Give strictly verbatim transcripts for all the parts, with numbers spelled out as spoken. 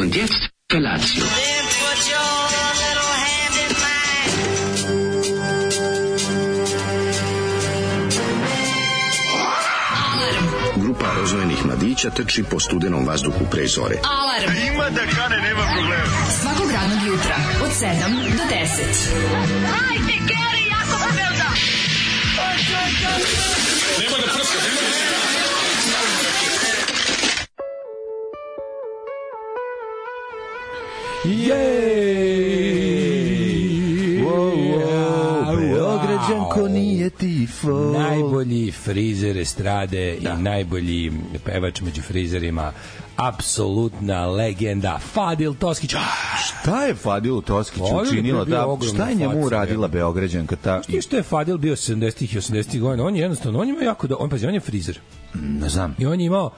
Und jetzt Felatio. Grupa rozvojenih mladića trči po studenom vazduhu pre zore. Alarm! Ima da kane, nema problema. Svakog radnog jutra, od sedam do deset. Hajde, Geri, jako se velda! Nema da prska, nema da prska. Jej! Beograđanko nije tifo. Najbolji frizer estrade da. I najbolji pevač među frizerima, apsolutna legenda Fadil Toskić. Šta je Fadil Toskić učinila? Da, šta je njemu uradila Beograđanka? Ta... Što, što je Fadil bio sedamdesetih i osamdesetih godina? On je jednostavno, on ima jako da, on, pazi, on je frizer. Ne znam. I on je imao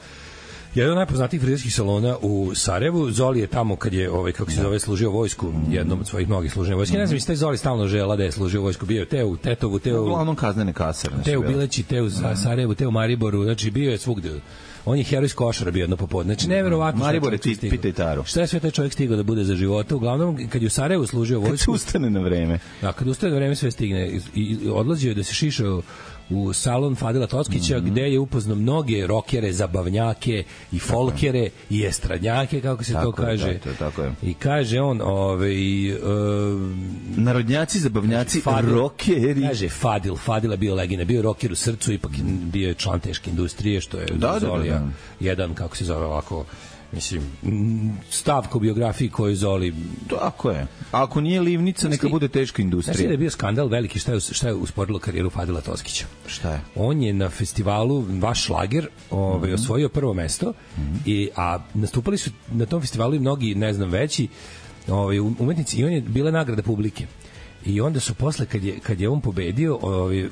jedan od najpoznatijih frizerskih salona u Sarajevu. Zoli je tamo kad je, ovaj, kako se zove, služio vojsku, jednom od svojih mnogih služenja vojske. Ne znam, mislim, taj Zoli stalno žela da je služio vojsku. Bio je te u Tetovu, te u... Uglavnom kaznene kase. Te u Bileći, te u Sarajevu, te u Mariboru. Znači, bio je svugde. On je heroj iz Košara bio jedno popodne. Znači, neverovatno. Maribor je pita i taru. Šta je sve taj čovjek stigao da bude za života? Uglavnom, kad je u Sarajevu služio vojsku... Kad ustane na vreme. Da, kad ustane na vreme sve stigne. I, i odlazio je da se šišao u salon Fadila Toskića, mm-hmm. gde je upoznao mnoge rokere, zabavnjake i folkere i estradnjake, kako se tako to kaže. Je, to, tako je. I kaže on, ovaj uh, narodnjaci, zabavnjaci, Fadil, rokeri. Kaže Fadil, Fadil je bio legenda, bio roker u srcu, ipak bio je član teške industrije, što je da, Zolija, da, da. jedan, kako se zove ovako, mislim, stavka u biografiji koju Zoli... Tako je. Ako nije livnica, neka bude teška industrija. Znači da je bio skandal veliki, šta je, šta je usporilo karijeru Fadila Toskića. Šta je? On je na festivalu Vaš šlager ovaj, mm-hmm. osvojio prvo mesto, mm-hmm. i, a nastupali su na tom festivalu i mnogi, ne znam, veći ovaj, umetnici, i on je bila nagrada publike. I onda su posle, kad je, kad je on pobedio, ovi,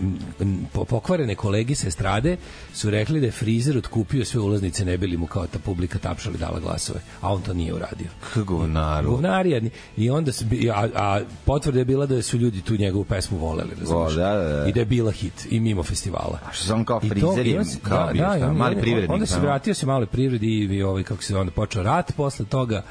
pokvarene kolegi sa estrade su rekli da je frizer otkupio sve ulaznice, ne bili mu kao ta publika tapšali dala glasove, a on to nije uradio. Govnaru. Govnari, i onda su, a, a potvrda je bila da su ljudi tu njegovu pesmu voleli, razumiješ? Da, da, da. I da je bila hit, i mimo festivala. A što sam kao frizer i kao da, bio, da, šta, mali privrednik. Onda se vratio se mali privredi i, i ovaj, kako se onda počeo rat posle toga,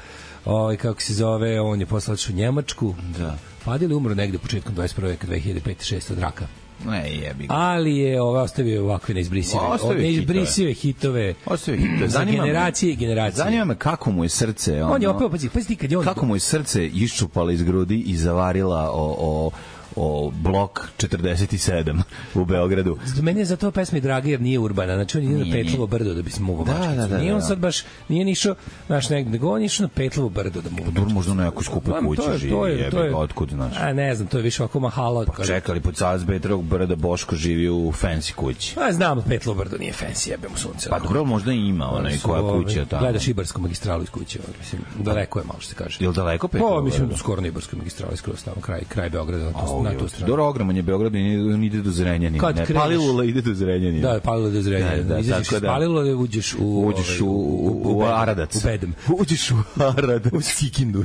ovaj, kako se zove, on je poslao u Njemačku. Da. Fadil umro negde početkom dvadeset prve veka, dve hiljade pete šeste od raka. Ne, jebi ga. Ali je ovaj ostavio ovakve neizbrisive, neizbrisive hitove. Ostavio hitove. Za generacije i generacije. Zanima me kako mu je srce. Ono, on je opet, pazi, pazi kad je on... Kako mu je srce iščupalo iz grudi i zavarila o... o o blok četrdeset sedam u Beogradu. Meni je za to pesma draga jer nije urbana. Znači on ide na Petlovo brdo da bi se mogao bačiti. Da, da, nije on sad baš, nije nišao, znaš, negde, nego on išao na Petlovo brdo da mogu. Dur možda na nekoj skupoj kući živi, jebe ga, otkud, znaš. A ne znam, to je više ovako mahala. Pa čekali, pod Salzbetrovog brda Boško živi u fancy kući. A znam, Petlovo brdo nije fancy, jebe mu sunce. Pa dobro, možda i ima onaj koja kuća tamo. Gledaš Ibarsku magistralu iz kuće, mislim, daleko je malo što se kaže. Jel daleko Petlovo? Pa, mislim, skoro na Ibarsku magistralu skroz tamo, kraj, kraj Beograda, na tu stranu. Ogroman je Beograd i on ide do Zrenjanina. Ne, Palilula ide do Zrenjanina. Da, Palilula do Zrenjanina. Da, da, izađeš iz Palilule, uđeš u... Uđeš u, u, u, u Aradac. U Bedem. Uđeš u Aradac. U Sikindu.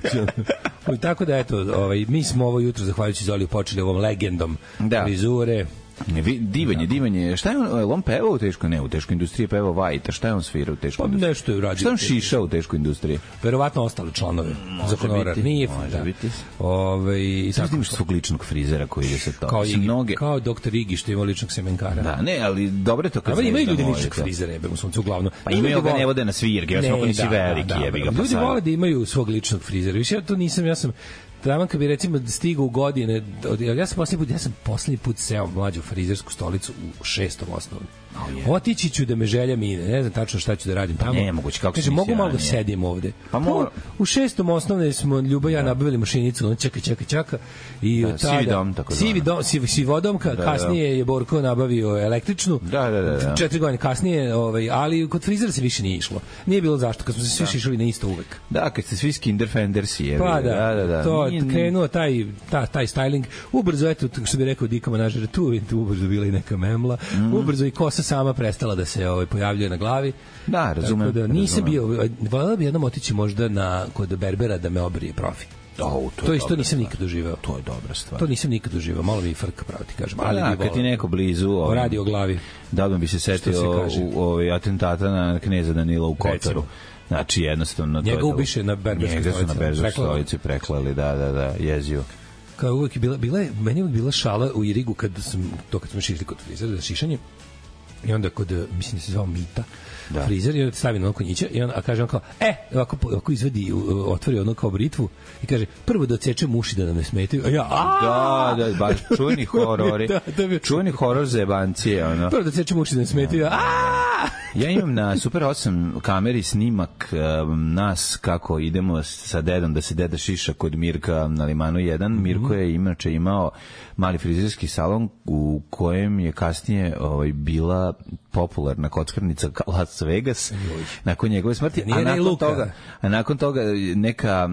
I tako da, eto, ovaj, mi smo ovo jutro, zahvaljujući Zoliju, počeli ovom legendom da. Frizure. Ne, divanje, divanje. Šta je on, on pevao u teškoj, ne, u teškoj industriji pevao Vajta, šta je on svirao u teškoj pa, industriji? Nešto je uradio. Šta on šišao u teškoj industriji? Verovatno ostali članove za honorar. Nije, može da. biti. Ove, i sad imaš svog ličnog frizera koji ide sa to. Kao, Igi, mnoge... kao doktor Igi što ima ličnog semenkara. Da, ne, ali dobro je to kad znaš. Imaju ljudi ličnog frizera, jebe mu sunce uglavnom. Pa imaju ga ne vode na svirke, ja sam ako nisi veliki, jebi ga. Ljudi vole da imaju svog ličnog frizera. Više ja to nisam, ja sam Taman kad bi recimo stigao u godine, ja sam poslednji put, ja sam poslednji put seo mlađu frizersku stolicu u šestom osnovnom. Oh, yeah. Otići ću da me želja mine, ne znam tačno šta ću da radim tamo. Ne, moguće, kako kaže, mogu malo da sedim ovde. Pa mo... U šestom osnovne smo Ljuba ja nabavili mašinicu, on čeka, čeka, čeka. I da, tada, sivi dom, tako sivi dom, sivi, sivodomka, da, kasnije da. je Borko nabavio električnu. Da, da, da, da. Četiri godine kasnije, ovaj, ali kod frizera se više nije išlo. Nije bilo zašto, kad smo se svi da. šišali na isto uvek. Da, kad ste svi Skinderfendersi, je. Pa da, da, da, da. To nije, krenuo taj, ta, taj styling. Ubrzo, eto, što bi rekao Dika Manažer, tu, tu ubrzo bila i neka memla. Mm. Ubrzo i kosa sama prestala da se ovaj pojavljuje na glavi. Da, razumem. Da nisam razumem. bio, voleo bi jednom otići možda na kod berbera da me obrije profi. Oh, to, to isto nisam nikad doživeo. To je dobra stvar. To nisam nikad doživeo. Malo mi frka, pravo ti kažem. Ali da, kad ti neko blizu ovaj, radi o glavi. Da bi se setio u ovaj atentata na kneza Danila u Kotaru. Znači jednostavno njega to je ubiše na berberskoj stolici. Na berberskoj stolici preklali, da, da, da, jezio. Kao uvek je bila, bila je, meni je uvek bila šala u Irigu kad sam, to kad smo šišli kod frizera za šišanje. I onda kod, mislim da se zvao Mita, da. frizer, i onda stavi na konjića i on, a kaže on kao, e, ovako, ovako izvedi, otvori ono kao britvu i kaže, prvo da odsečem uši da nam ne smetaju, a ja, a da, da, baš čuveni horori, da, da bi... čuveni horor za jebancije, ono. Prvo da odsečem uši da ne smetaju, a ja imam na Super osam kameri snimak um, nas kako idemo sa dedom da se deda šiša kod Mirka na Limanu jedan. Mm-hmm. Mirko je inače imao mali frizerski salon u kojem je kasnije ovaj, bila popularna kockarnica Las Vegas. Joj. Nakon njegove smrti, a nakon, toga, a nakon toga neka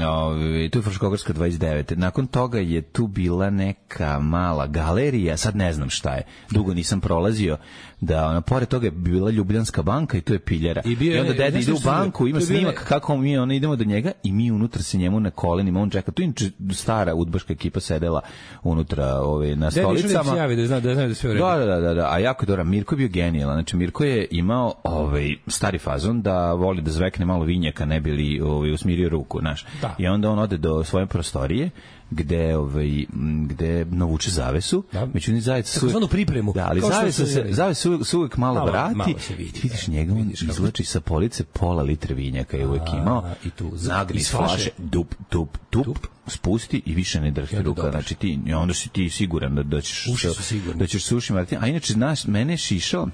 Ove, tu je Fruškogorska dvadeset devet. Nakon toga je tu bila neka mala galerija, sad ne znam šta je. Dugo nisam prolazio. Da, ona pored toga je bila Ljubljanska banka i to je piljara. I, bio, I onda deda ide u banku, ima snimak kako mi ona idemo do njega i mi unutra se njemu na kolenima, on čeka. Tu je stara udbaška ekipa sedela unutra ove, na stolicama. Da, da zna, da zna da sve u redu. Da, da, da, da, a jako dobro. Mirko je bio genijalan. Znači, Mirko je imao ovaj, stari fazon da voli da zvekne malo vinjaka, ne bi li ovaj, usmirio ruku, znaš. Da. I onda on ode do svoje prostorije gde ovaj gde navuče zavesu, da. Međutim zavesu takozvanu pripremu. Da, ali zavesa se zavesu se uvek malo, malo vrati. Malo vidi, vidiš njega, on izvlači sa police pola litre vinjaka je uvek imao i tu nagri iz flaše, dup, dup, dup, dup, spusti i više ne drhti ruka. Dobro. Znači ti onda si ti siguran da da ćeš da ćeš suši Martin. A inače znaš, mene šišao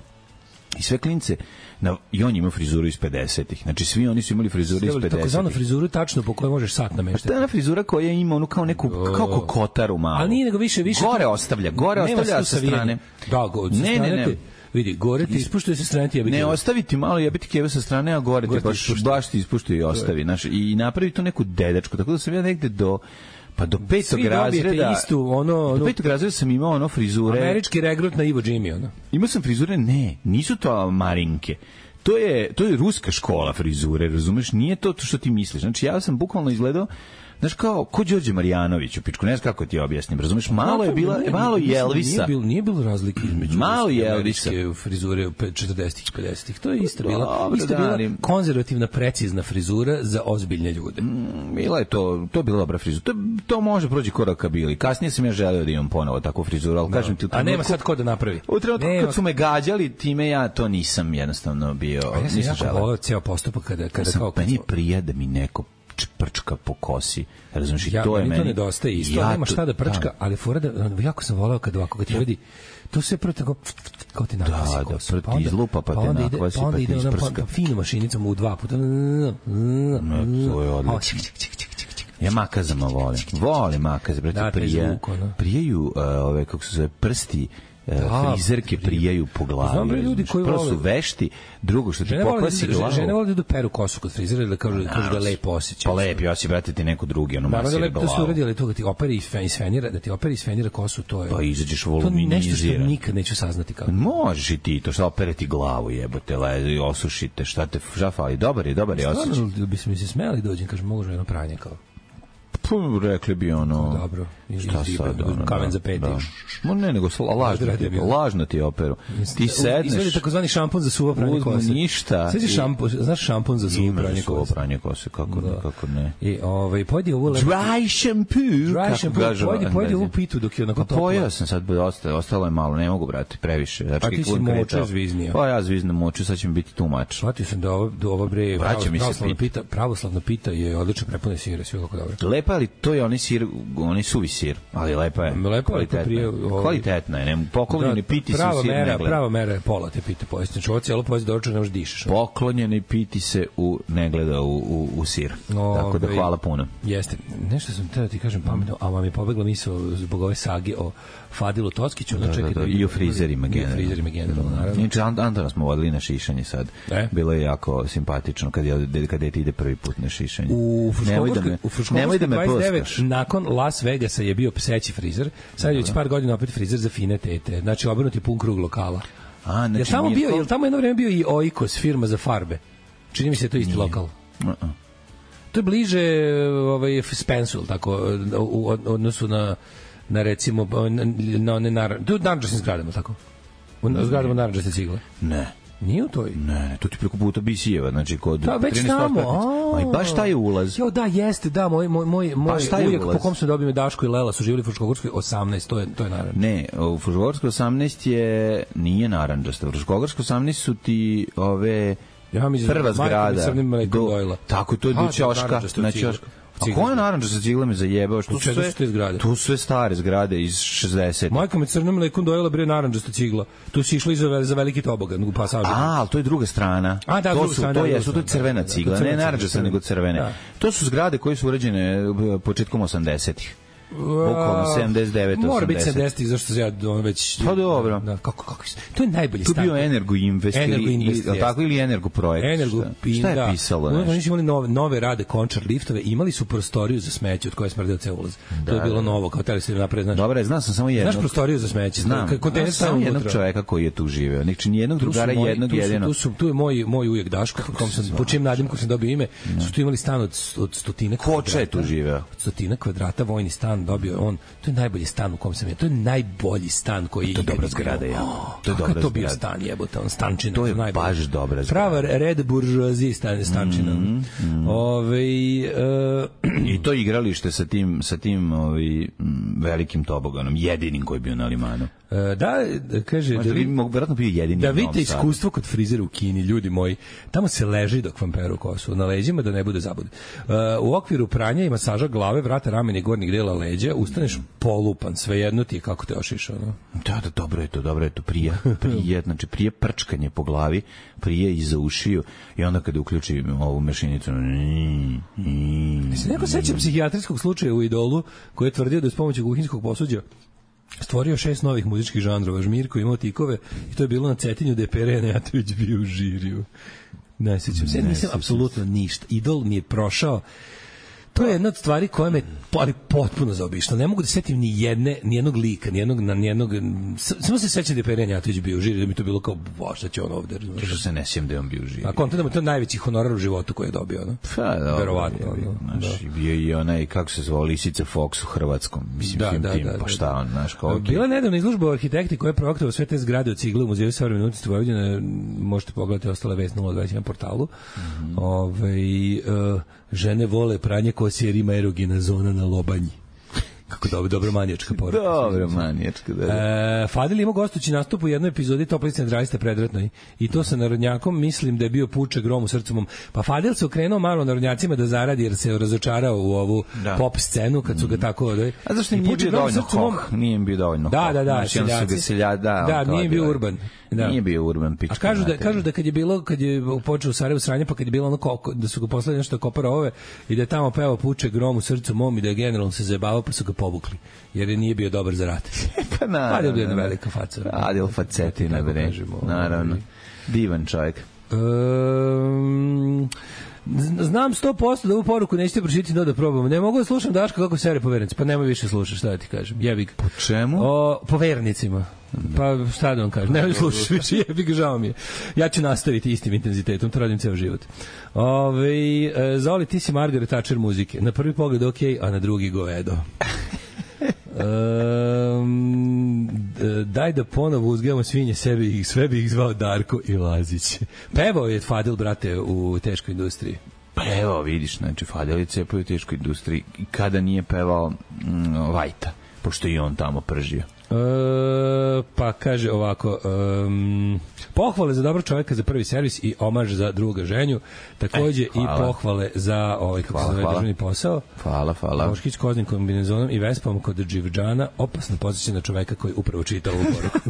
i sve klince na, i on ima frizuru iz pedesetih. Znači svi oni su imali frizuru iz pedesetih. Takozvanu frizuru tačno po kojoj možeš sat nameštati. Ta frizura koja ima onu kao neku kao kokotaru malo. Ali nije nego više više gore ostavlja, gore ostavlja sa strane. Da, go, ne, ne, ne. Vidi, gore ti ispuštuje sa strane ti jebiti. Ne, ostaviti malo jebiti keve sa strane, a gore, gore ti baš baš ti ispuštuje i ostavi, znaš, i napravi tu neku dedačku. Tako da sam ja negde do Pa do petog razreda istu, ono, ono, do petog razreda sam imao ono frizure. Američki regrut na Ivo Jimmy, ono. Imao sam frizure, ne, nisu to marinke. To je, to je ruska škola frizure, razumeš? Nije to što ti misliš. Znači, ja sam bukvalno izgledao, znaš, kao, ko Đorđe Marjanović u pičku, ne znam kako ti objasnim, razumeš? Malo je bila, malo i Elvisa. Nije bilo, nije bilo razlike između malo i Elvisa. Frizure četrdesetih i pedesetih. To je isto bila, isto bila konzervativna, precizna frizura za ozbiljne ljude. Mm, bila je to, to je bila dobra frizura. To, to može prođi koraka bili. Kasnije sam ja želeo da imam ponovo takvu frizuru, ali no. kažem ti u trenutku, a nema sad ko da napravi. U trenutku nema. Kad su me gađali, time ja to nisam jednostavno bio. A ja sam jako voleo ceo postupak kada, kada ja kao... Meni prija da mi neko prčka po kosi, razumiješ, ja, i to je meni... to nedostaje isto, ja nema šta da prčka, da. Ali fora da, jako sam voleo kad ovako, kad ti vidi, to sve prvo tako, kao ti nakvasi da, kosu. Da, prvo ti izlupa, pa te nakvasi, pa ti isprska. Pa finu mašinicom u dva puta. Ne, to je odlično. Ja makazama volim. Volim makaze, brate, prije, prijeju ove, kako se zove, prsti, da, frizerke prijaju po glavi. Znam bre ljudi koji prvo vole. Su vešti, drugo što ti poklasi glavu. Žene vole da peru kosu kod frizera da kažu da ga lepo osjeća. Pa lepo, ja si brate ti neko drugi, ono masira glavu. Da, da, to su uradili to da ti operi i sfenira, da ti operi i sfenira kosu, to je. Pa izađeš voluminiziran. To nešto što nikad neću saznati kako. Možeš i ti to, šta opereti glavu, jebote, lezi, osušite, šta te šta fali. Dobar je, dobar je osjećaj. Stvarno bi se mi se smeli dođem, kažem, mogu jedno pranje kao. Pa, rekli bi ono... Dobro. Šta sad? Ono, kamen za peti. Da. No, ne, nego lažno ti, lažno ti operu. Ti sedneš... Izvedi takozvani šampon za suvo pranje kose. Uzmo ništa. Sveći šampon, znaš šampon za suvo pranje kose? Suvo pranje kose, kako ne, kako ne. I, ovaj, pojedi ovo... Dry shampoo! Dry shampoo, pojedi, pojedi ovu pitu dok je onako topla. Pa pojeo sam sad, ostalo je malo, ne mogu, brate, previše. A ti si moča zviznio. Pa ja zvizno moču, sad će mi biti too much. Shvatio sam da ovo bre... Pravoslavna pita je odlično prepune sire, sve kako dobro. Lepa, ali to je onaj sir, onaj suvi sir, ali lepa je. Lepa kvalitetna. Prije, ovaj, kvalitetna je, ne, poklonjeni da, piti se u sir mera, ne gleda. Prava mera je pola te pite pojesti. Znači ovo cijelo pojesti doručak ne možeš dišeš. Poklonjeni piti se u ne gleda u, u, u sir. O, tako da hvala puno. Jeste. Nešto sam teo ti kažem pametno, a vam je pobegla misao zbog ove sage o Fadilu Tockiću. Da, da, da, da, i o frizerima generalno. I o frizerima generalno, naravno. Inače, Antona smo vodili na šišanje sad. E? Bilo je jako simpatično kad je, kad je ti ide prvi put na šišanje. U Fruškogorskoj da dvadeset devet nakon Las Vegasa je bio pseći frizer. Sad je već par godina opet frizer za fine tete. Znači, obrnuti pun krug lokala. A, znači, je tamo bio, je tamo jedno vreme bio i Oikos, firma za farbe. Čini mi se to isti nije. Lokal. Uh-uh. To je bliže ovaj, Spensu, tako, u odnosu na, na recimo, na one naranđe. To je u naranđastim zgradama, tako? U zgradama naranđaste cigle. Ne. Nije u toj? Ne, ne, to ti preko puta Bisijeva, znači kod da, već tamo. Ma i baš taj je ulaz. Jo, da, jeste, da, moj moj moj moj ujak po kom se dobio Daško i Lela su živjeli u Fruškogorskoj osamnaest, to je to je naravno. Ne, u Fruškogorskoj osamnaest je nije narandžasta. U Fruškogorskoj osamnaest su ti ove ja mi prva zgrada. Do, tako to je do ćoška, na ćošku. A ko je naranđa sa ciglama zajebao? Što su sve zgrade? Tu sve stare zgrade iz šezdesetih. Majka me crnom mlekom dojela bre naranđasta cigla. Tu si išla za, za veliki tobogan u pasažu. A, ali to je druga strana. A, da, to su, strana, to je, su to crvena cigla, ne naranđasta nego crvene. Da. To su zgrade koje su urađene početkom osamdesetih. Bukvalno sedamdeset devet osamdeset. Mora biti sedamdeset zašto se ja on već. Pa dobro. Da, kako kako to je najbolji stan. Tu bio Energo Invest ili tako ili Energo projekt. Energo, šta je pisalo? Oni su imali nove nove rade Končar liftove, imali su prostoriju za smeće od koje smrdeo ceo ulaz. Da, to je bilo novo, kao tele se napred, znači. Dobro, znam sam samo jednog. Znaš prostoriju za smeće, znam. Kontejner samo jednog čoveka koji je tu živeo. Znači ni jednog drugara, jednog jedinog. Tu su tu je moj moj ujak Daško, kom sam po čijem nadimku sam dobio ime, su tu imali stan od od stotina kvadrata. Koče je tu živeo. Stotina kvadrata vojni stan dobio on. To je najbolji stan u kom sam ja. To je najbolji stan koji to je dobra zgrada, ja. To je dobra. To bio stan, jebote, on stančina. To je baš dobra zgrada. Prava red buržoazija stan stančina. Mm, mm. Ove, uh, i to igralište sa tim sa tim ovaj velikim toboganom, jedinim koji je bio na Limanu. Da, kaže, da vi mogu verovatno bio jedini. Da vidite iskustvo kod frizera u Kini, ljudi moji. Tamo se leži dok vam peru kosu na leđima da ne bude zabude. Uh, u okviru pranja i masaža glave, vrata, ramena i gornjeg dela leđa, ustaneš polupan, svejedno ti je kako te ošišao, no? Da, da, dobro je to, dobro je to, prije, prije, znači prije prčkanje po glavi, prije iza ušiju i onda kada uključi ovu mešinicu. Se neko seća psihijatrijskog slučaja u Idolu koji je tvrdio da je s pomoću kuhinjskog posuđa stvorio šest novih muzičkih žanrova. Žmirko imao tikove i to je bilo na Cetinju gde je Pere Nejatović bio u žiriju. Ne sjećam se, nisam apsolutno ništa. Idol mi je prošao To je jedna od stvari koja me ali potpuno zaobišla. Ne mogu da setim ni jedne, ni jednog lika, ni jednog, ni jednog, samo se sećam da je Pere Janjatović bio živ, da mi to bilo kao, bo, šta će on ovde? Što se ne sjećam da je on bio živ. A konta da mu to najveći honorar u životu koji je dobio, no? Pa, dobro. Verovatno. Znači, bio i onaj, kako se zvao, Lisica Fox u Hrvatskom. Mislim, da, tim, da, tim, da, pa šta on, znaš, kao... Bila je nedavna izložba o arhitekti koja je projektovao sve te zgrade od cigle u Muzeju savremene umetnosti Vojvodine, možete pogledati ostale vest nula dvadeset jedan portalu. Mm-hmm. Ove, uh, žene vole pranje kose jer ima erogena zona na lobanji. Kako dobro, dobro manijačka poruka. Dobro manijačka, da. E, Fadil ima gostući nastup u jednoj epizodi Toplice centraliste predratnoj i to sa narodnjakom, mislim da je bio Puče grom u srcu mom. Pa Fadil se okrenuo malo narodnjacima da zaradi jer se razočarao u ovu da. pop scenu kad su ga tako... Da, a zašto nije bio dovoljno hoh? Nije bio dovoljno da, hoh. Da, da, da, seljaci. Selja, da, da nije bio urban. Da. Nije bio urban pička. A kažu da kažu da kad je bilo kad je počeo u Sarajevu sranje, pa kad je bilo ono ko, da su ga poslali nešto kopara ove i da je tamo pevao Puče grom u srcu mom i da je generalno se zajebavao pa su ga povukli jer je nije bio dobar za rat. Pa naravno. Adil bio jedna velika faca. Adil facetina, bre. Naravno. Divan čovjek. Um, znam sto posto da ovu poruku nećete pročitati, no da probamo. Ne mogu da slušam Daška kako sere po vernici. Pa nemoj više slušaš, šta da ti kažem. Jebi ga. Po čemu? O, po vernicima. Pa šta da vam kažem, nemoj slušaš više, jebi ga, žao mi je. Ja ću nastaviti istim intenzitetom, to radim ceo život. Ove, Zoli, ti si Margaret Thatcher muzike. Na prvi pogled ok, a na drugi govedo. Um, daj da ponovo uzgajamo svinje sebi i sve bi ih zvao Darko i Lazić. Pevao je Fadil, brate, u teškoj industriji. Pa evo, vidiš, znači Fadil je cepao u teškoj industriji i kada nije pevao mm, Vajta, pošto i on tamo pržio. E, pa kaže ovako, um, pohvale za dobro čovjeka za prvi servis i omaž za druga ženju, takođe e, i pohvale za ovaj kako se zove državni posao. Hvala, hvala. Moškić koznim kombinezonom i vespom kod Dživđana, opasno podsjeća na čoveka koji upravo čita ovu poruku.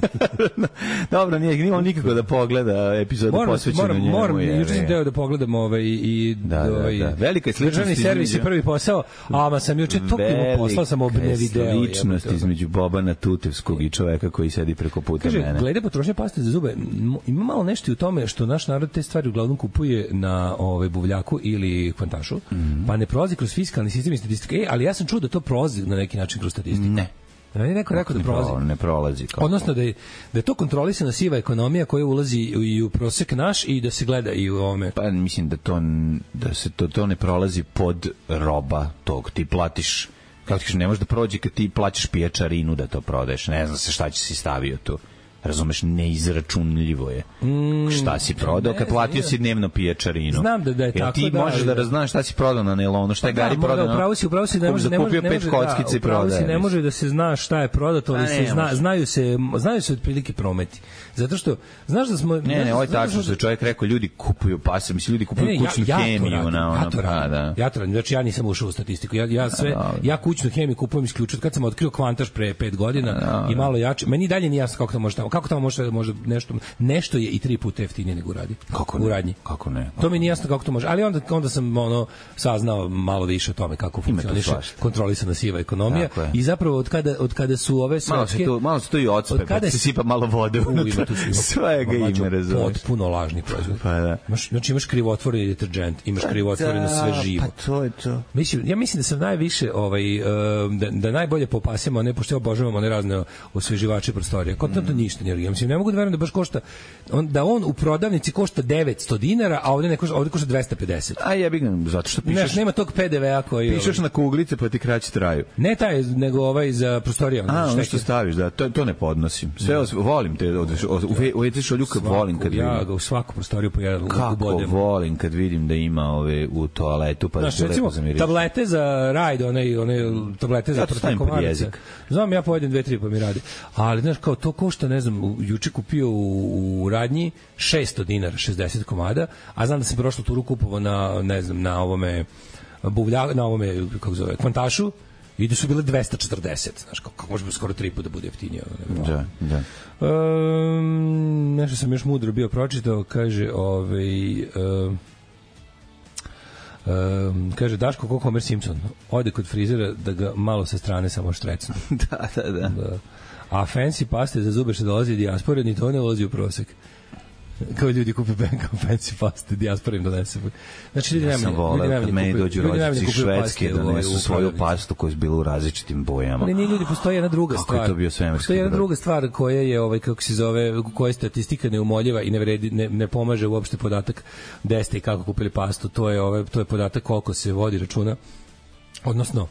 Dobro, nije nije nikako da pogleda epizodu posvećenu njemu. Moram, moram, juče sam teo da pogledam ovaj i da, da, ovaj da. Velika sličnost državni servis je prvi posao, a ma sam juče toliko poslao sam obne video. Sličnost između Bobana Tutevskog i čoveka koji sedi preko puta kaže, mene. Glede potrošnje paste za zube, ima malo nešto u tome što naš narod te stvari uglavnom kupuje na ovaj buvljaku ili kvantašu, mm-hmm. pa ne prolazi kroz fiskalni sistem i statistiku. E, ali ja sam čuo da to prolazi na neki način kroz statistiku. Ne. Da je neko rekao da prolazi. Ne prolazi. Kako? Odnosno da je, da je to kontrolisana siva ekonomija koja ulazi i u prosek naš i da se gleda i u ovome. Pa mislim da to da se to to ne prolazi pod roba tog. Ti platiš, kako ti kažeš, ne možeš da prođe kad ti plaćaš pijačarinu da to prodaješ. Ne znam se šta će si stavio tu. Razumeš, neizračunljivo je. Mm, šta si prodao kad platio si dnevno pijačarinu? Znam da, da je tako. Ti da, možeš da, da raznaš šta si prodao na nelonu, šta je pa Gari da, prodao. Upravo si, upravo si, ne može, ne može, ne može, da, upravo si, ne može da se zna šta je prodato, ali se zna, znaju se, znaju se otprilike prometi. Zato što, znaš da smo... Ne, ne, ovo je tačno što je čovjek rekao, ljudi kupuju pase, mislim, ljudi kupuju ne, kućnu ja, hemiju. Ja na ono, ja to radim, pa, da. ja to radim, znači ja nisam ušao u statistiku. Ja, ja, sve, da, ja kućnu hemiju kupujem isključio. Kad sam otkrio kvantaž pre pet godina da, i malo jače, meni dalje nije jasno kako tamo može tamo, kako tamo može, može nešto, nešto je i tri puta jeftinije nego radi. Kako u radnji. Kako ne? To mi nije jasno kako to može. Ali onda, onda sam ono, saznao malo više o tome kako funkcioniše kontrolisana siva ekonomija. I zapravo od kada, od kada su ove svetske... Malo se to i odspe, pa se sipa malo vode unutra. Svega ima, razumeš. Potpuno lažni proizvod. Pa da. Imaš, znači imaš krivotvoreni deterđent, imaš pa krivotvoreno sve živo. Pa to je to. Mislim, ja mislim da sam najviše ovaj da, da najbolje popasimo, ne pošto obožavamo one razne osveživače prostorija. Kod mm. to ništa ne ja mislim, ne mogu da verujem da baš košta on, da on u prodavnici košta devetsto dinara, a ovde ne košta, ovde košta dvesta pedeset. A ja bih zato što pišeš. Ne, nema tog pe de ve a koji pišeš ovaj, na kuglice pa ti kraće traju. Ne taj, nego ovaj za prostoriju. A, ono što staviš, da, to, to ne podnosim. Sve os, volim te, od, od, u već šoljuka volim kad vidim. Ja ga u svaku prostoriju po jedan kako volim kad vidim da ima ove u toaletu pa da se lepo zamiriš. Tablete za rajd, one one tablete za protiv komaraca. Znam, ja pojedem dve tri pa mi radi. Ali znaš kao to košta, ne znam, juče kupio u, u radnji šesto dinara, šezdeset komada, a znam da sam prošlu turu kupovao na, ne znam, na ovome buvlja, na ovome, kako zove, kvantašu, i da su bile dvesta četrdeset, znaš, kako, kako može skoro tri puta da bude jeftinije. Da, da. Um, nešto sam još mudro bio pročitao, kaže, ovaj... Um, Um, kaže Daško kako Homer Simpson ode kod frizera da ga malo sa strane samo štrecnu. da, da, da, da. A fancy paste za zube što dolazi dijaspore, ni to ne ulazi u prosek. Kao ljudi kupe Benko fancy paste, dijaspora im donese. Znači ljudi ja sam voleo kad meni dođu rođaci iz Švedske da donesu svoju pastu koja je bila u različitim bojama. Ali nije ljudi, postoji jedna druga stvar. Kako je to bio svemirski? Postoji jedna druga stvar koja je, ovaj, kako se zove, koja statistika neumoljiva i ne, vredi, ne, ne pomaže uopšte podatak gde ste i kako kupili pastu. To je, ovaj, to je podatak koliko se vodi računa. Odnosno,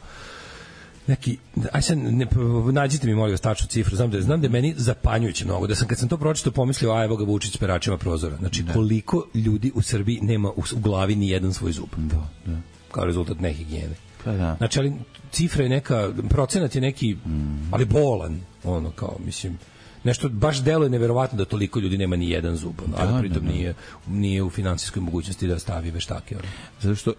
neki, aj sad, ne, nađite mi molim vas tačnu cifru, znam da, znam da je meni zapanjujuće mnogo, da sam kad sam to pročitao pomislio, a evo ga Vučić s peračima prozora. Znači, da. Koliko ljudi u Srbiji nema u, u glavi ni jedan svoj zub. Da, da. Kao rezultat nehigijene. Pa da. Znači, ali cifra je neka, procenat je neki, mm. ali bolan, ono, kao, mislim, nešto baš deluje neverovatno da toliko ljudi nema ni jedan zub, ono, ali da, pritom da, da. Nije, nije u finansijskoj mogućnosti da stavi veštake. Ono. Zato što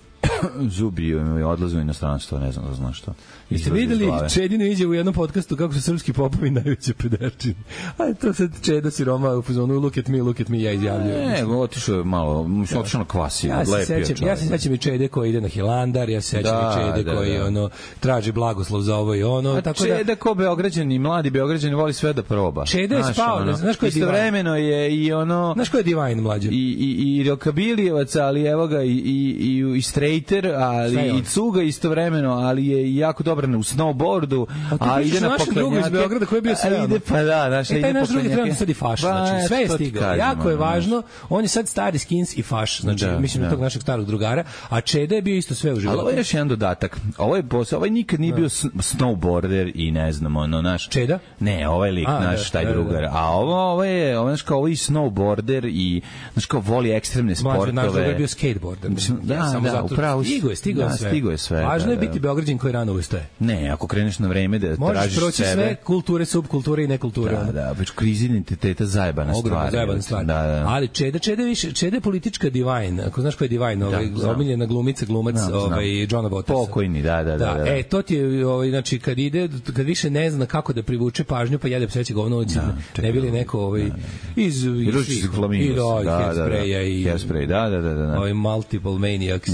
zubi odlaze u inostranstvo, ne znam da znaš što. Jeste videli Čedinu iđe u jednom podcastu kako su srpski popovi najveće pederčine. A to sad Čeda siroma u fazonu look at me, look at me, ja izjavljujem. Ne, otišao je malo, mislim, otišao na kvasi, ja lepio čovjek. Ja se sećam i Čede koji ide na Hilandar, ja se sećam da, i Čede da, koji da. ono, traži blagoslov za ovo i ono. A tako Čeda da, ko Beograđani, mladi Beograđani voli sve da proba. Čeda je spao, ono, znaš ko je Divine? Istovremeno je i ono... Znaš ko je Divine, mlađe? I, i, i rokabilijevac, ali evo ga, i, i, i, i strejter, ali i cuga istovremeno, ali je jako dobar na snowboardu, a, a ide na poklanjake. Iz Beograda koji je bio sve. Ide pa da, naš ide naš drugi trenutno sad i faš, znači sve je stigao. Jako je važno, on je sad stari skins i faš, znači da, mislim da tog našeg starog drugara, a Čeda je bio isto sve u životu. Ali ovo je još jedan dodatak. Ovo je posao, ovaj nikad nije bio snowboarder i ne znam, ono naš. Čeda? Ne, ovaj lik a, naš taj da, drugar. Da, da. A ovo, ovo je, ovo je kao ovaj snowboarder i znači kao voli ekstremne sportove. Naš drugar je bio skateboarder. Mislim, da, ja, samo da, zato upravo stigo je, stigo da, sve. Stigo je sve. Važno da, je biti Beograđan koji rano ustaje. Ne, ako kreneš na vreme da možeš tražiš proći sebe. Sve kulture, subkulture i nekulture. Da, da, već krizi identiteta zajebana stvar. Ogromna zajebana stvar. Da, da. Ali Čeda, Čeda više, Čeda je politička Divine. Ako znaš ko je Divine, ovaj da, omiljena glumica, glumac, znam, ovaj Johna Watersa. Pokojni, da, da, da, da. Da, e to ti je ovaj znači kad ide, kad više ne zna kako da privuče pažnju, pa jede pseće govno ulici. Da, ne bili neko ovaj da, da. iz iz Flamingos, da, da, da, i Hairspray, da, da, da, da. Ovaj multiple maniacs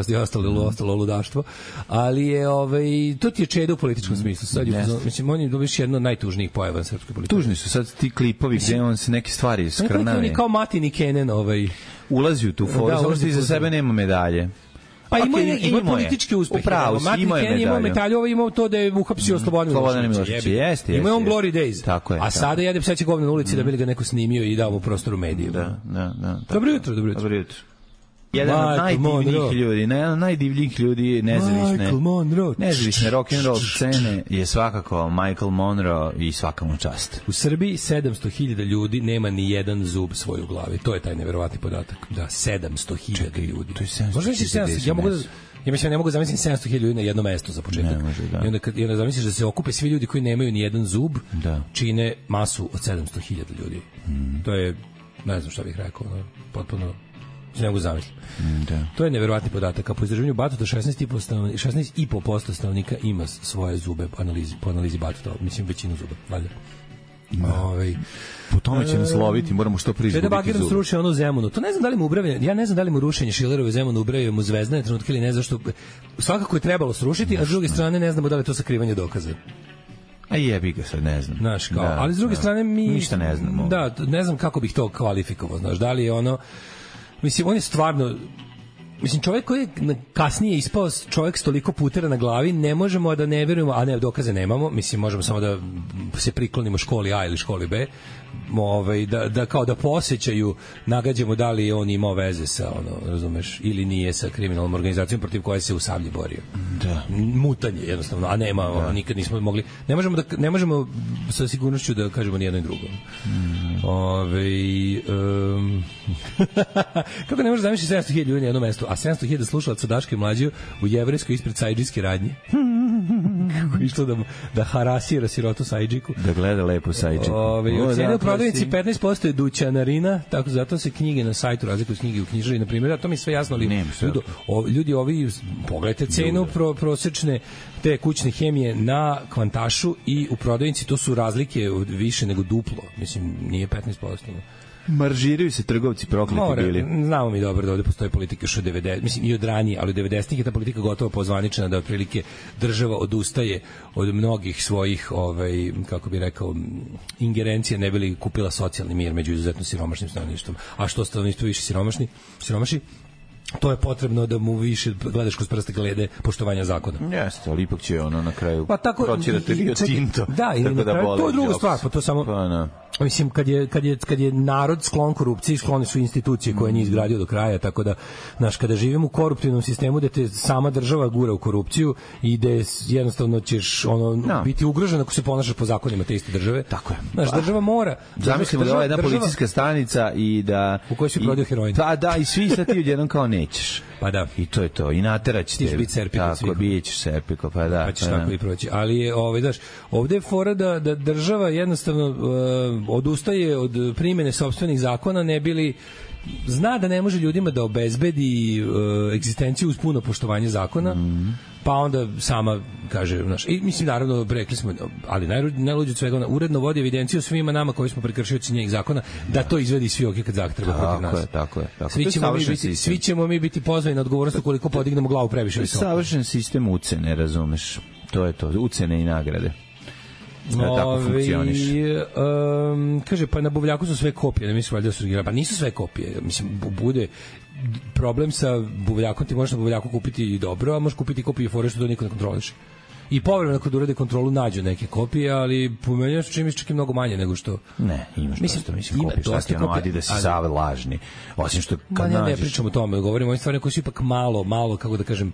i ostalo ostalo ludaštvo. Ali je ovaj to ti je Čeda u političkom smislu. Sad je, mislim, on je dobiš jedno od najtužnijih pojava na srpskoj politici. Tužni su sad ti klipovi gde on se neke stvari skrnavi. On je kao Matini Kenen, ovaj ulazi u tu foru, samo što iza sebe nema medalje. Pa ima okay, ima, ima politički uspeh. Upravo, ima je imao medalju, ovo imao to da je uhapsio Slobodan Milošević. Jeste, ima on Glory Days. Tako je. A sada jede pseće govno na ulici da bi ga neko snimio i dao mu prostor u medijima. Da, da, da. Dobro jutro, dobro jutro. Dobro jutro. Jedan od najdivljih ljudi, jedan od najdivljih ljudi nezavisne, nezavisne rock'n'roll scene je svakako Michael Monroe i svaka mu čast. U Srbiji sedamsto hiljada ljudi nema ni jedan zub svoj u glavi. To je taj neverovatni podatak. Da, sedamsto hiljada ljudi. To je sedamsto hiljada. Ja mogu da Ja mislim, ne mogu zamisliti sedamsto hiljada ljudi na jedno mesto za početak. Ne može, da. I onda, kad, i onda zamisliš da se okupe svi ljudi koji nemaju ni jedan zub, da. Čine masu od sedamsto hiljada ljudi. Mm. To je, ne znam šta bih rekao, no, potpuno ne mogu zamisliti. Da. To je neverovatni podatak. A po istraživanju Batuta šesnaest i po posto stanovnika ima svoje zube po analizi, po analizi Batuta. Mislim, većinu zuba. Valjda. Ovaj po tome će nas loviti, moramo što pre izgubiti. Da Bakirom sruši ono Zemunu. To ne znam da li mu ubrave, ja ne znam da li mu rušenje Šilerove Zemunu ubrave mu zvezdane trenutke ili ne, zašto svakako je trebalo srušiti, a s druge strane ne znamo da li je to sakrivanje dokaza. A jebi ga sad, ne znam. Znaš, kao, da, ali s druge da. strane mi ništa ne znamo. Da, ne znam kako bih to kvalifikovao, znaš, da li je ono, mislim, on je stvarno, mislim, čovjek koji je kasnije ispao čovjek s toliko putera na glavi, ne možemo da ne verujemo, a ne, dokaze nemamo, mislim, možemo samo da se priklonimo školi A ili školi B, ovaj, da, da kao da posjećaju, nagađamo da li on imao veze sa, ono, razumeš, ili nije sa kriminalnom organizacijom protiv koje se u Sablji borio. Da. Mutanje, jednostavno, a nema, da. Nikad nismo mogli, ne možemo, da, ne možemo sa sigurnošću da kažemo ni jedno i drugo. Mm. Ove, um, kako ne možeš zamisliti sedamsto hiljada ljudi na jednom mestu, a sedamsto hiljada slušalaca Daške Mlađe u jevrejskoj ispred sajdžijske radnje. Kako išlo da, da harasira sirotu sajdžiku. Da gleda lepo sajdžiku. Ove, cijene u prodavnici petnaest posto je dućanarina, tako zato se knjige na sajtu razlikuju s knjige u knjižari, na primjer, a to mi je sve jasno, ali ljudi, o, ljudi ovi, pogledajte cenu pro, prosečne te kućne hemije na Kvantašu i u prodavnici, to su razlike više nego duplo, mislim, nije petnaest posto. Maržiraju se trgovci prokleti More, bili. Znamo mi dobro da ovde postoje politika što devedesetih, mislim i od ranije, ali u devedesetih je ta politika gotovo pozvaničena da otprilike država odustaje od mnogih svojih ovaj kako bi rekao ingerencija ne bili kupila socijalni mir među izuzetno siromašnim stanovništvom. A što stanovništvo više siromašni, siromaši, to je potrebno da mu više gledaš kroz prste glede poštovanja zakona. Jeste, ali ipak će ono na kraju pa tako proćirati Rio Tinto. Da, i na kraju, to je druga stvar, pa to samo... Pa, no. Mislim, kad je, kad, je, kad je narod sklon korupciji, sklone su institucije koje nije izgradio do kraja, tako da, znaš, kada živimo u koruptivnom sistemu gde te sama država gura u korupciju i gde jednostavno ćeš ono, no. biti ugrožen ako se ponašaš po zakonima te iste države. Tako je. Znaš, država mora... Zamislimo da je jedna država, policijska stanica i da... U kojoj si prodio heroin. Pa da, i svi sad ti odjednom kao nećeš. Pa da. I to je to. I naterać te. Ti biti serpiko. Tako, bićeš serpiko, pa da. Pa ćeš pa tako da. I proći. Ali je, ovaj, daš, ovde je fora da, da država jednostavno uh, odustaje od primene sopstvenih zakona, ne bili zna da ne može ljudima da obezbedi uh, egzistenciju uz puno poštovanje zakona, mm. pa onda sama kaže, znaš, i mislim, naravno, rekli smo, ali najluđe od svega, ona uredno vodi evidenciju svima nama koji smo prekršioci njenih zakona, da to izvedi svi ok kad zakon treba protiv nas. Tako je, tako je. Tako. Svi, ćemo mi biti, svi ćemo mi biti pozvani na odgovornost ukoliko podignemo glavu previše visoko. Savršen sistem ucene, razumeš? To je to, ucene i nagrade. Da tako funkcioniš. Um, kaže, pa na Buvljaku su sve kopije, ne mislim valjda su originalne. Pa nisu sve kopije. Mislim, bude problem sa Buvljakom, ti možeš na Buvljaku kupiti i dobro, a možeš kupiti kopije i fore što to niko ne kontroliš. I povremeno kad urede kontrolu nađu neke kopije, ali po meni su čim čak i mnogo manje nego što... Ne, imaš mislim, dosta, mislim, ima kopije, dosta kopije, adi da si ali, sav lažni. Osim što kad nađeš... Ne, ne pričam o tome, govorimo o ovim stvarima koji su ipak malo, malo, kako da kažem,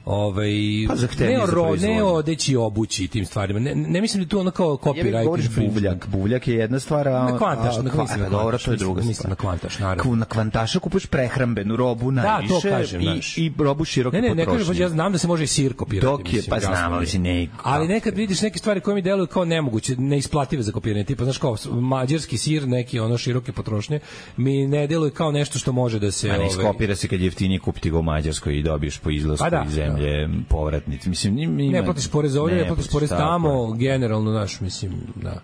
ovaj pa ne o ro, ne o odeći obući tim stvarima. Ne, ne mislim da tu ono kao copyright. Govoriš buvljak, buvljak je jedna stvar, a na kvantaš, na kvantaš, dobro, to je druga stvar. Mislim na kvantaš, naravno. Na kvantaša kupuješ prehrambenu robu najviše, da, to kažem, i, i robu široke potrošnje. Ne, ne, ne kažem, ja znam da se može i sir kopirati. Dok je, pa znamo, mislim, ne. Ali nekad vidiš neke stvari koje mi deluju kao nemoguće, neisplative za kopiranje, tipa, znaš, kao mađarski sir, neki ono široke potrošnje, mi ne deluje kao nešto što može da se... A ne iskopira se kad je jeftinije kupiti ga u Mađarskoj i dobiješ po izlasku iz zemlje povratnici. Mislim, ima, ne platiš porez ovdje, ne platiš porez tamo, generalno, naš, mislim, da.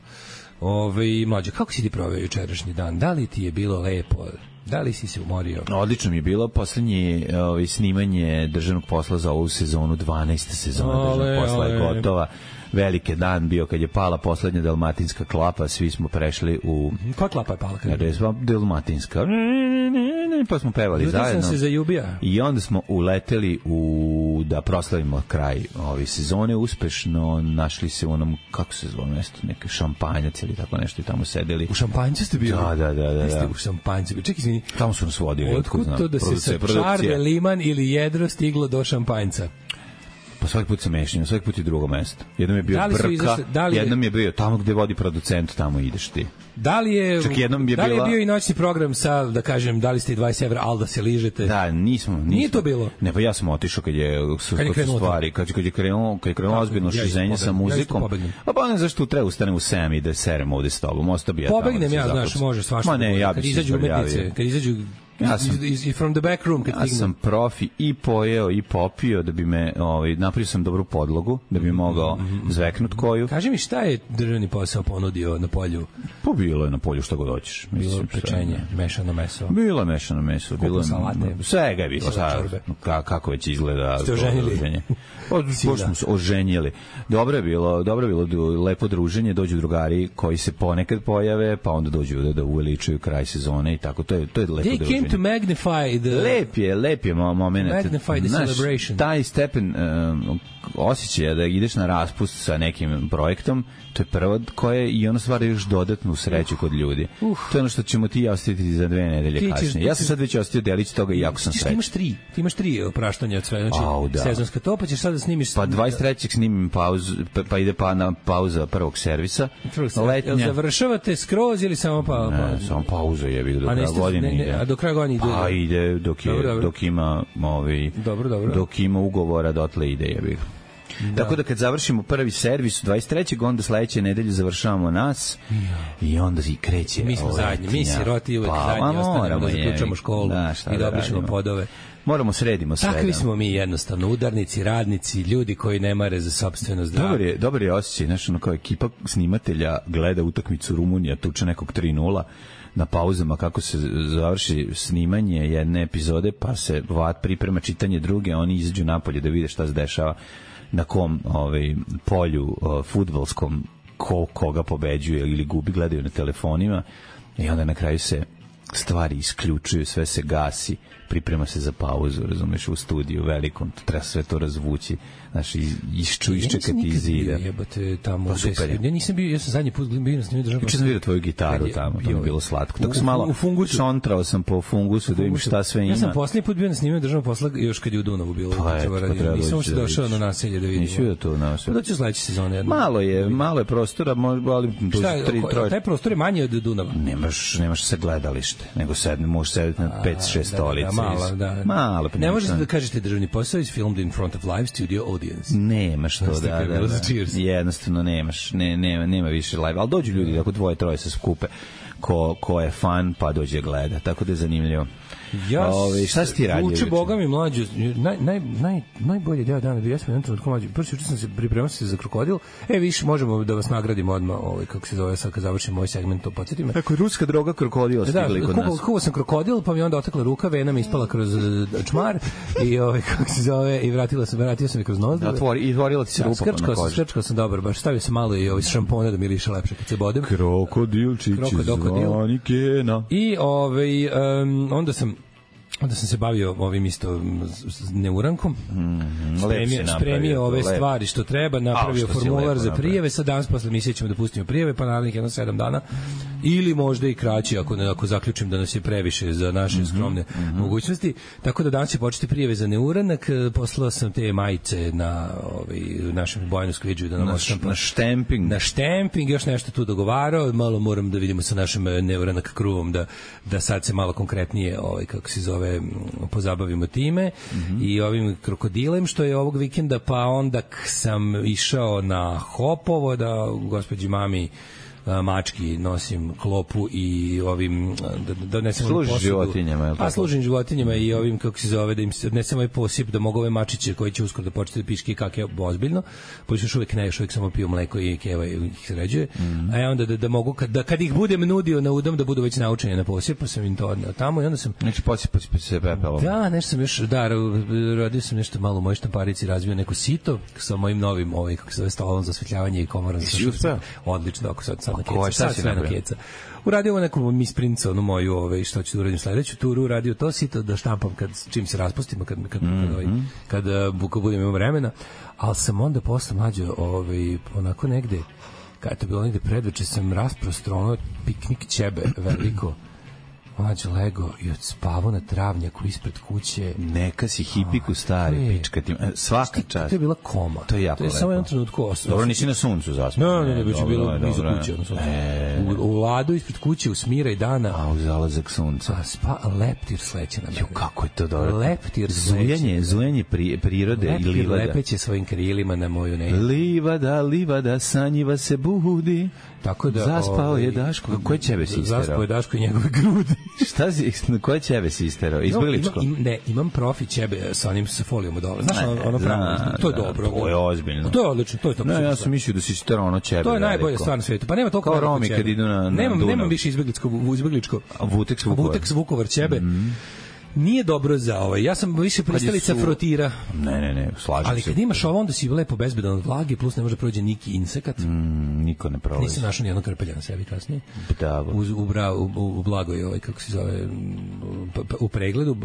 Ove, mlađe, kako si ti proveo jučerašnji dan? Da li ti je bilo lepo? Da li si se umorio? Odlično mi je bilo. Poslednje ovaj, snimanje državnog posla za ovu sezonu, dvanaesta sezona državnog posla je gotova. Veliki dan bio kad je pala poslednja dalmatinska klapa, svi smo prešli u... Koja klapa je pala? Rezva dalmatinska. Pa smo pevali Ljutim zajedno. Sam se zaljubija. I onda smo uleteli u da proslavimo kraj ove sezone uspešno. Našli se u onom, kako se zove mesto, neke šampanjac ili tako nešto i tamo sedeli. U šampanjcu ste bili? Da, da, da. da, da. U šampanjcu. Čekaj, izvini. Tamo su nas vodili. Otkud to da se sa Čarbe, Liman ili Jedro stiglo do šampanjca? Pa svaki put se mešim, svaki put je drugo mesto. Jednom je bio da Brka, izašli, da li je, jednom je bio tamo gde vodi producent, tamo ideš ti. Da li je, čak jednom je da li je bila... bio i noćni program sa, da kažem, da li ste i dvadeset evra, ali da se ližete? Da, nismo. nismo. Nije to bilo? Ne, pa ja sam otišao kad je, su, kad je krenulo stvari, kad, kad je krenulo, kad je krenulo ozbiljno ja šizenje sa muzikom. Ja a pa ne zašto treba ustanem u sedam i da serem ovde s tobom, ostao bi ja tamo. Pobegnem ja, znaš, može svašta. Ma ne, ja kad izađu umetnice, kad izađu ja sam, i from the back room kad ja sam profi i pojeo i popio da bi me, ovaj, napravio sam dobru podlogu da bi mogao mm-hmm. zveknut koju. Kaži mi šta je državni posao ponudio na polju? Pa bilo je na polju šta god hoćeš. Bilo pečenje, mešano meso. Bilo mešano meso, bilo salate. Svega je bilo, šta, kako već izgleda. Ste oženili? Pošto smo se oženjeli. Dobro je bilo, dobro je bilo lepo druženje, dođu drugari koji se ponekad pojave, pa onda dođu da, da uveličuju kraj sezone i tako. To je, to je lepo druženje. To magnify the lep je, lep je moment. Magnify the Znaš, celebration. Taj stepen um, osjećaja da ideš na raspust sa nekim projektom, to je prvo koje i ono stvara još dodatnu sreću kod ljudi. Uf. To je ono što ćemo ti ostaviti za dve nedelje ti kasnije. Ja sam sad već ostavio delić toga i jako sam srećan. Ti imaš tri, ti imaš tri opraštanja od sve, znači Au, da. Sezonska to, pa ćeš sad da snimiš... Pa dvadeset trećeg snimim pauzu, pa, pa ide pa na pauza prvog servisa. Letnja. Jel završavate skroz ili samo pa... Ne, pa... samo pauza je, do kraja godine ide. A do kraja godine ide? Pa ide dok, je, dobro, dobro. dok ima ovi, dobro, dobro. dok ima ugovora dotle ide je bih. Da. Tako da kad završimo prvi servis dvadeset trećeg onda sledeće nedelje završavamo nas ja. I onda i kreće. Mi smo zadnji, mi siroti uvek pa, zadnji ostanemo da zaključamo školu da, i da obrišemo podove. Moramo sredimo sve. Takvi smo mi jednostavno, udarnici, radnici, ljudi koji ne mare za sopstveno zdravlje. Dobar je, dobar je osjećaj, znaš, ono kao ekipa snimatelja gleda utakmicu Rumunija, tuče nekog tri nula na pauzama kako se završi snimanje jedne epizode, pa se Vat priprema čitanje druge, oni izađu napolje da vide šta se dešava. na kom ovaj, polju uh, fudbalskom ko, koga pobeđuje ili gubi, gledaju na telefonima i onda na kraju se stvari isključuju, sve se gasi, priprema se za pauzu, razumeš, u studiju velikom, treba sve to razvući, znaš, išču, iščekati iz zida. Jebate, tamo, pa super je. Ja nisam bio, ja sam zadnji put bio na snimio državnog. Juče sam vidio tvoju gitaru tamo, to mi je bilo slatko. Tako sam malo u fungusu, šontrao sam po fungusu da vidim šta sve ima. Ja sam poslednji put bio na snimio državnog posla još kad je u Dunavu bilo. Pa je, pa nisam se došao na naselje da vidim. Nisi vidio to na naselje. Da ću sledeće sezone. Malo je, malo je prostora, ali tri troje. Taj prostor je manji od Dunava. Nemaš, nemaš se gledalište, nego sedne, možeš sedeti na pet šest stolica. Malo, da. Malo, ne možete da kažete državni posao is filmed in front of live studio audience. Nemaš to, da, da, da. Jednostavno nemaš, ne, nema, nema više live, ali dođu ljudi, ako dvoje, troje se skupe, ko, ko je fan, pa dođe gleda, tako da je zanimljivo. Ja, Ove, šta si ti radio? Uče Boga mi mlađu, naj, naj, naj, najbolje deo dana bio, ja sam jedan trenutku mlađu, prvi juče sam se pripremao se za krokodil, e, više možemo da vas nagradimo odmah, ovaj, kako se zove, sad kad završimo ovaj segment, to podsjeti me. Tako, ruska droga krokodila stigli kod nas. Da, kuo sam krokodil, pa mi onda otekla ruka, vena mi ispala kroz čmar, i ovaj, kako se zove, i vratila sam, vratio sam i kroz nos. Da, otvori, i otvorila ti se rupa na koži. Skrčkao sam dobro, baš stavio sam malo i ovaj šampona da miriše lepše kad se bodem. Krokodilčići zvani Kena. I ovaj, um, onda sam onda sam se bavio ovim isto neurankom, mm, spremio, spremio ove lep. stvari što treba, napravio A, formular za prijeve, sad danas posle misije ćemo da pustimo prijeve, pa naravno jedno sedam dana, ili možda i kraći ako, ako zaključim da nas je previše za naše mm -hmm, skromne mm -hmm. mogućnosti, tako da danas će početi prijeve za neuranak, poslao sam te majice na ovaj, našem Bojanu Skviđu da nam na, oštampa, na štemping, na štemping, još nešto tu dogovarao, malo moram da vidimo sa našim neuranak kruvom da, da sad se malo konkretnije ovaj, kako se zove pozabavimo time mm -hmm. i ovim krokodilem što je ovog vikenda, pa onda sam išao na Hopovo da gospođi mami mački nosim klopu i ovim da da donesem služi životinjama, a služim životinjama i ovim kako se zove da im se odnesem ovaj posip da mogu ove mačiće koji će uskoro da početi da piški kake ozbiljno, pošto još uvek ne, još uvek samo piju mleko i keva i ih sređuje, mm -hmm. a ja onda da, da mogu kad, da, kad ih budem nudio na udom da budu već naučeni na posip, pa sam im to odneo tamo i onda sam znači posipati se pepelom. Da, nešto sam još da radio sam nešto malo u mojoj štamparici, razvio neko sito sa mojim novim ovaj kako se zove stolom za osvetljavanje i komorom za odlično, ako sad na keca, sad sve na keca. Uradio ovo neku misprinca, onu moju, ove, što ću da uradim sledeću turu, uradio to sito da štampam kad, čim se raspustimo, kad, kad, mm -hmm. kad, ovaj, kad, kad budem imao vremena, ali sam onda posle mlađo, ovaj, onako negde, kada je to bilo negde predveče, sam rasprostro ono piknik ćebe veliko, mlađo lego i odspavao na travnjaku ispred kuće. Neka si hipiku stari, pička ti. Svaka čast. To je bila koma. To je jako to je lepo. Samo jedan trenutku ostao. Dobro, nisi na suncu zaspao. Ne, ne, ne, već je bilo iza kuće. E, u, u ladu ispred kuće, u smira i dana. A, u zalazak sunca. A spa, leptir sleće na mene. Jo, kako je to dobro. Leptir zujanje, zujanje pri, prirode leptir i livada. Leptir lepeće svojim krilima na moju ne. Livada, livada, sanjiva se budi. Tako da zaspao ovaj, je Daško. Koje ćebe si isterao? Zaspao je Daško i njegove grudi. Šta si, koje ćebe si isterao? Izbjegličko? No, ima, im, ne, imam profi ćebe sa onim sa folijom od ove. Znaš, ne, ono, ono pravno, zna, to je zna, dobro. To je ozbiljno. To je odlično, to je to. Ne, ja sam mislio da si isterao ono ćebe. To je najbolje stvar na svetu. Pa nema toliko kao Romi kad idu na, na nemam, nemam više izbjegličko, izbjegličko. Vuteks Vukovar. Vuteks Vukovar ćebe. Mm. Nije dobro za ovaj. Ja sam više pristalica su... frotira. Ne, ne, ne, slažem se. Ali kad imaš ovo, onda si lepo bezbedan od vlage, plus ne može da prođe niki insekat. Mm, niko ne prolazi. Nisam našao nijednog krpelja na sebi kasnije. Da, u, u, bra, u, u blagoj, ovaj, kako se zove, u pregledu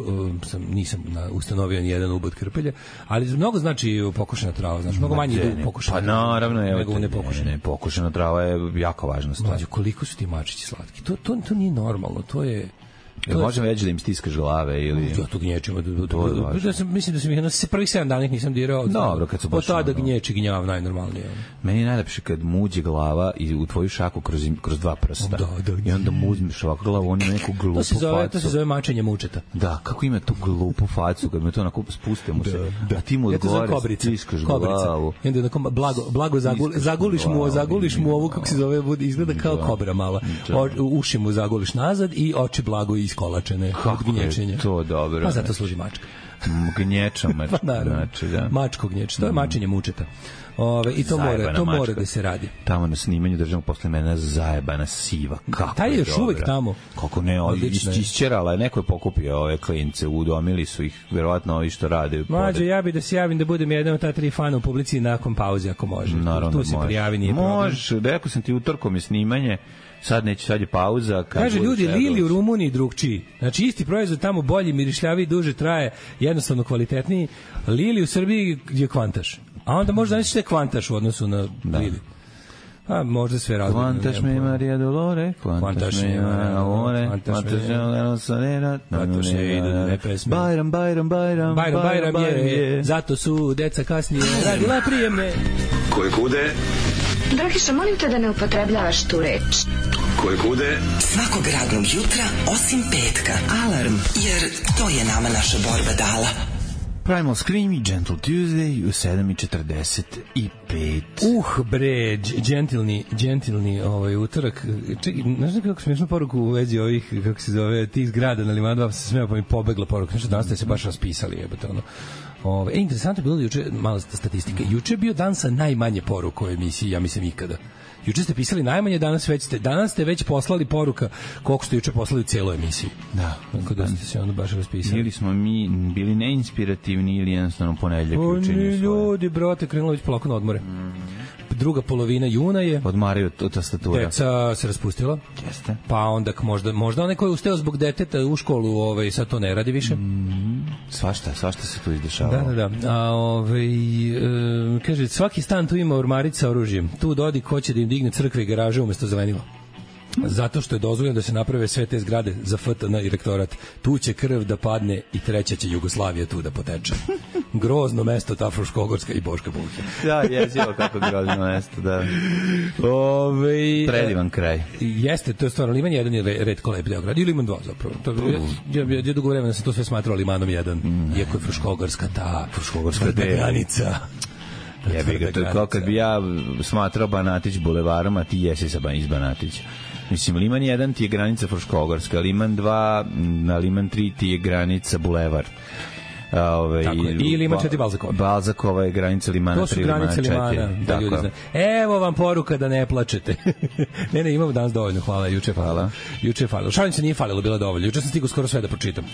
sam, nisam na, ustanovio nijedan ubod krpelja, ali mnogo znači pokošena trava, znači mnogo manje ide u pokošena trava. Pa naravno, evo nego te, ne pokošena. Ne, ne, pokošena trava je jako važna stvar. Mlađo, koliko su ti mačići slatki? To, to, to nije normalno, to je... Jel možemo reći da im stiskaš glave ili... Ja to gnječim. Da sam, mislim da sam ih na prvih sedam dana nisam dirao. Dobro, kad su baš... Od tada gnječi gnjav najnormalnije. Meni je najlepše kad muđe glava i u tvoju šaku kroz, kroz dva prsta. Da, da, I onda muđeš ovako glavu, on ima neku glupu to se zove, facu. To se zove mačenje mučeta. Da, kako ima tu glupu facu, kad me to onako spuste mu se. Da, a ti mu odgovore, stiskaš glavu. I onda onako blago, blago zagul, zaguliš mu, zaguliš mu ovu, kako se zove, izgleda kao kobra mala. Uši mu zaguliš nazad i oči blago iskolačene. Kako je to dobro. Pa zato služi mačka. Gnječom. Pa naravno. Znači, da. Mačko gnječ, to je mačenje mučeta. Ove, i to Zajebana mora, to mačka. mora da se radi. Tamo na snimanju državnog posle mene zajebana siva. Kako Taj je još dobra. uvek tamo. Kako ne, Odlično je. isćerala je, neko je pokupio ove klince, udomili su ih, verovatno ovi što rade. Mlađe, ja bi da se javim da budem jedan od ta tri fana u publici nakon pauze, ako može. Naravno, tu se može. prijavi, nije problem. Može, rekao sam ti, utorkom je snimanje, sad neće, sad je pauza. Kad Kaže bude ljudi, šegao. Lili u Rumuniji drugčiji. Znači isti proizvod tamo bolji, mirišljaviji, duže traje, jednostavno kvalitetniji. Lili u Srbiji je kvantaš. A onda možda nisi te kvantaš u odnosu na Da. Lili. A možda sve različno. Kvantaš me Maria Dolore, kvantaš me Amore, kvantaš me Anosanera, Zato se idu ne pesme. Bajram, Bajram, Bajram, Bajram, Bajram je, zato su deca kasnije radila prijemne. Koje kude, Dragiša, molim te da ne upotrebljavaš tu reč. koje kude, Svakog radnog jutra, osim petka. Alarm, jer to je nama naša borba dala. Primal Scream i Gentle Tuesday u sedam i četrdeset pet. Uh, bre, gentilni, gentilni ovaj utorak. Čekaj, znaš kako smiješnu poruku u vezi ovih, kako se zove, tih zgrada na Limanu dva, se smeo pa mi pobegla poruka. Znači, danas ste se baš raspisali, jebate, ono. Ove, e, interesantno je bilo da juče, mala statistike, juče je bio dan sa najmanje poruka u emisiji, ja mislim ikada. Juče ste pisali najmanje, danas već ste, danas ste već poslali poruka koliko ste juče poslali u celoj emisiji. Da. Tako da ste se onda baš raspisali. Ili smo mi bili neinspirativni ili jednostavno ponedljak O, učinju svoje. ljudi, brate, krenulo već polako na odmore. Mm. Druga polovina juna je. Odmaraju od tastatura. Deca se raspustila. Jeste. Pa onda možda, možda onaj koji je ustao zbog deteta u školu, ovaj, sad to ne radi više. Mm. Svašta, svašta se tu izdešavalo. Da, da, da. A, ovaj, e, kaže, svaki stan tu ima ormarić sa oružjem. Tu dodi ko će da im digne crkve i garaže umesto zelenila. Zato što je dozvoljeno da se naprave sve te zgrade za F T N i rektorat. Tu će krv da padne i treća će Jugoslavija tu da poteče. Grozno mesto ta Fruškogorska i Boška Buhe. Da, jezivo kako grozno mesto, da. Ove, Predivan kraj. Jeste, to je stvarno Liman jedan je retko lep deo grada. I Liman dva zapravo. To, ja, ja, ja dugo vremena sam to sve smatrao Limanom jedan. Mm. Iako je Fruškogorska ta Fruškogorska granica. Jebi ga, to je kao kad bi ja smatrao Banatić bulevarom, a ti jesi sa iz Banatića. Mislim, Liman jedan ti je granica Fruškogorska, Liman dva, na Liman tri ti je granica bulevar. Ove, tako je. I Liman četiri Balzakova. Balzakova je granica Limana to su tri, granice Limana Limana, da ljudi znaju. Evo vam poruka da ne plačete. ne, ne, imamo danas dovoljno, hvala, juče je falilo. Juče je falilo. Šalim se, nije falilo, bilo dovoljno. Juče sam stigao skoro sve da pročitam.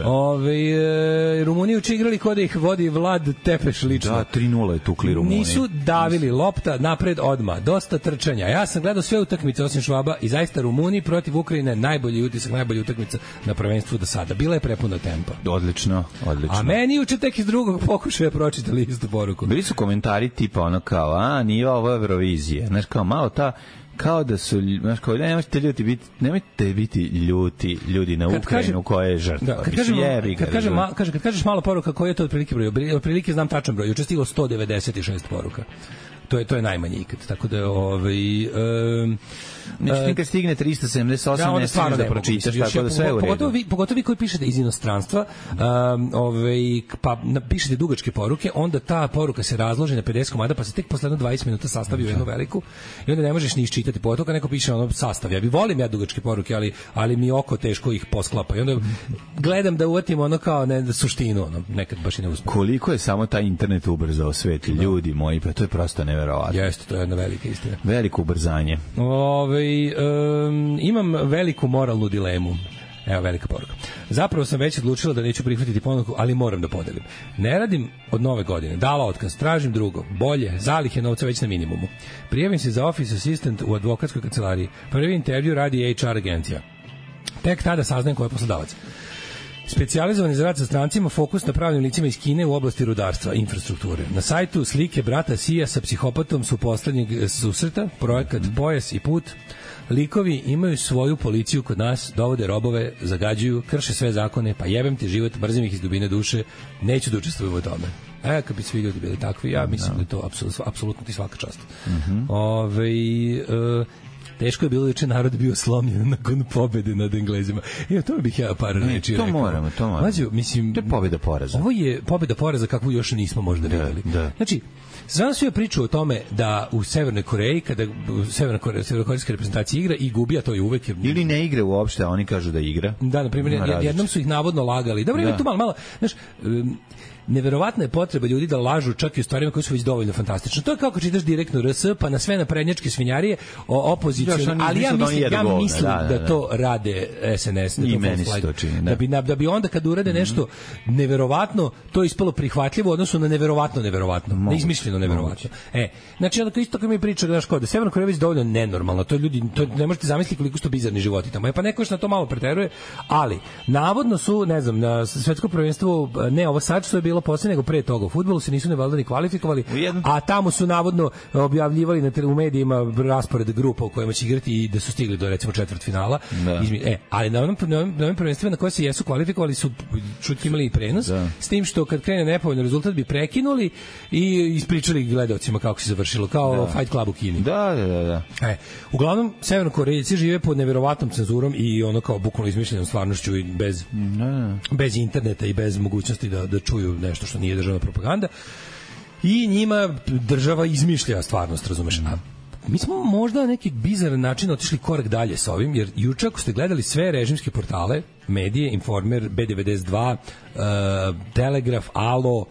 Ove, e, Rumuniji uče igrali kod da ih vodi Vlad Tepeš lično. Da, tri nula je tukli Rumuniji. Nisu davili lopta napred odma, dosta trčanja. Ja sam gledao sve utakmice osim Švaba i zaista Rumuniji protiv Ukrajine najbolji utisak, najbolja utakmica na prvenstvu do sada. Bila je prepuna tempa. Odlično, odlično. A meni juče tek iz drugog pokušaja pročitali istu poruku. Bili su komentari tipa ono kao, a, nije ovo Eurovizije. Znaš, kao malo ta, kao da su, znaš, kao, nemojte ljudi biti, nemojte biti ljuti ljudi na kad Ukrajinu koja je žrtva. Da, kad, kažem, kad, kažem, ma, kaže, kad kažeš malo poruka, koji je to otprilike broj? Otprilike znam tačan broj. Juče stiglo sto devedeset šest poruka. To je to je najmanje ikad. Tako da ovaj um, Znači, kad stigne trista sedamdeset osam, ja, ne stigneš da pročitaš, tako da sve je u redu. Pogotovo vi, pogotovo vi koji pišete iz inostranstva, um, ovaj, pa pišete dugačke poruke, onda ta poruka se razloži na pedeset komada, pa se tek posle dvadeset minuta sastavi u jednu veliku i onda ne možeš ni iščitati. Pogotovo kad neko piše ono sastav. Ja bi volim ja dugačke poruke, ali, ali mi oko teško ih posklapa. I onda gledam da uvatim ono kao ne, suštinu, ono, nekad baš i ne uspem. Koliko je samo taj internet ubrzao svet, ljudi moji, pa to je prosto neverovatno. Jeste, to je jedna velika istina. Veliko ubrzanje. Ove, um, imam veliku moralnu dilemu. Evo velika poruka. Zapravo sam već odlučila da neću prihvatiti ponuku, ali moram da podelim. Ne radim od nove godine. Dala otkaz, tražim drugo. Bolje, zalihe novca već na minimumu. Prijavim se za office assistant u advokatskoj kancelariji. Prvi intervju radi H R agencija. Tek tada saznajem ko je poslodavac. Specijalizovani za rad sa strancima, fokus na pravnim licima iz Kine u oblasti rudarstva i infrastrukture. Na sajtu slike brata Sija sa psihopatom su poslednjeg susreta, projekat Pojas i put. Likovi imaju svoju policiju kod nas, dovode robove, zagađuju, krše sve zakone, pa jebem ti život, mrzim ih iz dubine duše, neću da učestvujem u tome. E, kad bi svi ljudi bili takvi, ja mislim da je to apsolutno, apsolutno ti svaka čast. Mm-hmm. Ove, uh, teško je bilo juče, narod bio slomljen nakon pobede nad Englezima. I to bih ja par reči to rekao. moramo, to moramo. Mađo, mislim, to je pobeda poraza. Ovo je pobeda poraza kakvu još nismo možda videli. Da. Znači, znam svi priču o tome da u Severnoj Koreji, kada Severna Koreja, severnokorejska reprezentacija igra i gubi, a to je uvek... Ili ne igra uopšte, a oni kažu da igra. Da, na primjer, jednom su ih navodno lagali. Dobro, ima tu malo, malo, znaš, um, neverovatna je potreba ljudi da lažu čak i u stvarima koje su već dovoljno fantastične. To je kao kad čitaš direktno R S, pa na sve naprednjačke svinjarije o opoziciju, ali ja mislim, ja mislim da, da, da, da to rade S N S, da i to meni se to čini, da. Da, bi, da bi onda kad urade nešto mm. neverovatno, to je ispalo prihvatljivo u odnosu na neverovatno neverovatno, Moguće. neizmišljeno neverovatno. Moguće. E, znači onda isto kao mi priča, znaš kao da Severna Koreja već dovoljno nenormalno, to ljudi, to ne možete zamisliti koliko su to bizarni životi tamo. E pa neko još na to malo preteruje, ali navodno su, ne znam, na svetskom prvenstvu, ne ovo sad što je bilo posle, nego pre toga u fudbalu se nisu ne valjda ni kvalifikovali, a tamo su navodno objavljivali na u medijima raspored grupa u kojima će igrati i da su stigli do recimo četvrtfinala. E, ali na onom, na onom prvenstvima na koje se jesu kvalifikovali su čutki imali i prenos, da. S tim što kad krene nepovoljan rezultat bi prekinuli i ispričali gledaocima kako se završilo, kao da. Fight Club u Kini. Da, da, da. da. E, uglavnom, Severnokorejci žive pod neverovatnom cenzurom i ono kao bukvalno izmišljenom stvarnošću i bez, da. bez interneta i bez mogućnosti da, da čuju nešto što nije državna propaganda. I njima država izmišlja stvarnost, razumeš? A mi smo možda na neki bizaran način otišli korak dalje sa ovim, jer juče ako ste gledali sve režimske portale, medije, Informer, B devedeset dva, uh, Telegraf, Alo,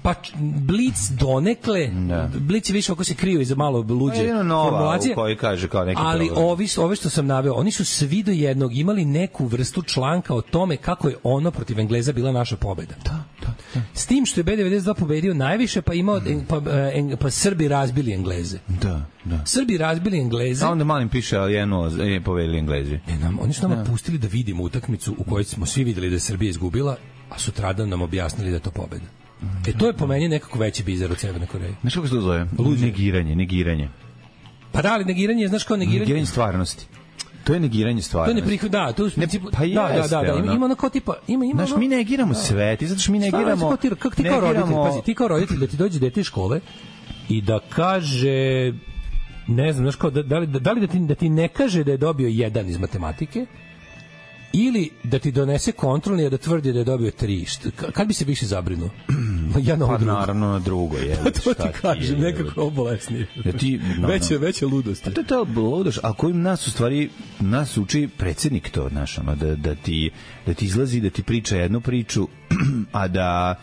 pa Blic donekle, da. Blic je više ako se kriju iza malo luđe formulacije, koji kaže kao neki ali problem. ovi, ove što sam naveo, oni su svi do jednog imali neku vrstu članka o tome kako je ono protiv Engleza bila naša pobeda. Da, da, da. S tim što je B devedeset dva pobedio najviše, pa imao mm. pa, en, pa Srbi razbili Engleze. Da, da. Srbi razbili Engleze. A onda malim piše, ali jedno je pobedili Englezi. E, nam, oni su nama da. pustili da vidimo utakmicu u kojoj smo svi videli da je Srbija izgubila, a sutradan nam objasnili da je to pobeda. E to je po meni nekako veći bizar od Severne Koreje. Znaš kako se to zove? Luđe. Negiranje, negiranje. Pa da, ali negiranje, znaš kao negiranje? Negiranje stvarnosti. To je negiranje stvarnosti. To je neprihod, da, to je ne, pa da, da, da, da, ima, ima ono kao tipa, ima, ima znaš, mi negiramo da. sve, ti zato što mi negiramo... Šta, kako ti kao roditelj, pazi, ti kao roditelj da ti dođe dete iz škole i da kaže, ne znam, znaš kao, da, da, li, da, li da, ti, da ti ne kaže da je dobio jedan iz matematike, ili da ti donese kontrolni, a da tvrdi da je dobio tri. Kad bi se više zabrinuo? Ja na pa drugo. Naravno na drugo je. Pa to ti kažem, nekako obolesni. Ja ti, no, veće, veće ludost. A to je to ludost, a kojim nas u stvari, nas uči predsjednik to, znaš, ono, da, da, ti, da ti izlazi, da ti priča jednu priču, a da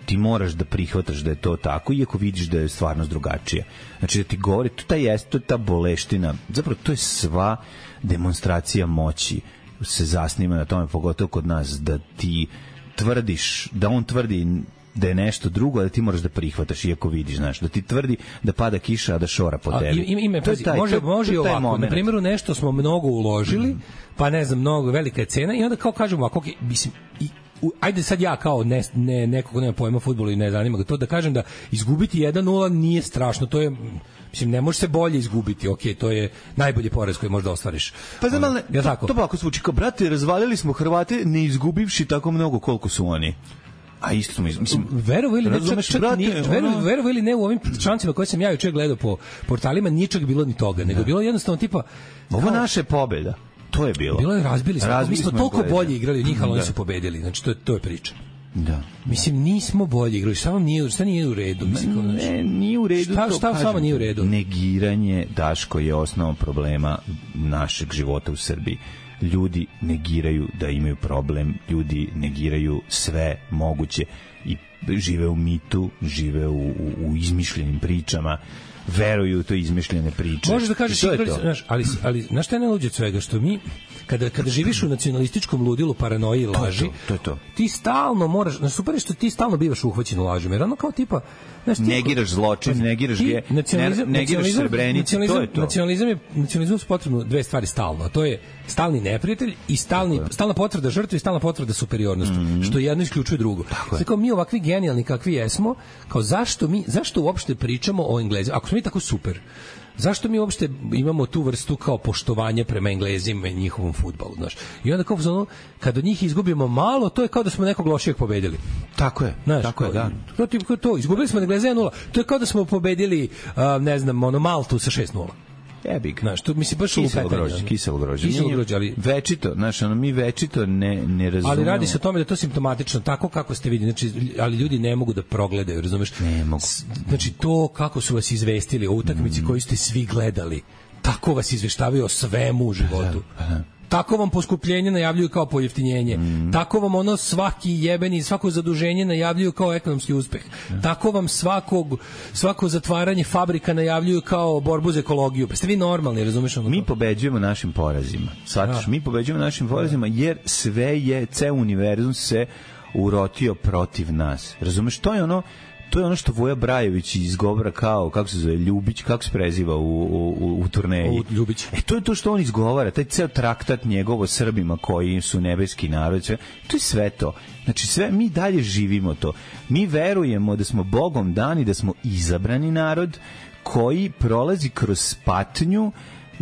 ti moraš da prihvataš da je to tako, iako vidiš da je stvarnost drugačija. Znači da ti govori, to, ta jest, to je ta boleština, zapravo to je sva demonstracija moći se zasniva na tome, pogotovo kod nas, da ti tvrdiš, da on tvrdi da je nešto drugo, a da ti moraš da prihvataš iako vidiš, znaš, da ti tvrdi da pada kiša, a da šora po tebi. Ima, ima, pazi, taj, može, može to, ovako, na primjeru nešto smo mnogo uložili, mm. pa ne znam, mnogo velika je cena i onda kao kažemo, ako, okay, mislim, i, u, ajde sad ja kao ne, ne, neko ko nema pojma fudbalu i ne zanima ga to, da kažem da izgubiti jedan nula nije strašno, to je, mislim, ne može se bolje izgubiti, ok, to je najbolji poraz koji možda ostvariš. Pa znam, ali ja to, to pa ako zvuči kao, brate, razvalili smo Hrvate ne izgubivši tako mnogo koliko su oni. A isto smo, mislim, verovo ili ne, čak, čak brate, nije, verovo, verovo ili ne, u ovim člancima koje sam ja juče gledao po portalima, ničeg bilo ni toga, nego bilo jednostavno tipa, ovo kao, naša pobeda. To je bilo. Bilo je, razbili smo. Razbili mi smo, smo toliko bolje igrali od njih, ali oni su pobedili. Znači, to je, to je priča. Da. Mislim, nismo bolje igrali. Šta vam nije, šta nije u redu? Mislim, kao, ne, nije u redu. Šta, šta s vama nije u redu? Negiranje, Daško, je osnova problema našeg života u Srbiji. Ljudi negiraju da imaju problem, ljudi negiraju sve moguće i žive u mitu, žive u, u, u izmišljenim pričama, veruju u to izmišljene priče. Možeš da kažeš, igrali, znaš, ali, ali znaš šta je najluđe od svega? Što mi, kada, kada živiš u nacionalističkom ludilu, paranoji i laži, to, to, to, to. ti stalno moraš, znaš, super je što ti stalno bivaš uhvaćen u lažima, jer ono kao tipa, znaš, ti, negiraš zločin, negiraš ge, negiraš Srebrenicu, to je to. Nacionalizam je, nacionalizam su potrebno dve stvari stalno, a to je stalni neprijatelj i stalni, stalna potvrda žrtve i stalna potvrda superiornosti, mm-hmm. što jedno isključuje drugo. Znači, kao mi ovakvi genijalni kakvi jesmo, kao zašto mi, zašto uopšte pričamo o Englezima? Ako smo mi tako super, zašto mi uopšte imamo tu vrstu kao poštovanja prema Englezima i njihovom fudbalu, znaš? I onda kao ono, kad od njih izgubimo malo, to je kao da smo nekog lošijeg pobedili. Tako je, znaš, tako je, da. To, to, to, izgubili smo Engleza jedan nula, to je kao da smo pobedili, uh, ne znam, ono, Maltu sa šest nula. Jebi ga. Znaš, to mislim baš kiselo lupetanje, grožđe, kiselo grožđe. Kiselo grožđe, ali večito, znaš, ono mi večito ne ne razumemo. Ali radi se o tome da je to simptomatično, tako kako ste videli, znači, ali ljudi ne mogu da progledaju, razumeš? Ne mogu. Znači, to kako su vas izvestili o utakmici mm. koju ste svi gledali, tako vas izveštavaju o svemu u životu. Aha. Tako vam poskupljenje najavljuju kao pojeftinjenje. Mm. Tako vam ono svaki jebeni, svako zaduženje najavljuju kao ekonomski uspeh. Mm. Tako vam svakog, svako zatvaranje fabrika najavljuju kao borbu za ekologiju. Pa ste vi normalni, razumeš? Ono mi pobeđujemo našim porazima. Shvataš, mi pobeđujemo našim porazima jer sve je, ceo univerzum se urotio protiv nas. Razumeš? To je ono To je ono što Voja Brajević izgovara kao, kako se zove, Ljubić, kako se preziva u, u, u turneji. U Ljubić. E, to je to što on izgovara, taj ceo traktat njegovo Srbima koji su nebeski narod, sve, to je sve to. Znači, sve, mi dalje živimo to. Mi verujemo da smo Bogom dani, da smo izabrani narod koji prolazi kroz patnju,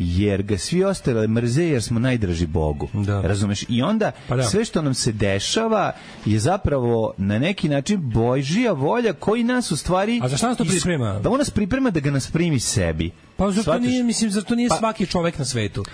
jer ga svi ostali mrze jer smo najdraži Bogu. Da. Razumeš? I onda pa da. Sve što nam se dešava je zapravo na neki način Božja volja koji nas u stvari... A za šta nas to priprema? Da on nas priprema da ga nas primi sebi. Pa zato nije, mislim, zato nije pa, svaki čovek na svetu.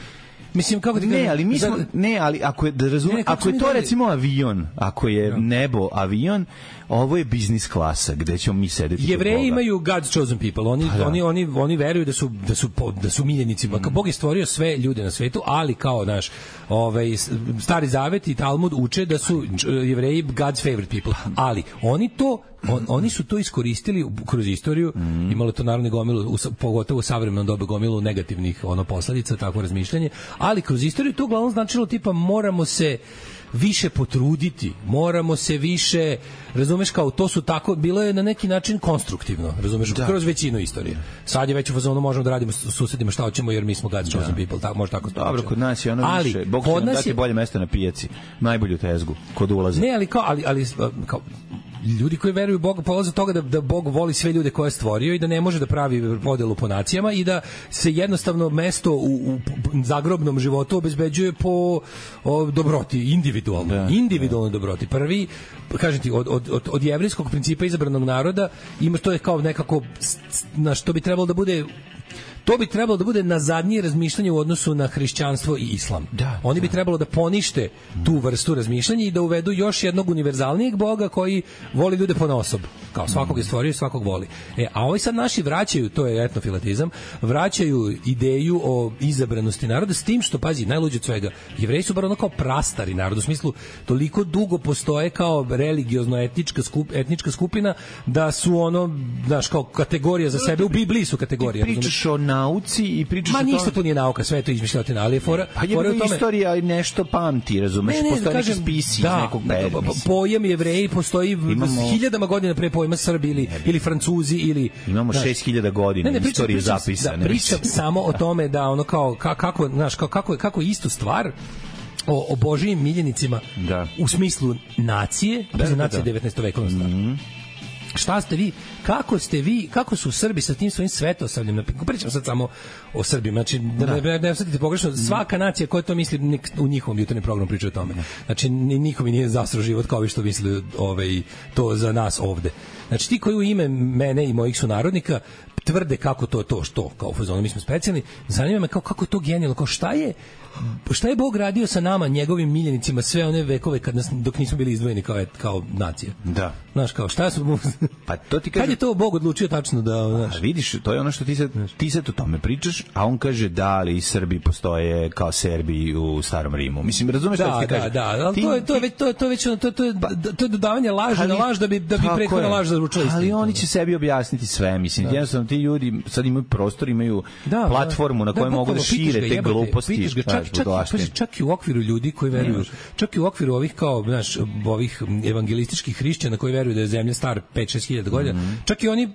Mislim, kako ti ne, ali mi smo, za... ne, ali ako je da razumem, ako je to dali... recimo avion, ako je no. nebo avion, ovo je biznis klasa gde ćemo mi sedeti. Jevreji imaju God's chosen people. Oni da. oni oni oni veruju da su da su da su miljenici. Mm. Bog je stvorio sve ljude na svetu, ali kao naš ovaj Stari Zavet i Talmud uče da su Jevreji God's favorite people. Ali oni to On, oni su to iskoristili kroz istoriju, mm. imalo to naravno gomilu, u, pogotovo u savremenom dobu gomilu negativnih ono posledica, takvo razmišljanje, ali kroz istoriju to uglavnom značilo tipa moramo se više potruditi, moramo se više, razumeš, kao to su tako, bilo je na neki način konstruktivno, razumeš, da. Kroz većinu istorije. Sad je već u fazonu možemo da radimo s susedima šta hoćemo jer mi smo God's chosen people, tako, može tako dobro, kod nas je ono ali, više, Bog će nam dati je... bolje mesto na pijaci, najbolju tezgu, kod ulaza. Ne, ali kao, ali, ali kao, ljudi koji veruju u Boga polaze od toga da, da Bog voli sve ljude koje je stvorio i da ne može da pravi podelu po nacijama i da se jednostavno mesto u, u zagrobnom životu obezbeđuje po o, dobroti, individualno. Da, individualno da. Dobroti. Prvi, kažem ti, od, od, od, od jevrejskog principa izabranog naroda ima, to je kao nekako, na što bi trebalo da bude to bi trebalo da bude nazadnije razmišljanje u odnosu na hrišćanstvo i islam. Da, Oni bi da. trebalo da ponište tu vrstu razmišljanja i da uvedu još jednog univerzalnijeg Boga koji voli ljude ponaosob. Kao svakog je stvorio i svakog voli. E, a ovi sad naši vraćaju, to je etnofilatizam, vraćaju ideju o izabranosti naroda s tim što, pazi, najluđe od svega, Jevreji su bar ono kao prastari narod, u smislu toliko dugo postoje kao religiozno-etnička skup, etnička skupina da su ono, znaš, kao kategorija za sebe, u Bibliji su kategorije. Ti pričaš o nauci i pričaš Ma o tome... ništa to nije nauka, sve je to izmišljotina, ali je fora... Pa je tome... istorija nešto pamti, razumeš? Ne, ne, postoje neki spisi da, iz nekog perioda. Pojam Jevreji postoji imamo... hiljadama godina pre pojma Srbi ili, ili Francuzi ili... Imamo šest hiljada godina ne, ne, istorije zapisane. Da, pričam samo o tome da ono kao, kako, znaš, kao, kako, kako istu stvar o, o Božijim miljenicima da. U smislu nacije, da, da, nacije da. devetnaestovekovna stvar. Mm-hmm. Šta ste vi, kako ste vi, kako su Srbi sa tim svojim svetosavljem, pričam sad samo o Srbima, znači da, da ne, ne shvatite pogrešno, svaka nacija koja to misli u njihovom jutarnjem programu priča o tome. Znači niko mi nije zasro život kao vi što misli ovaj, to za nas ovde. Znači ti koji u ime mene i mojih sunarodnika tvrde kako to to što kao u fazonu mi smo specijalni, zanima me kao kako je to genijalno, kao šta je šta je Bog radio sa nama, njegovim miljenicima sve one vekove kad nas, dok nismo bili izdvojeni kao, kao nacija. Da. Znaš, kao, šta su... Pa to ti kaže... Kad je to Bog odlučio tačno da... Znaš... A vidiš, to je ono što ti sad, ti sad o tome pričaš, a on kaže da, ali Srbi postoje kao Serbi u Starom Rimu. Mislim, razumeš da, šta ti kaže? Da, da, ali ti, to, je, to, je već, to, je, to, je već, to, to, je, to je dodavanje laža na laž da bi, da bi prethodna laž zaručila istinu. Ali oni će sebi objasniti sve, mislim. Da. Jednostavno, ti ljudi sad imaju prostor, imaju da, platformu na kojoj da, mogu da šire te jebate, gluposti. Ga, čak, čak, čak, čak i u okviru ljudi koji veruju, čak i u okviru ovih kao, znaš, ovih evangelističkih hrišćana koji veruju da je zemlja star pet šest hiljada godina, mm. čak i oni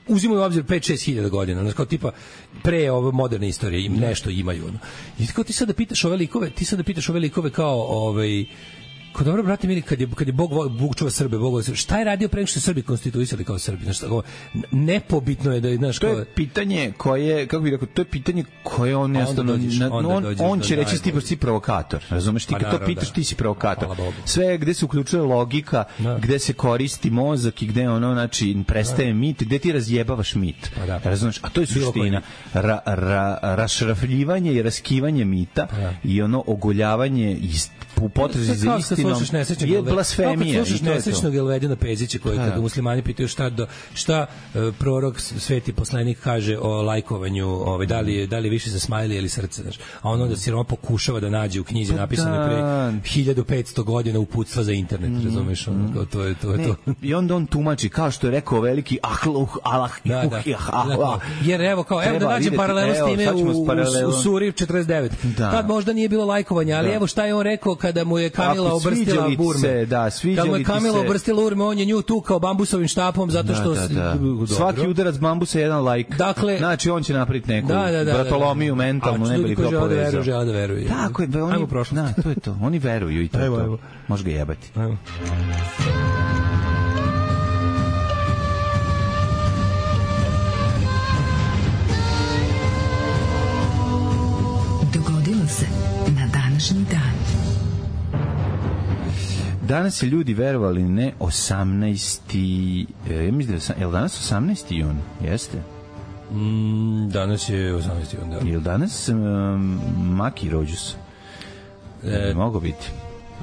uzimaju u obzir pet šest hiljada godina, znači kao tipa pre ove moderne istorije im nešto imaju. Ono. I kao ti sad da pitaš ove likove, ti sad da pitaš ove likove kao ovaj Ko dobro, brate mili, kad je, kad je Bog, Bog čuva Srbe, Bog Srbe, šta je radio pre nego što se Srbi konstituisali kao Srbi? Znaš, tako, nepobitno je da je, znaš, to je kao... pitanje koje, kako bih rekao, to je pitanje koje on jednostavno, on, on, on će reći ti si provokator, razumeš, ti kad to pitaš, ti si provokator. Sve gde se uključuje logika, gde se koristi mozak i gde ono, znači, prestaje mit, gde ti razjebavaš mit, razumeš, a to je suština, ra, ra, rašrafljivanje i raskivanje mita i ono ogoljavanje ist u potrazi za istinom je blasfemija. Kad slušaš nesrećnog Elvedina Pezića koji kada muslimani pitaju šta do, šta uh, prorok sveti poslanik kaže o lajkovanju, ovaj da li je da li više za smajli ili srce, znaš. A on onda siroma pokušava da nađe u knjizi napisane pre hiljadu petsto godina uputstva za internet, mm. razumeš, on, kao to je to je to. I onda on tumači kao što je rekao veliki Ahluh Allah. Da, da. Ah, jer evo kao evo da nađem paralelu s time u, u, u Suri četrdeset devet. Da. Tad možda nije bilo lajkovanja, ali da. Evo šta je on rekao kada mu je Kamila obrstila burme. Da, kada mu je Kamila obrstila burme, on je nju tukao bambusovim štapom zato što... Da, da, da. Svaki udarac bambusa je jedan lajk. Dakle, znači on će napraviti neku da, da, da, bratolomiju da, da. mentalnu, ne bi to povezao. Žele da veruju. Tako je, oni, da, to je to. Oni veruju i to je to. Može ga jebati. Ajmo. Dogodilo se na današnji dan. Danas je ljudi verovali ne osamnaesti Ja mislim da je, je li danas osamnaesti jun? Jeste? Mm, danas je osamnaesti jun, da. Je li danas um, Maki rođus? E, mogu biti.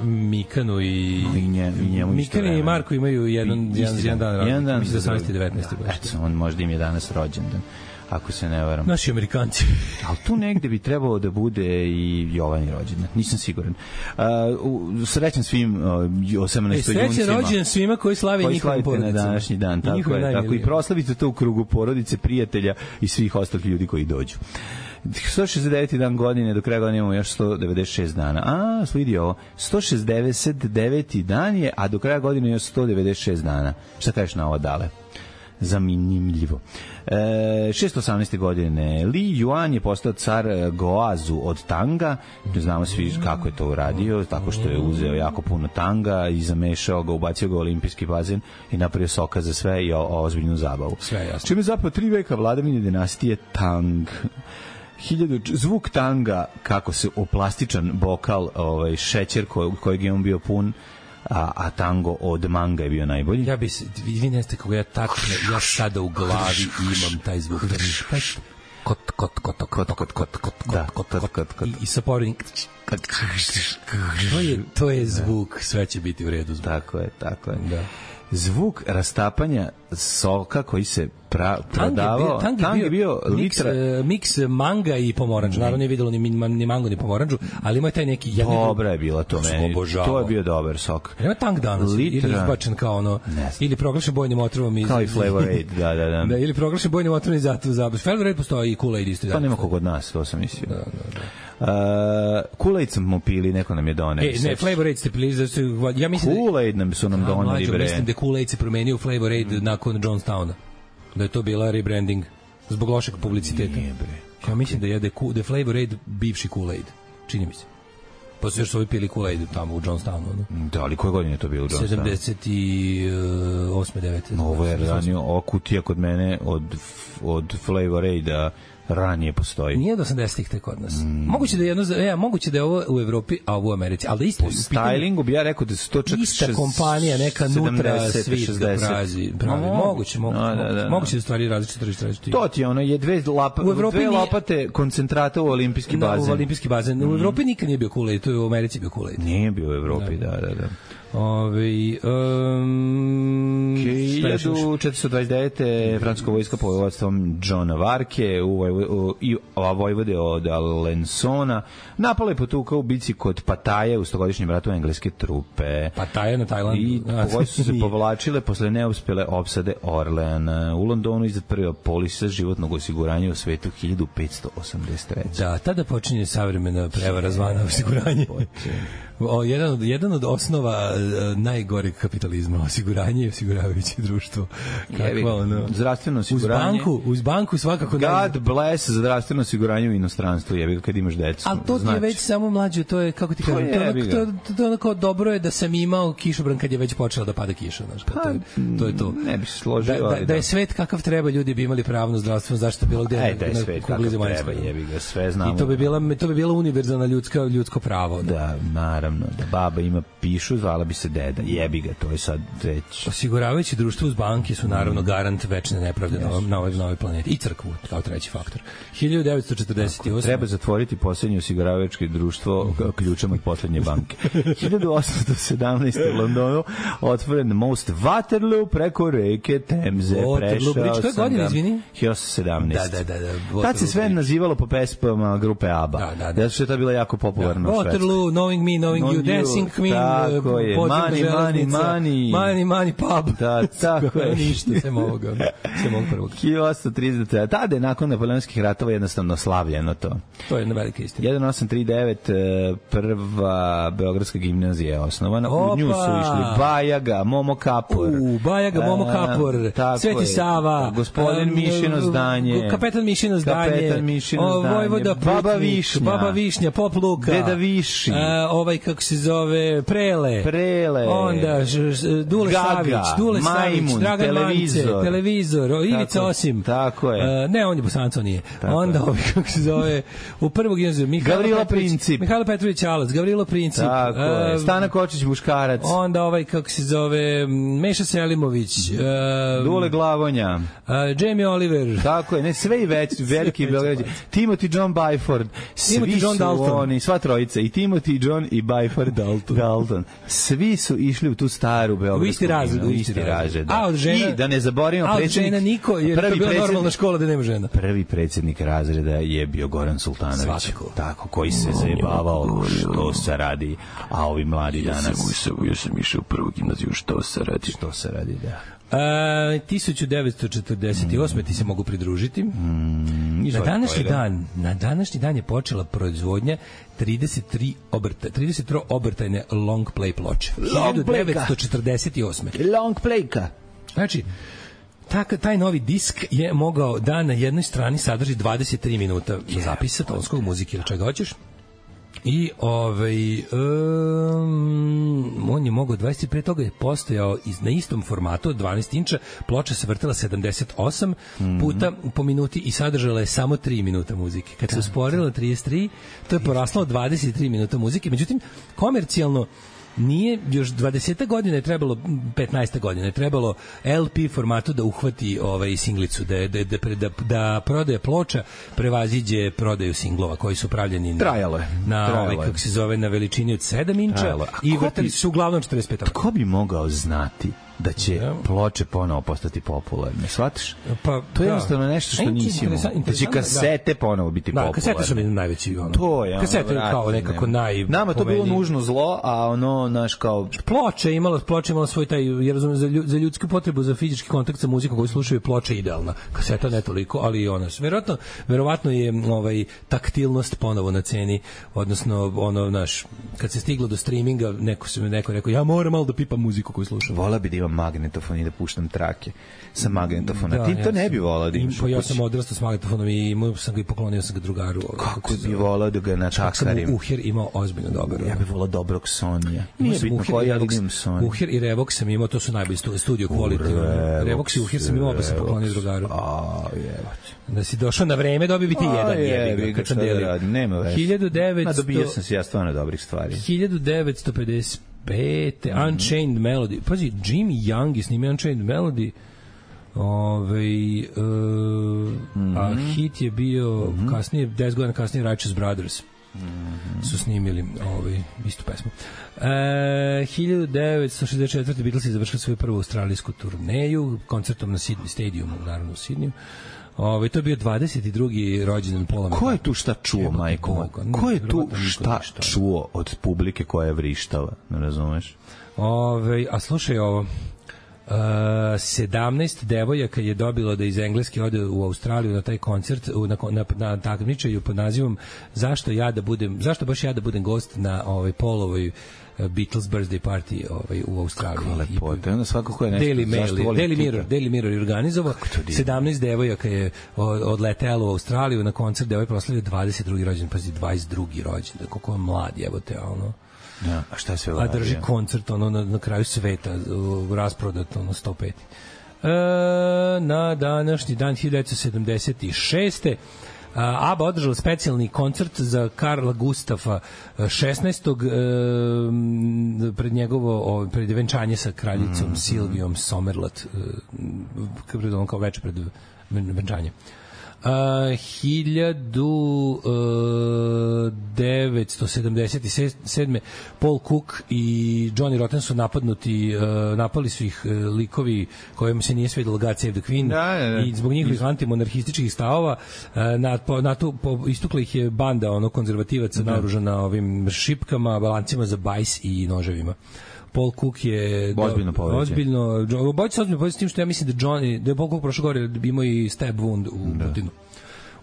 Mikanu i... I, nje, i njemu Mikanu i Marko imaju jedan, I, jedan, jedan dan. Jedan dan. Mislim da osamnaesti devetnaesti Da, eto, on možda im je danas rođendan. Ako se ne varam. Naši Amerikanci. Ali tu negde bi trebalo da bude i Jovan rođendan. Nisam siguran. Uh, srećan svim uh, osamnaestojuncima. Srećan rođendan svima koji slave koji njihovim porodicama. Na današnji dan. Tako je. Tako i proslavite to u krugu porodice, prijatelja i svih ostalih ljudi koji dođu. sto šezdeset deveti dan godine, do kraja godine imamo još sto devedeset šest dana. A, slidi ovo. sto šezdeset deveti dan je, a do kraja godine još sto devedeset šest dana. Šta kažeš na ovo, Dale? Zanimljivo. E, šesto osamnaeste godine Li Yuan je postao car Goazu od Tanga. Znamo svi kako je to uradio, tako što je uzeo jako puno tanga i zamešao ga, ubacio ga u olimpijski bazen i napravio soka za sve i o, o ozbiljnu zabavu. Sve jasno. Čime zapravo tri veka vladavine dinastije Tang. Hiljadu, zvuk tanga, kako se oplastičan bokal, ovaj, šećer koj, kojeg je on bio pun, A, a tango od manga je bio najbolji. Ja bi se, vi ne ste kako ja tačno, ja sada u glavi imam taj zvuk. Kot, kot, kot, kot, kot, kot, kot, kot, kot, kot, kot, kot, i sa porednim. To je, to je zvuk, sve će biti u redu. Tako je, tako je. Da. Zvuk rastapanja soka koji se pra, prodavao. Tang je, tang je bio, bio litra... Miks manga i pomoranđu. Naravno nije vidjelo ni, ni mango ni pomoranđu, ali ima taj neki... Dobra je bila to meni. To je bio dobar sok. Ima tang danas. Litra... Ili izbačen kao ono... Ili proglašen bojnim otrovom iz... Kao i Flavor Aid, da, da, da. da ili proglašen bojnim otrovom iz zato zabavlja. Flavor Aid postoji i Kool-Aid isto. To nema kog od nas, to sam mislio. Da, da, da. Uh, Kool-Aid smo pili, neko nam je doneo. E, ne, Flavor Aid ste pili, zato ja mislim Kool-Aid nam su nam doneli, bre. Mislim da Kool-Aid se promenio u Flavor Aid mm. nakon Johnstowna. Da je to bila rebranding zbog lošeg publiciteta. Nije, bre. Ja mislim da je da je Flavor Aid bivši Kool-Aid. Čini mi se. Pa su još su ovi pili Kool-Aid tamo u Johnstownu. No? Da, ali koje godine je to bilo u Johnstownu? sedamdeset osme devete Ovo je ranio, ova kutija kod mene od, od Flavor Aida ranije postoji. Nije od osamdesetih tek kod nas. Mm. Moguće da je jedno, ja, moguće da je ovo u Evropi, a ovo u Americi, ali da isto po stylingu bi ja rekao da su to čak ista kompanija, neka nutra svit da prazi, pravi. No, moguće, moguće, no, da, da, moguće da stvari različite različite. To ti je ono, je dve, lapa, u Evropi dve lopate koncentrata u olimpijski bazen. No, u olimpijski bazen. Mm. U Evropi nikad nije bio Kool-Aid, to je u Americi bio Kool-Aid. Nije bio u Evropi, da, da, da. Ove, um, hiljadu četiristo dvadeset devete francuska vojska pod vodstvom Johna Varke u, u, i vojvode od Alensona napala je potuka u bici kod Pataje u stogodišnjem ratu engleske trupe. Pataje na Tajlandu. I vojske su se povlačile posle neuspele opsade Orleana. U Londonu izdat prva polisa životnog osiguranja u svetu hiljadu petsto osamdeset treće. Da, tada počinje savremena prevara zvana osiguranje. O, jedan, od, jedan od osnova najgoreg kapitalizma, osiguranje i osiguravajuće društvo. Kako ono? Zdravstveno osiguranje. Uz banku, uz banku svakako. God naj... bless za zdravstveno osiguranje u inostranstvu, jebi ga kad imaš decu. Ali to ti je već samo mlađe, to je, kako ti kažem, to, to, to, to, to onako dobro je da sam imao kišobran kad je već počela da pada kiša, znaš, pa, to, je, to je to. Ne bi se složio. Da, da, da, da je svet kakav treba, ljudi bi imali pravo na zdravstvenu zaštitu bilo gde. Aj, da je na, svet kakav treba, jebi ga, sve znamo. I to bi bila, to bi bila univerzalna ljudska, ljudsko pravo. Da. da, naravno, da baba ima pišu, zvala bi se deda, jebi ga, to je sad već... Osiguravajući društvo uz banke su naravno garant večne nepravde yes. na, na, ovoj, na ovoj planeti. I crkvu, kao treći faktor. hiljadu devetsto četrdeset osam. Tako, treba zatvoriti poslednje osiguravajuće društvo ključem od poslednje banke. hiljadu osamsto sedamnaeste. u Londonu otvoren most Waterloo preko reke Temze. Waterloo Bridge, to je godina, izvini? hiljadu osamsto sedamnaeste. Da, da, da. da tad se sve Bridge. Nazivalo po pesmama grupe ABBA. Da, da, da. Zato što je to bila jako popularna da. Waterloo, Knowing Me, Knowing You, Dancing Queen, tako je, Money, Money, Money. Money, Money Pub. Da, tako je. Ništa, sve ovoga. Sve ovog prvog. hiljadu osamsto trideset. Tada je nakon napoleonskih ratova jednostavno slavljeno to. To je jedna velika istina. hiljadu osamsto trideset devet. prva Beogradska gimnazija je osnovana. Opa. U nju su išli Bajaga, Momo Kapor. U, Bajaga, Momo Kapor, Sveti je. Sava. Gospodin um, Mišino zdanje. Kapetan Mišino zdanje. Kapetan Mišino zdanje. Vojvoda Putnik, Baba Višnja. Baba Višnja, Pop Luka. Deda Viši. Uh, ovaj, kako se zove, Prele. Prele. Onda ž, ž, Dule Gaga, Savić. Dule Majmun, Savić, Dragan televizor. Mance, televizor. Ivica tako, Osim. Tako je. Uh, ne, on je Bosanco, nije. Tako onda, je. ovaj, kako se zove, u prvog gimnaziju, Gavrilo Princip. Mihajlo Petrović Alac, Gavrilo Princip. Tako je. Stana Kočić Buškarac. Onda ovaj, kako se zove, Meša Selimović. Uh, Dule Glavonja. Uh, Jamie Oliver. Tako je, ne, sve i već, veliki Beograđani. Timothy John Byford. Svi Timothy John su Dalton. oni, sva trojica, i Timothy John i Byford Dalton. Dalton. Svi su išli u tu staru Beogradsku. U isti razred, u isti razred. A od žena, i da ne zaboravimo predsjednik. A od žena niko, jer to je bila normalna škola da nema žena. Prvi predsjednik razreda je bio Goran Sultanović. Svakako. Tako, koji se zajebavao što se radi, a ovi mladi danas. Ja sam išao u prvu gimnaziju, što se radi. Što se radi, da. Uh, hiljadu devetsto četrdeset osme. ti se mogu pridružiti. Mm, na današnji dan, na današnji dan je počela proizvodnja trideset tri obrta, trideset tri obrtajne long play ploče. hiljadu devetsto četrdeset osme. Long playka. Znači, Tak, taj novi disk je mogao da na jednoj strani sadrži dvadeset tri minuta zapisa tonskog muzike ili čega hoćeš. I ovaj um, on je mogao dvadeset pre toga je postojao iz, na istom formatu od dvanaest inča, ploča se vrtela sedamdeset osam mm-hmm. puta po minuti i sadržala je samo tri minuta muzike. Kad se usporila na trideset tri, to je poraslo od dvadeset tri minuta muzike. Međutim, komercijalno nije, još dvadeset godina je trebalo, petnaest godina je trebalo L P formatu da uhvati ovaj singlicu, da, da, da, da, da prodaje ploča prevaziđe prodaju singlova koji su pravljeni na, Trajalo je. na Trajalo ovaj, kako se zove, na veličini od sedam inča i vrtali su uglavnom četrdeset pet. Ko bi mogao znati da će ja. ploče ponovo postati popularne, shvatiš? Pa, to je da. jednostavno nešto što nisi imao. Da će kasete da. ponovo biti da, popularne. Da, kasete su mi najveći. Ono. To je. Kasete je kao nekako naj... Nama to bilo nužno zlo, a ono, naš kao... Ploče imalo, ploče imalo svoj taj, ja razumem, za, za ljudsku potrebu, za fizički kontakt sa muzikom koju slušaju, ploča je idealna. Kaseta ne toliko, ali i ona. Verovatno, verovatno je ovaj, taktilnost ponovo na ceni, odnosno, ono, naš, kad se stiglo do streaminga, neko se neko rekao, ja moram malo da pipam muziku koju slušam. Vola bi da imam magnetofon i da puštam trake sa magnetofona. Da, Ti to ja ne bi volao da imaš. Pa ja sam odrastao s magnetofonom i imao sam ga i poklonio sam ga drugaru. Kako bi volao da ga natakarim? Uher imao ozbiljno dobro. Ja bih volao dobrog Sonija. Nije bitno koji, ali imam Sonija. Uher i Revox sam imao, to su najbolji studio quality. Revox i Uher sam imao, pa sam poklonio drugaru. A, jebač. Da si došao na vreme, dobio bi ti jedan jebi ga kad sam delio. Nema veze. hiljadu devetsto... Dobio sam se ja stvarno dobrih stvari. hiljadu devetsto pedeset pete. Mm-hmm. Unchained Melody. Pazi, Jimmy Young je snimio Unchained Melody. Ove, uh, mm-hmm. a hit je bio mm-hmm. kasnije, deset godina kasnije Righteous Brothers mm-hmm. su snimili ovaj, istu pesmu. E, hiljadu devetsto šezdeset četvrte. Beatlesi završili svoju prvu australijsku turneju koncertom na Sydney Stadiumu, naravno u Sidniju. Ove, to je bio dvadeset drugi rođendan Paula McCartneya. Ko je tu šta čuo, majko? Ko je tu šta čuo od publike koja je vrištala? Ne razumeš? Ove, a slušaj ovo. Uh, sedamnaest devojaka je dobilo da iz Engleske ode u Australiju na taj koncert u, na, na, na takmičenju pod nazivom zašto ja da budem zašto baš ja da budem gost na ovaj Paulovoj Beatles birthday party ovaj u Australiji. Kako lepo. Onda svakako je nešto. Daily Mail, Daily Mirror, Daily Mirror je organizovao. sedamnaest devojaka je odletelo u Australiju na koncert gde ovaj proslavio dvadeset drugi rođendan, pazi dvadeset drugi rođendan. Kako je mlad, jebote, ono. Ja, a šta je sve uradio? A drži koncert ono na, na kraju sveta, rasprodat ono sto pet. E, na današnji dan hiljadu devetsto sedamdeset šeste ABBA održala specijalni koncert za Karla Gustafa šesnaestog pred njegovo pred venčanje sa kraljicom mm. Silvijom Somerlath kao, kao večer pred venčanje. Uh, hiljadu devetsto sedamdeset sedme Paul Cook i Johnny Rotten su napadnuti, uh, napali su ih uh, likovi kojima se nije svidelo God Save the Queen da, da, da. I zbog njihovih antimonarhističkih stavova uh, na, po, na tu, po, istukla ih je banda ono konzervativaca da. naoružana ovim šipkama, balancima za bajs i noževima. Paul Cook je ozbiljno povređen. Ozbiljno, obojica se ozbiljno povređen s tim što ja mislim da Johnny, da je Paul Cook prošle gore imao i stab wound u da. Butinu.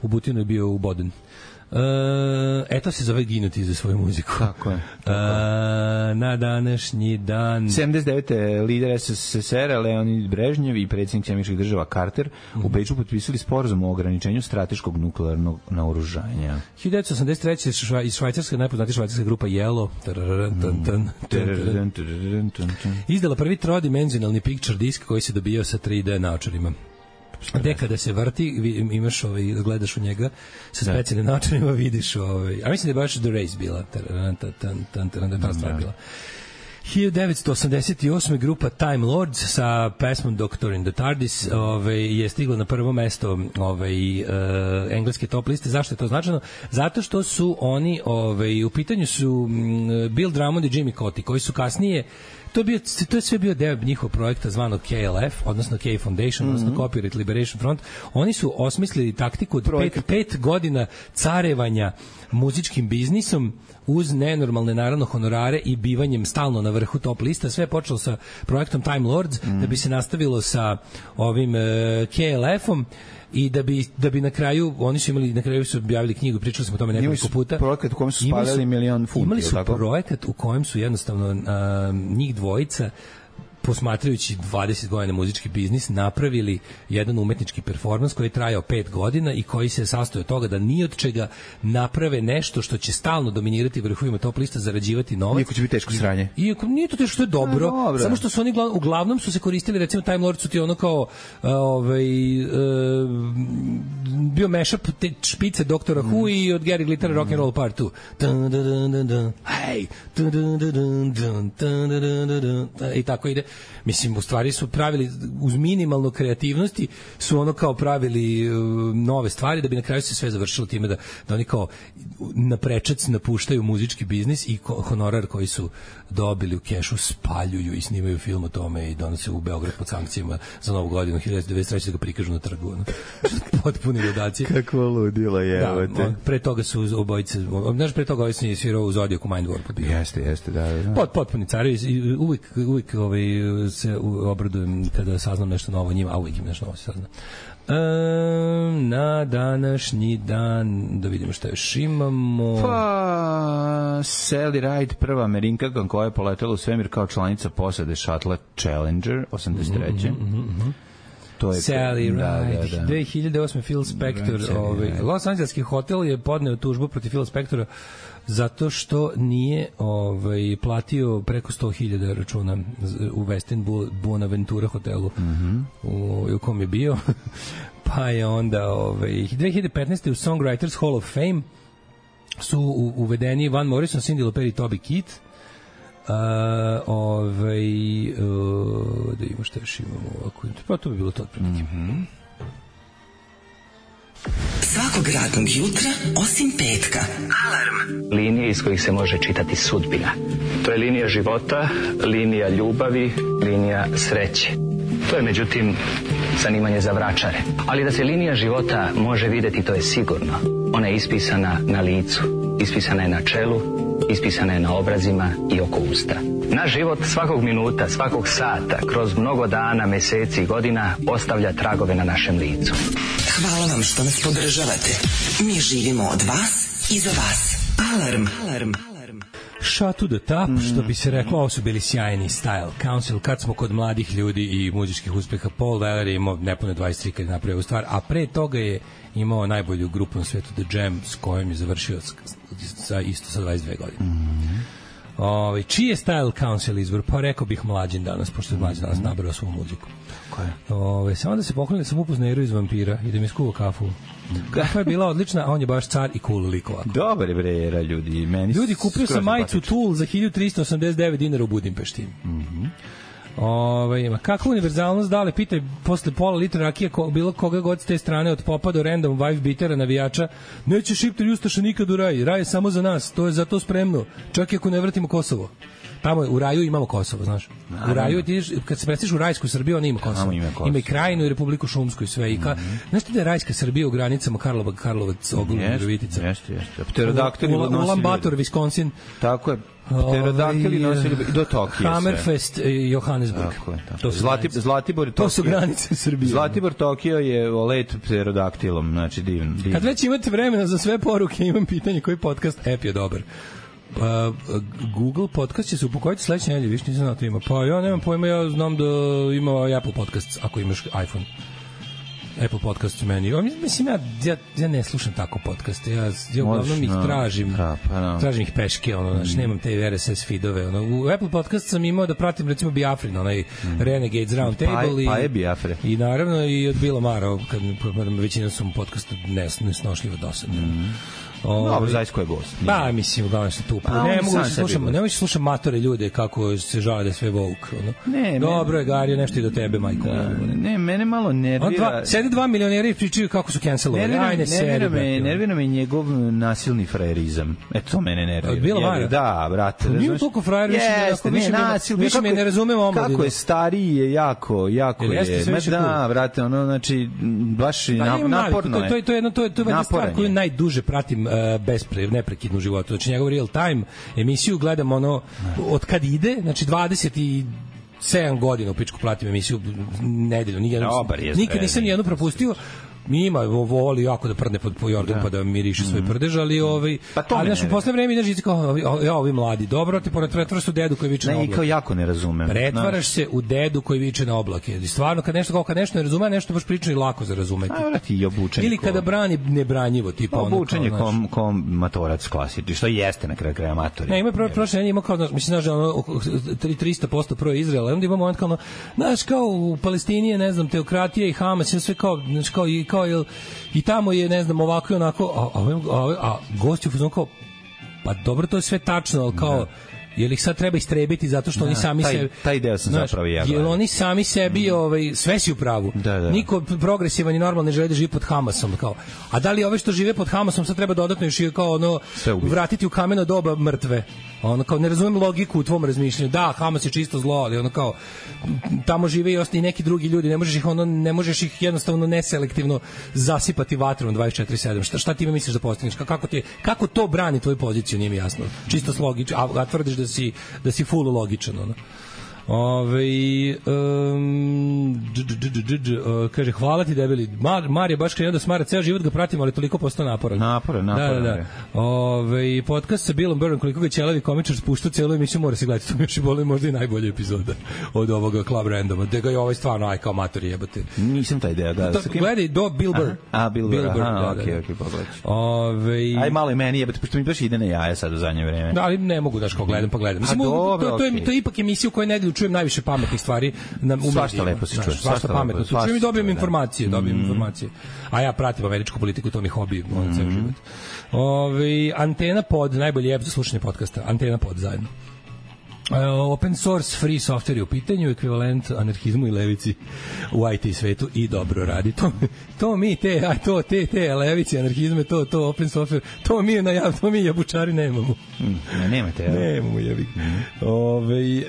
U Butinu je bio uboden. Uh, eto se zove ginuti za svoju muziku. Tako je. Tako uh, na današnji dan... sedamdeset devete lider es es es er Leonid Brežnjev i predsjednik američkih država Carter mm-hmm. u Beču potpisali sporazum o ograničenju strateškog nuklearnog naoružanja. hiljadu devetsto osamdeset treće iz Švajcarske, najpoznatija švajcarska grupa Yellow izdala prvi trodimenzionalni picture disk koji se dobijao sa tri de naočarima. Gde kada se vrti, imaš ovaj, gledaš u njega sa specijalnim načinima, vidiš ovaj, a mislim da je baš The Race bila, ta stvar bila. hiljadu devetsto osamdeset osme grupa Time Lords sa pesmom Doctor in the TARDIS ovaj, je stigla na prvo mesto ovaj, uh, engleske top liste. Zašto je to značajno? Zato što su oni, ovaj, u pitanju su um, Bill Drummond i Jimmy Cauty, koji su kasnije To je, bio, to je sve bio deo njihovog projekta zvanog K L F, odnosno K Foundation, mm-hmm. odnosno Copyright Liberation Front. Oni su osmislili taktiku od pet, pet godina carevanja muzičkim biznisom uz nenormalne naravno honorare i bivanjem stalno na vrhu top lista. Sve je počelo sa projektom Time Lords, mm. da bi se nastavilo sa ovim uh, K L F-om i da bi da bi na kraju oni su imali na kraju su objavili knjigu, pričali smo o tome nekoliko puta. Projekat u kojem su spalili milion funti. Imali su projekat u kojem su jednostavno uh, njih dvojica posmatrajući dvadeset godina muzički biznis, napravili jedan umetnički performans koji je trajao pet godina i koji se sastoji od toga da ni od čega naprave nešto što će stalno dominirati vrhovima top lista, zarađivati novac. Iako će biti teško sranje. Iako nije to teško, što je dobro, no, dobro. Samo što su oni uglavnom su se koristili, recimo Time Lord su ti ono kao ovaj, uh, bio mashup te špice doktora mm. Who i od Gary Glittera mm. Rock and Roll Part dva. Dun, dun, dun, dun, dun. Hey, dun, dun, dun, dun, dun, dun, dun, dun, dun. I tako ide. Mislim, u stvari su pravili, uz minimalno kreativnosti, su ono kao pravili uh, nove stvari, da bi na kraju se sve završilo time da, da oni kao na prečac napuštaju muzički biznis i ko, honorar koji su dobili u kešu spaljuju i snimaju film o tome i donose u Beograd pod sankcijama za novu godinu hiljadu devetsto devedeset treće da ga prikažu na trgu. Ono. Potpuni ludaci. Kako ludilo je. Da, pre toga su obojice, znaš, pre toga ovaj se svirao u Zodiacu Mind Warp. Jeste, jeste, da. da. Pot, potpuni carevi, uvijek, uvijek ovaj, se obradujem kada saznam nešto novo o njima, a uvijek im nešto novo se sazna. Um, na današnji dan da vidimo šta još imamo. Pa Sally Ride, prva Amerikanka koja je poletela u svemir kao članica posade šatla Challenger osamdeset treće Mm-hmm, mm-hmm. To je Sally Ride. Da, da, da. dve hiljade osme Phil Spector, right, ovaj, Los Angelski hotel je podneo tužbu protiv Phila Spectora zato što nije ovaj, platio preko sto hiljada računa u Westin Buenaventura hotelu mm-hmm. u, u kom je bio. Pa je onda ovaj, dve hiljade petnaeste u Songwriters Hall of Fame su uvedeni Van Morrison, Cyndi Lauper i Toby Keith. Uh, ovaj, uh, da imamo šta još imamo ovako. Pa to bi bilo to otprilike. Mm-hmm. Svakog radnog jutra, osim petka. Alarm. Linije iz kojih se može čitati sudbina. To je linija života, linija ljubavi, linija sreće. To je, međutim, zanimanje za vračare. Ali da se linija života može videti, to je sigurno. Ona je ispisana na licu, ispisana je na čelu, ispisana je na obrazima i oko usta. Naš život svakog minuta, svakog sata, kroz mnogo dana, meseci i godina ostavlja tragove na našem licu. Hvala vam što nas podržavate. Mi živimo od vas i za vas. Alarm. Alarm. Shut to the top, mm. što bi se reklo, ovo su bili sjajni Style Council. Kad smo kod mladih ljudi i muzičkih uspeha, Paul Weller je imao nepune dvadeset tri kad je napravio stvar, a pre toga je imao najbolju grupu na svetu The Jam, s kojom je završio sa, isto sa dvadeset dve godine. Mm. Ove, čiji je Style Council izbor? Pa rekao bih Mlađin danas, pošto je Mlađin danas nabrao svu muziku. Ove, samo da se pokloni da sam upoznao Eru iz Vampira i da mi skuva kafu. Kafa je bila odlična, a on je baš car i cool lik ovako. Dobar je bre Era, ljudi. Meni ljudi, kupio sam majicu Tool za hiljadu trista osamdeset devet dinara u Budimpešti. Mhm. Ove, ma kakva univerzalnost, dale, pitaj posle pola litra rakije ko, bilo koga god s te strane, od popa do random wife beatera, navijača, neće Šiptar i Ustaša nikad u raj, raj je samo za nas, to je za to spremno, čak i ako ne vratimo Kosovo. Tamo je, u raju imamo Kosovo, znaš. U raju, ti, kad se predstaviš u rajsku Srbiju, ona ima Kosovo. Ima, Kosovo. Ima i Krajinu i Republiku Šumsku i sve. I ka, mm-hmm. Znaš ti da je rajska Srbija u granicama Karlova, Karlovac, Ogulin, Virovitica? Jeste, jeste. Pterodaktili nosili. Ulan Bator, Wisconsin. Tako je. Pterodaktili nosili do Tokija. Hammerfest i Johannesburg. Tako je. Tako. To su Zlati, Zlatibor, to su granice Srbije. Zlatibor, Tokio je let pterodaktilom, znači divno. Div. Kad već imate vremena za sve poruke, imam pitanje koji podcast app je dobar. Uh, Google podcast će se upokojiti sledeće nedelje, više nisam znao to ima. Pa ja nemam pojma, ja znam da ima Apple podcast ako imaš iPhone. Apple podcast u meni. Mislim, ja, ja, ja ne slušam tako podcaste. Ja, ja uglavnom ih tražim. Da, pa, no. Tražim ih peške, ono, znači, nemam te R S S feedove. Ono. U Apple podcast sam imao da pratim, recimo, Biafrin, onaj mm. Renegades Round Table. Pa, i, pa je Biafre. I naravno i od Bila Mara, kad većina su mu podcastu nes, nesnošljivo dosadno. Mm. Dobro, zaista ko je gost. Ba, mislim, uglavnom se tu. Pa, ne mogu da slušam, ne mogu da slušam matore ljude kako se žale da je sve woke, ono. Ne, dobro je, Gario, nešto i do tebe, majko. Da, ne, mene malo nervira. Dva, sede dva milionera i pričaju kako su cancelovali. Ajde, nervira me, nervira me njegov nasilni frajerizam. Eto, to mene nervira. Od Bila Mara? Da, brate. Nije toliko frajer, više jeste, ne, nasil. Više me ne razumem omladinu. Kako je stariji je jako, jako je. Ma da, brate, ono, znači, baš naporno je. To je, to je jedno, to je jedna stvar koju najduže pratim bez neprekidnu životu. Znači, njegov real time emisiju gledam ono od kad ide, znači dvadeset sedam godina u pičku pratim emisiju nedeljno. Nikad nisam nijednu propustio. Mi ima voli jako da prdne pod Jordan, da. Pa da miriše svoj prdež, ali ovaj pa ali naš u poslednje vreme ideš i kao ja ovi mladi, dobro, ti pretvaraš se u dedu koji viče na oblake. Ne, kao jako ne razumem. Pretvaraš se u dedu koji viče na oblake. I stvarno kad nešto kao kad nešto ne razume, nešto baš priča i lako za razumeti. A vrati i obučen. Ili kada brani nebranjivo, tipa ono. Obučen je kom kom matorac klasični, što jeste na kraju kraja amatori. Ne, ima prošle nedelje ima kao mislim znaš ono trista posto pro Izraela, onda ima moment kao znaš kao u Palestini je ne znam teokratija i Hamas, sve kao znači kao i kao jel i tamo je, ne znam, ovako i onako, a, a, a, a gosti u fazonu kao, pa dobro, to je sve tačno, ali kao, da. Jel ih sad treba istrebiti zato što da, oni sami taj, sebi... Taj deo sam znaš, zapravo ja. Jel oni sami sebi, mm. ovaj, sve si u pravu. Da, da. Niko progresivan i normalno ne želi da živi pod Hamasom. Kao. A da li ove što žive pod Hamasom sad treba dodatno još kao ono, vratiti u kameno doba mrtve? Ono kao, ne razumem logiku u tvom razmišljanju. Da, Hamas je čisto zlo, ali ono kao, tamo žive i ostali neki drugi ljudi. Ne možeš ih, ono, ne možeš ih jednostavno neselektivno zasipati vatrom dvadeset četiri sedam. Šta, šta ti misliš da postigneš? Kako, ti, kako to brani tvoju poziciju, nije mi jasno. Čisto logično, a, a tvrdiš da si da si full logičan, ono. Ove, um, dž, dž, dž, dž, dž, uh, kaže, hvala ti debeli. Mar, Mar je baš krenuo da smara, ceo život ga pratim, ali toliko postao naporan. Naporan, naporan. Da, da, da. Ove, podcast sa Billom Burrom, koliko ga ćelavi komičar spuštao celu emisiju, mora se gledati. To mi još i boli možda i najbolja epizoda od ovoga Club Randoma. Da ga je ovaj stvarno, aj kao matori jebate. Nisam taj ideja, da. To, gledaj, do Bill Burr. A, Bill Burr, aha, da, okej, da. okej, pogledaj. Ove, aj malo i meni jebate, pošto mi baš ide na jaja sad u zadnje vreme. Da, ali ne mogu daš kao gledam, pa gledam. Mislim, A, dobro, to, to, je, to je ipak emisija u kojoj nedelju čujem najviše pametnih stvari na umedijima. Svašta lepo se čuje. Svašta pametno. Čujem i dobijem informacije, dobijem mm. informacije. A ja pratim američku politiku, to mi hobi, mm. on ceo život. Ove, Antena Pod, najbolji app za slušanje podcasta. Antena Pod zajedno. Uh, open source free software je u pitanju, ekvivalent anarhizmu i levici u I T svetu i dobro radi. To, to mi te, a to te te levici, anarhizme, to to open software, to mi na ja, to mi jabučari nemamo. Mm, ne nemate, ja. Nemamo jebi. Mm. Ove,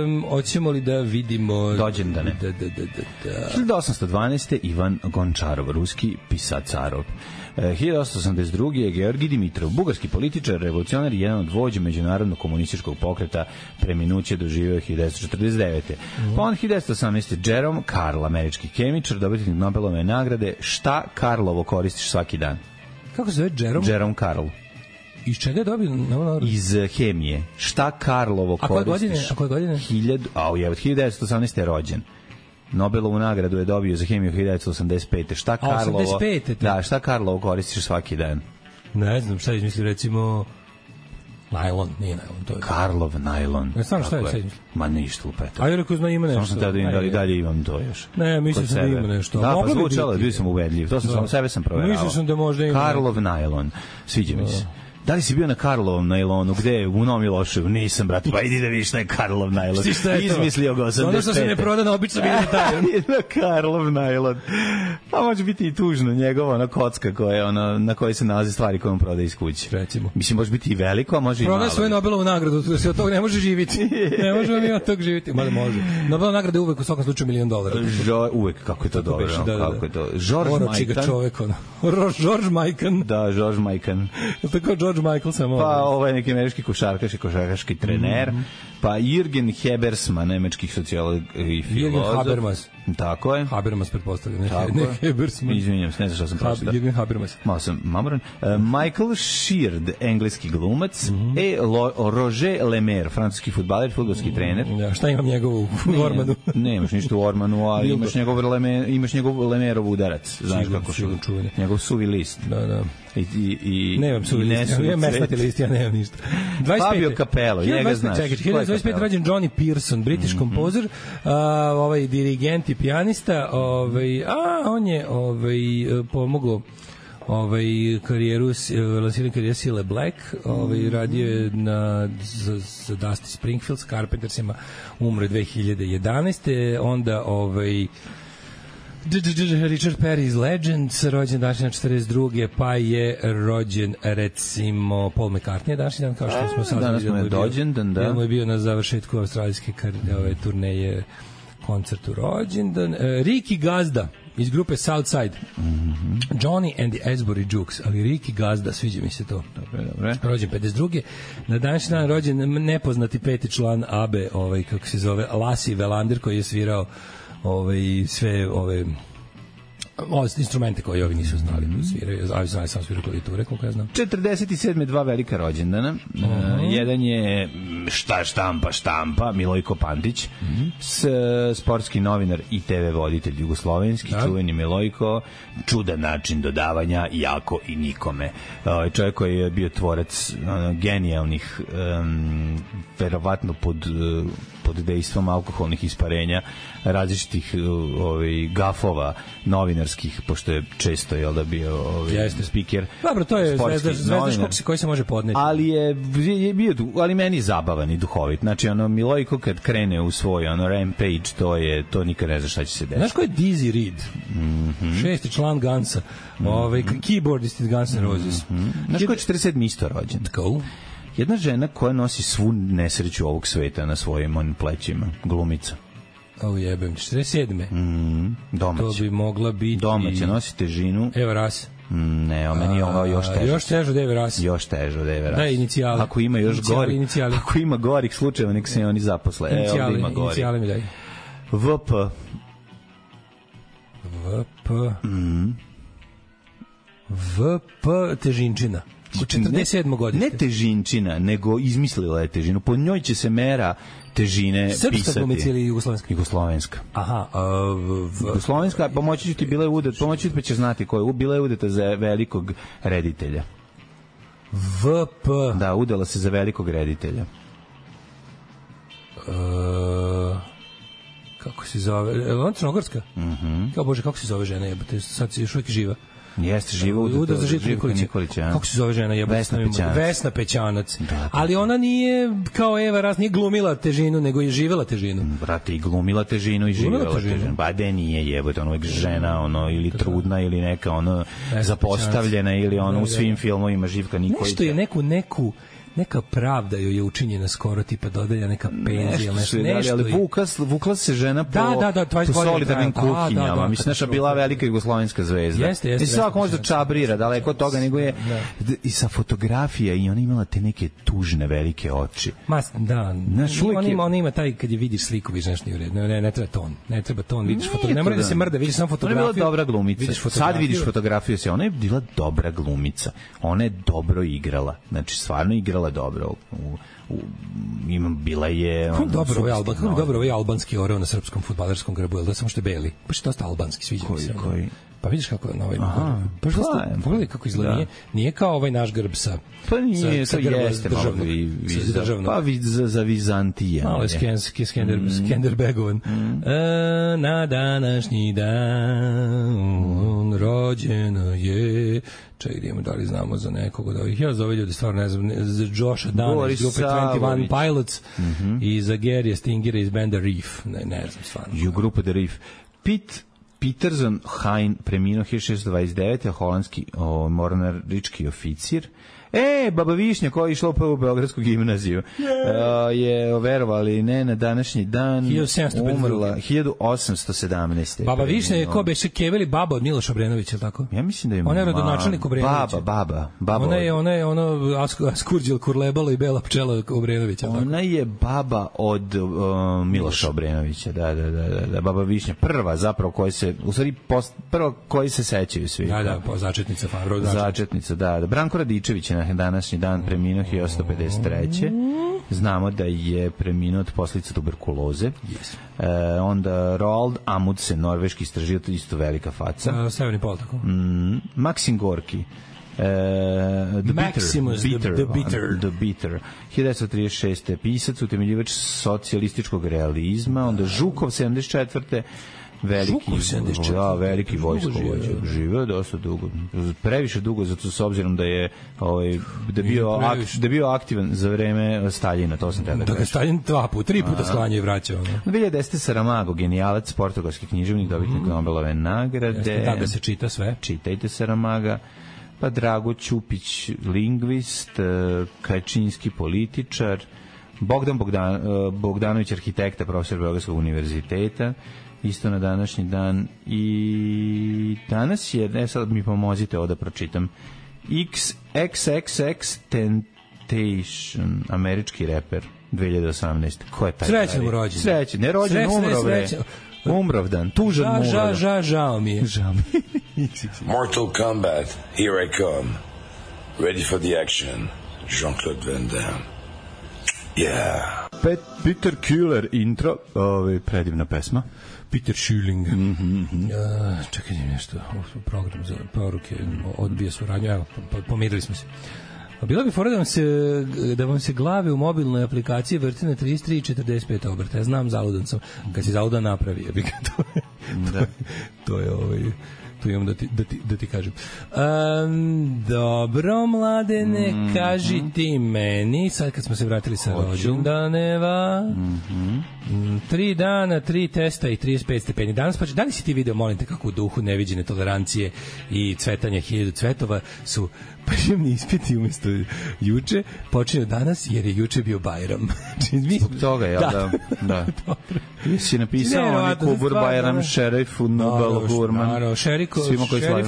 um, hoćemo li da vidimo... Dođendane. Da, da, da, da, da. hiljadu osamsto dvanaeste. Ivan Gončarov, ruski pisacarov. hiljadu osamsto osamdeset druge. je Georgij Dimitrov, bugarski političar, revolucionar i jedan od vođa međunarodnog komunističkog pokreta, preminuće doživeo hiljadu devetsto četrdeset devete. Mm. Pa on hiljadu devetsto osamnaeste. Jerome Karl, američki kemičar, dobitnik Nobelove nagrade. Šta Karlovo koristiš svaki dan? Kako se zove Jerome? Jerome Karl. Iz čega je dobio Nobelovu nagradu? Iz hemije. Šta Karlovo a koristiš? Godine? A koje godine? Hiljadu, a je, hiljadu devetsto osamnaeste. je rođen. Nobelovu nagradu je dobio za hemiju hiljadu devetsto osamdeset pete. Šta Karlovo? osamdeset pete. Da, šta Karlovo koristiš svaki dan? Ne znam, šta izmisli, recimo najlon, nije najlon, to je Karlov najlon. Ne znam šta je sad izmisli. Ma ništa lupeta. A ja rekao, zna ima nešto. Samo sam tada da li dalje imam to još. Ne, mislim sam da ima nešto. Da, pa zvučalo, bio sam ubedljiv. To sam samo sebe sam proveravao. Mislim sam da možda ima. Karlov najlon. Sviđa mi se. Da li si bio na Karlovom najlonu? Gde je? U Novom Miloševu? Nisam, brate. Pa idi da vidiš šta je Karlov najlon. Izmislio ga osamdeset pete. Ono što se ne proda na obično bilo detaljem. Na Karlov najlon. Pa može biti i tužno njegova ona kocka koja, ona, na kojoj se nalaze stvari koje on prodaje iz kuće. Recimo. Mislim, može biti i veliko, a može i malo. Prodaje svoju Nobelovu nagradu, da se od toga ne može živjeti. Ne možemo mi od toga živjeti. Mada može. Nobelova nagrada je uvek u svakom slučaju milion dolara. Žo, uvek, kako je to dobro. Beši, da, kako da. je to? George Mikan. čovek, ono. George Mikan. Da, George Mikan. Tako George Michael samo. Pa ovaj neki američki košarkaš i košarkaški trener, mm -hmm. pa Jürgen Habermas, nemački sociolog i filozof. Jürgen Habermas. Tako je. Habermas pretpostavljam, ne, Tako ne Habermas. Izvinjam se, ne znam šta sam pročitao. Jürgen Habermas. Malo sam mamoran. Uh, Michael Sheard, engleski glumac, mm -hmm. e Lo, Roger Lemaire, francuski fudbaler, fudbalski mm -hmm. trener. Ja, šta imam njegovu u Ormanu? Ne, imaš ništa u Ormanu, ali imaš njegov, Leme, imaš njegov Lemerov udarac. Znaš sigur, kako sigur, su? Njegov suvi list. Da, da. I, i, i, nemam suvi list, ja imam mesnati list, ja nemam ništa. Fabio Capello, njega znaš. Čekaj, hiljadu dvadeset pete. rođen Johnny Pearson, british mm -hmm. kompozer, uh, ovaj dirigent i pijanista, ovaj, a on je ovaj, pomogao ovaj karijeru, lansiranje karijere Cilla Black, ovaj radio je na za, za Dusty Springfield s Carpentersima, umre dve hiljade jedanaeste. Onda ovaj Richard Perry iz Legends, rođen današnji na četrdeset druge. Pa je rođen recimo Paul McCartney današnji dan, kao što smo sad danas mu je dođendan, da. Jedan mu je bio na završetku australijske ove turneje koncertu rođendan. Ricky Gazda iz grupe Southside. Mm -hmm. Johnny and the Asbury Jukes, ali Ricky Gazda, sviđa mi se to. Dobre, dobre. Rođen pedeset druge. Na današnji dan rođen nepoznati peti član A B E, ovaj, kako se zove, Lassie Welander, koji je svirao ovaj, sve ove ove instrumente koje ovi nisu znali da sviraju, a znali sam sviraju klavijature, koliko ja znam. četrdeset sedme dva velika rođendana. Uh -huh. uh, jedan je šta štampa štampa Milojko Pantić, uh -huh. s, sportski novinar i te ve voditelj jugoslovenski, da. Čuveni Milojko, čudan način dodavanja, jako i nikome. Uh, čovjek koji je bio tvorac uh, genijalnih, um, verovatno pod uh, pod dejstvom alkoholnih isparenja, različitih ovaj gafova novinarskih, pošto je često je da bio ovaj spiker. Dobro, to je zvezda, zvezda koji se može podneti. Ali je, je bio, ali meni je zabavan i duhovit. Znači ono Milojko kad krene u svoj ono rampage, to je to nikad ne zna šta će se desiti. Znaš ko je Dizzy Reed? Mm -hmm. Šesti član Gansa. Mm -hmm. Ovaj keyboardist iz Guns N' Roses. Mm -hmm. Znaš ko je četrdeset sedme isto rođen? Go. Jedna žena koja nosi svu nesreću ovog sveta na svojim onim plećima, glumica. O jebem, četrdeset sedme Mm, domaća. To bi mogla biti... Domaća, nosi težinu. Eva Ras. Mm, ne, o meni je ovo još teže. Još teže od Eve Ras. Još teže od Eve Ras. Da, inicijale. Ako ima još gori, inicijale. ako ima gorih slučajeva, nek se oni zaposle. Inicijale, e, ovdje ima gori. Inicijale mi daj. V P. V P. Mm. V P težinčina. četrdeset sedmo godište. Ne težinčina, nego izmislila je težinu. Po njoj će se mera težine Srpska pisati. Srpska glumica ili jugoslovenska? Jugoslovenska. Aha. Uh, v... Jugoslovenska, pomoći ću ti, bila je udet, pomoći ću ti pa ćeš znati ko je. Bila je udeta za velikog reditelja. V P. Da, udala se za velikog reditelja. Uh, kako se zove? Ona Crnogorska? Mhm. Mm Kao Bože, kako se zove žena? Jebote, sad se još uvijek živa. Jeste, živa u Udar za Živka Nikolića. Nikolića. Kako se zove žena? Jebote, Vesna Pećanac. Vesna Pećanac. Da, da. Ali ona nije kao Eva Ras, nije glumila težinu, nego je živela težinu. Brate, i glumila težinu i živela glumila težinu. težinu. Ba de nije jebote, ono uvijek žena, ono, ili trudna, ili neka, ono, Vesna zapostavljena, Pećanac. Ili ono, u svim filmovima Živka Nikolića. Nešto je neku, neku neka pravda joj je učinjena skoro, tipa dodelja neka penzija, nešto, nešto, nešto ali vukla, vukla se žena po, da, da, da, po solidarnim kuhinjama. Da, da, mislim, naša bila velika jugoslovenska zvezda. Jeste, jeste. I svako može da čabrira, daleko od toga, nego je da. I sa fotografija i ona imala te neke tužne velike oči. Ma, da, on ima, on ima taj, kad je vidiš sliku, vidiš nešto nije u redu. Ne, ne treba ton, ne treba ton, vidiš fotografiju. Ne mora da se mrda, vidiš samo fotografiju. Ona je bila dobra glumica. Sad vidiš fotografiju, ona je bila dobra glumica. Ona je dobro igrala. Znači, stvarno igrala dobro. U, u, ima, bila je... Kako dobro ovaj alban, kako dobro ovaj albanski oreo na srpskom fudbalerskom grbu, je li da samo što je beli? Pa što je dosta albanski, sviđa mi se. Koji? Pa vidiš kako je na ovaj... Aha, pa pogledaj kako izgleda. Da. Nije, nije kao ovaj naš grb sa... Pa nije, sa, to jeste malo vi, vi, pa vi, za, za Vizantije. Malo je skenski, skender, mm. skenderbegovan. Mm. E, na današnji dan rođeno je... Čekaj, idemo, da li znamo za nekog od ovih. Ja za ove ljudi stvarno ne znam, za Josha Dana iz grupe dvadeset jedan Pilots mm -hmm. i za Garija Stingera iz benda Reef. Ne, ne znam stvarno. I u grupu The Reef. Pete Peterson Hein preminuo hiljadu šessto dvadeset devete. holandski o, mornarički oficir. E, Baba Višnja koja je išla u Beogradsku gimnaziju yeah. uh, je, verovali ne, na današnji dan umrla hiljadu osamsto sedamnaeste. Baba Višnja je ko beše Keveli baba od Miloša Obrenovića, tako? Ja mislim da je ona je rodonačelnik Obrenovića. Baba, baba, baba. Ona je, ona je ono Askurđel Kurlebalo i Bela pčela Obrenovića. Ona tako? Je baba od uh, Miloša Obrenovića, da, da, da, da, da, Baba Višnja, prva zapravo koja se, u stvari post, prva koji se sećaju svi. Da, da, po začetnica Fabro. Začetnica, da, da. Branko Radičević je na današnji dan preminuo hiljadu osamsto pedeset treće. Znamo da je preminuo od posljedica tuberkuloze. Yes. E, onda Roald Amundsen, norveški istražitelj, isto velika faca. Uh, Severni pol, tako? Mm, Maksim Gorki. Uh, the Maximus, Bitter, the, the Bitter. The Bitter. hiljadu devetsto trideset šeste. pisac, utemeljivač socijalističkog realizma. Onda Žukov, sedamdeset četvrte veliki, da, veliki vojskovođa. Živeo dosta dugo. Previše dugo, zato s obzirom da je ovaj da bio ak, da bio aktivan za vreme Staljina, to sam tada. Da ga Staljin dva puta, tri puta sklanja i vraćao. Ne? dve hiljade desete. Saramago, genijalac, portugalski književnik, dobitnik Nobelove nagrade. Da, da se čita sve. Čitajte Saramaga. Pa Drago Ćupić, lingvist, Kačinski političar, Bogdan Bogdan, Bogdanović, arhitekta, profesor Beogradskog univerziteta, isto na današnji dan. I danas je, ne sad mi pomozite ovo da pročitam, X X X Temptation, američki reper, dve hiljade osamnaeste. Ko je taj? Srećan mu rođen. Srećan, ne rođen, umro, bre. Umrovdan, tužan umro. Ža, ža, žao mi je. Žao mi je. Mortal Kombat, here I come. Ready for the action. Jean-Claude Van Damme. Yeah. Pet, Peter Killer intro, ovaj predivna pesma. Peter Schilling. Mm -hmm. uh, čekaj nešto, program za poruke odbija suradnju, evo, pomirili smo se. Bila bi fora da vam se, da vam se glave u mobilnoj aplikaciji vrti na trideset tri i četrdeset pet obrta. Ja znam, zaludan sam. Kad si zaludan napravi, je bi ga to. To, da. to je ovaj... tu imam da ti, da ti, da ti kažem. Um, dobro, mladene, mm -hmm. kaži ti meni, sad kad smo se vratili sa rođendaneva, mm -hmm. tri dana, tri testa i trideset pet stepeni. Danas pa, da li si ti video, molim te, kako u duhu neviđene tolerancije i cvetanja hiljadu cvetova su prijemni ispiti umjesto juče, počinju danas jer je juče bio Bajram. Zbog toga, ja, da. da. da. Si napisao oni Kubur Bajram, Šerif, Nubal, Gurman. Šerif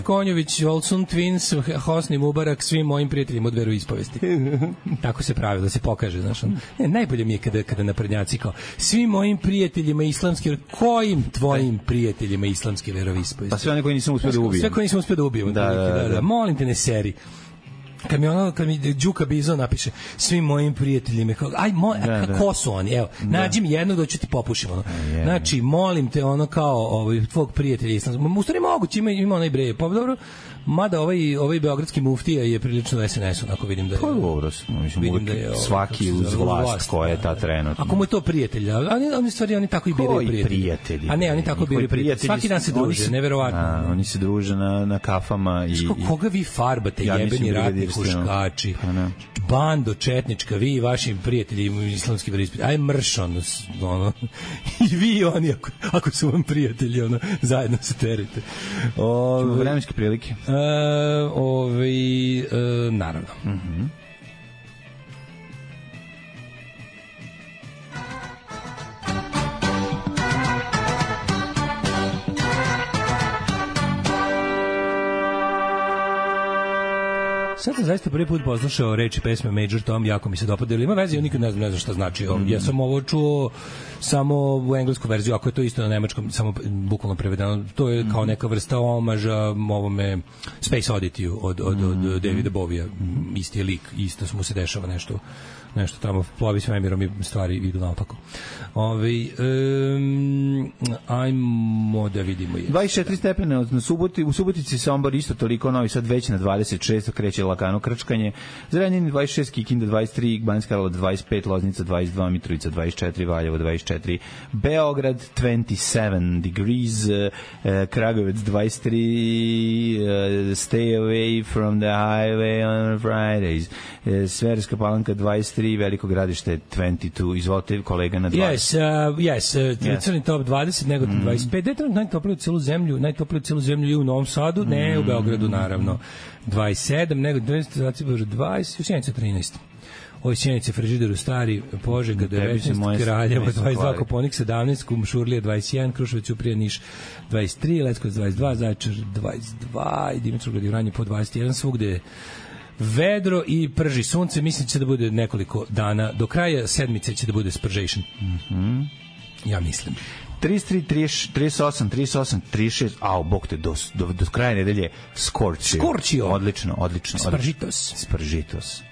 Konjović, Olsun Twins, Hosni Mubarak, svim mojim prijateljima od veroispovesti. Tako se pravi, da se pokaže. Znaš, ne, najbolje mi je kada, kada naprednjaci kao svim mojim prijateljima islamske, kojim tvojim prijateljima islamske veroispovesti? Pa sve one koji nisam uspio da ubijem. Sve koji nisam uspio da ubijem. Da, da, da, da. Molim te, ne seri. Kad mi ono, kad mi Đuka Bizon napiše svim mojim prijateljima, kao, aj, mo, da, da. Ko su oni? Evo, da. Nađi mi jednog da ću ti popušim. Ono. Yeah. Znači, molim te, ono kao ovaj, tvog prijatelja islamskog. U stvari moguće, ima, ima onaj breje. Pa dobro, mada ovaj, ovaj beogradski muftija je prilično S N S, onako vidim da je... Pa dobro, mislim, da je, svaki uz vlast, vlast koja je ta trenutno. Ako mu je to prijatelj, oni, oni stvari, oni tako i biraju prijatelji. prijatelji. A ne, oni tako i biraju prijatelji. Svaki dan se druže, neverovatno. A, oni se druže na, na kafama i... Ško, koga vi farbate, ja jebeni ratni huškači? Bando četnička, vi i vaši prijatelji islamski veroispovesti, aj mrš, ono, ono, i vi i oni, ako, ako su vam prijatelji, ono, zajedno se terite. Ove, vremenske prilike? Uh, ove, uh, naravno. Mhm. Sad sam zaista prvi put poslušao reči pesme Major Tom, jako mi se dopada, ili ima veze, ja nikad ne znam, ne znam šta znači. Mm. Ja sam ovo čuo samo u englesku verziju, ako je to isto na nemačkom, samo bukvalno prevedeno, to je kao neka vrsta omaža ovome Space Oddity od, od, od, od Davida Bovija, isti je lik, isto mu se dešava nešto nešto tamo plovi svemirom i stvari idu naopako. Ove, um, ajmo da vidimo. Je. dvadeset četiri stepena na Suboti, u Subotici Sombor isto toliko, Novi Sad već na dvadeset šest, kreće lakano krčkanje, Zrenjanin dvadeset šest, Kikinda dvadeset tri, Banjska Karlovac dvadeset pet, Loznica dvadeset dva, Mitrovica dvadeset četiri, Valjevo dvadeset četiri, Beograd dvadeset sedam degrees, uh, Kragujevac dvadeset tri, uh, stay away from the highway on Fridays, uh, Sverska Palanka dvadeset tri, Veliko Gradište dvadeset dva, izvolite kolega na dvadeset. Yes, uh, yes, uh, yes. Crni top dvadeset, Negotin mm. dvadeset pet, detaljno najtoplije u celu zemlju, najtoplije u celu zemlju i u Novom Sadu, ne, mm. u Beogradu naravno, dvadeset sedam, Negotin dvadeset, dvadeset, u Sjenica trinaest. Ovo Sjenice, Frižideru Stari, Požega devetnaest, Kraljevo dvadeset dva, Koponik sedamnaest, Kumšurlija dvadeset jedan, Kruševac, Ćuprija, Niš dvadeset tri, Leskovac dvadeset dva, Zaječar dvadeset dva i Dimitrovgrad i Vranje po dvadeset jedan, svugde je vedro i prži sunce, mislim će da bude nekoliko dana, do kraja sedmice će da bude spržation. Mhm. Ja mislim. trideset tri, trideset osam, trideset osam, trideset šest, au, bog te, do, do, do kraja nedelje Scorchio. Scorchio. Odlično, odlično. Sparžitos. Sparžitos.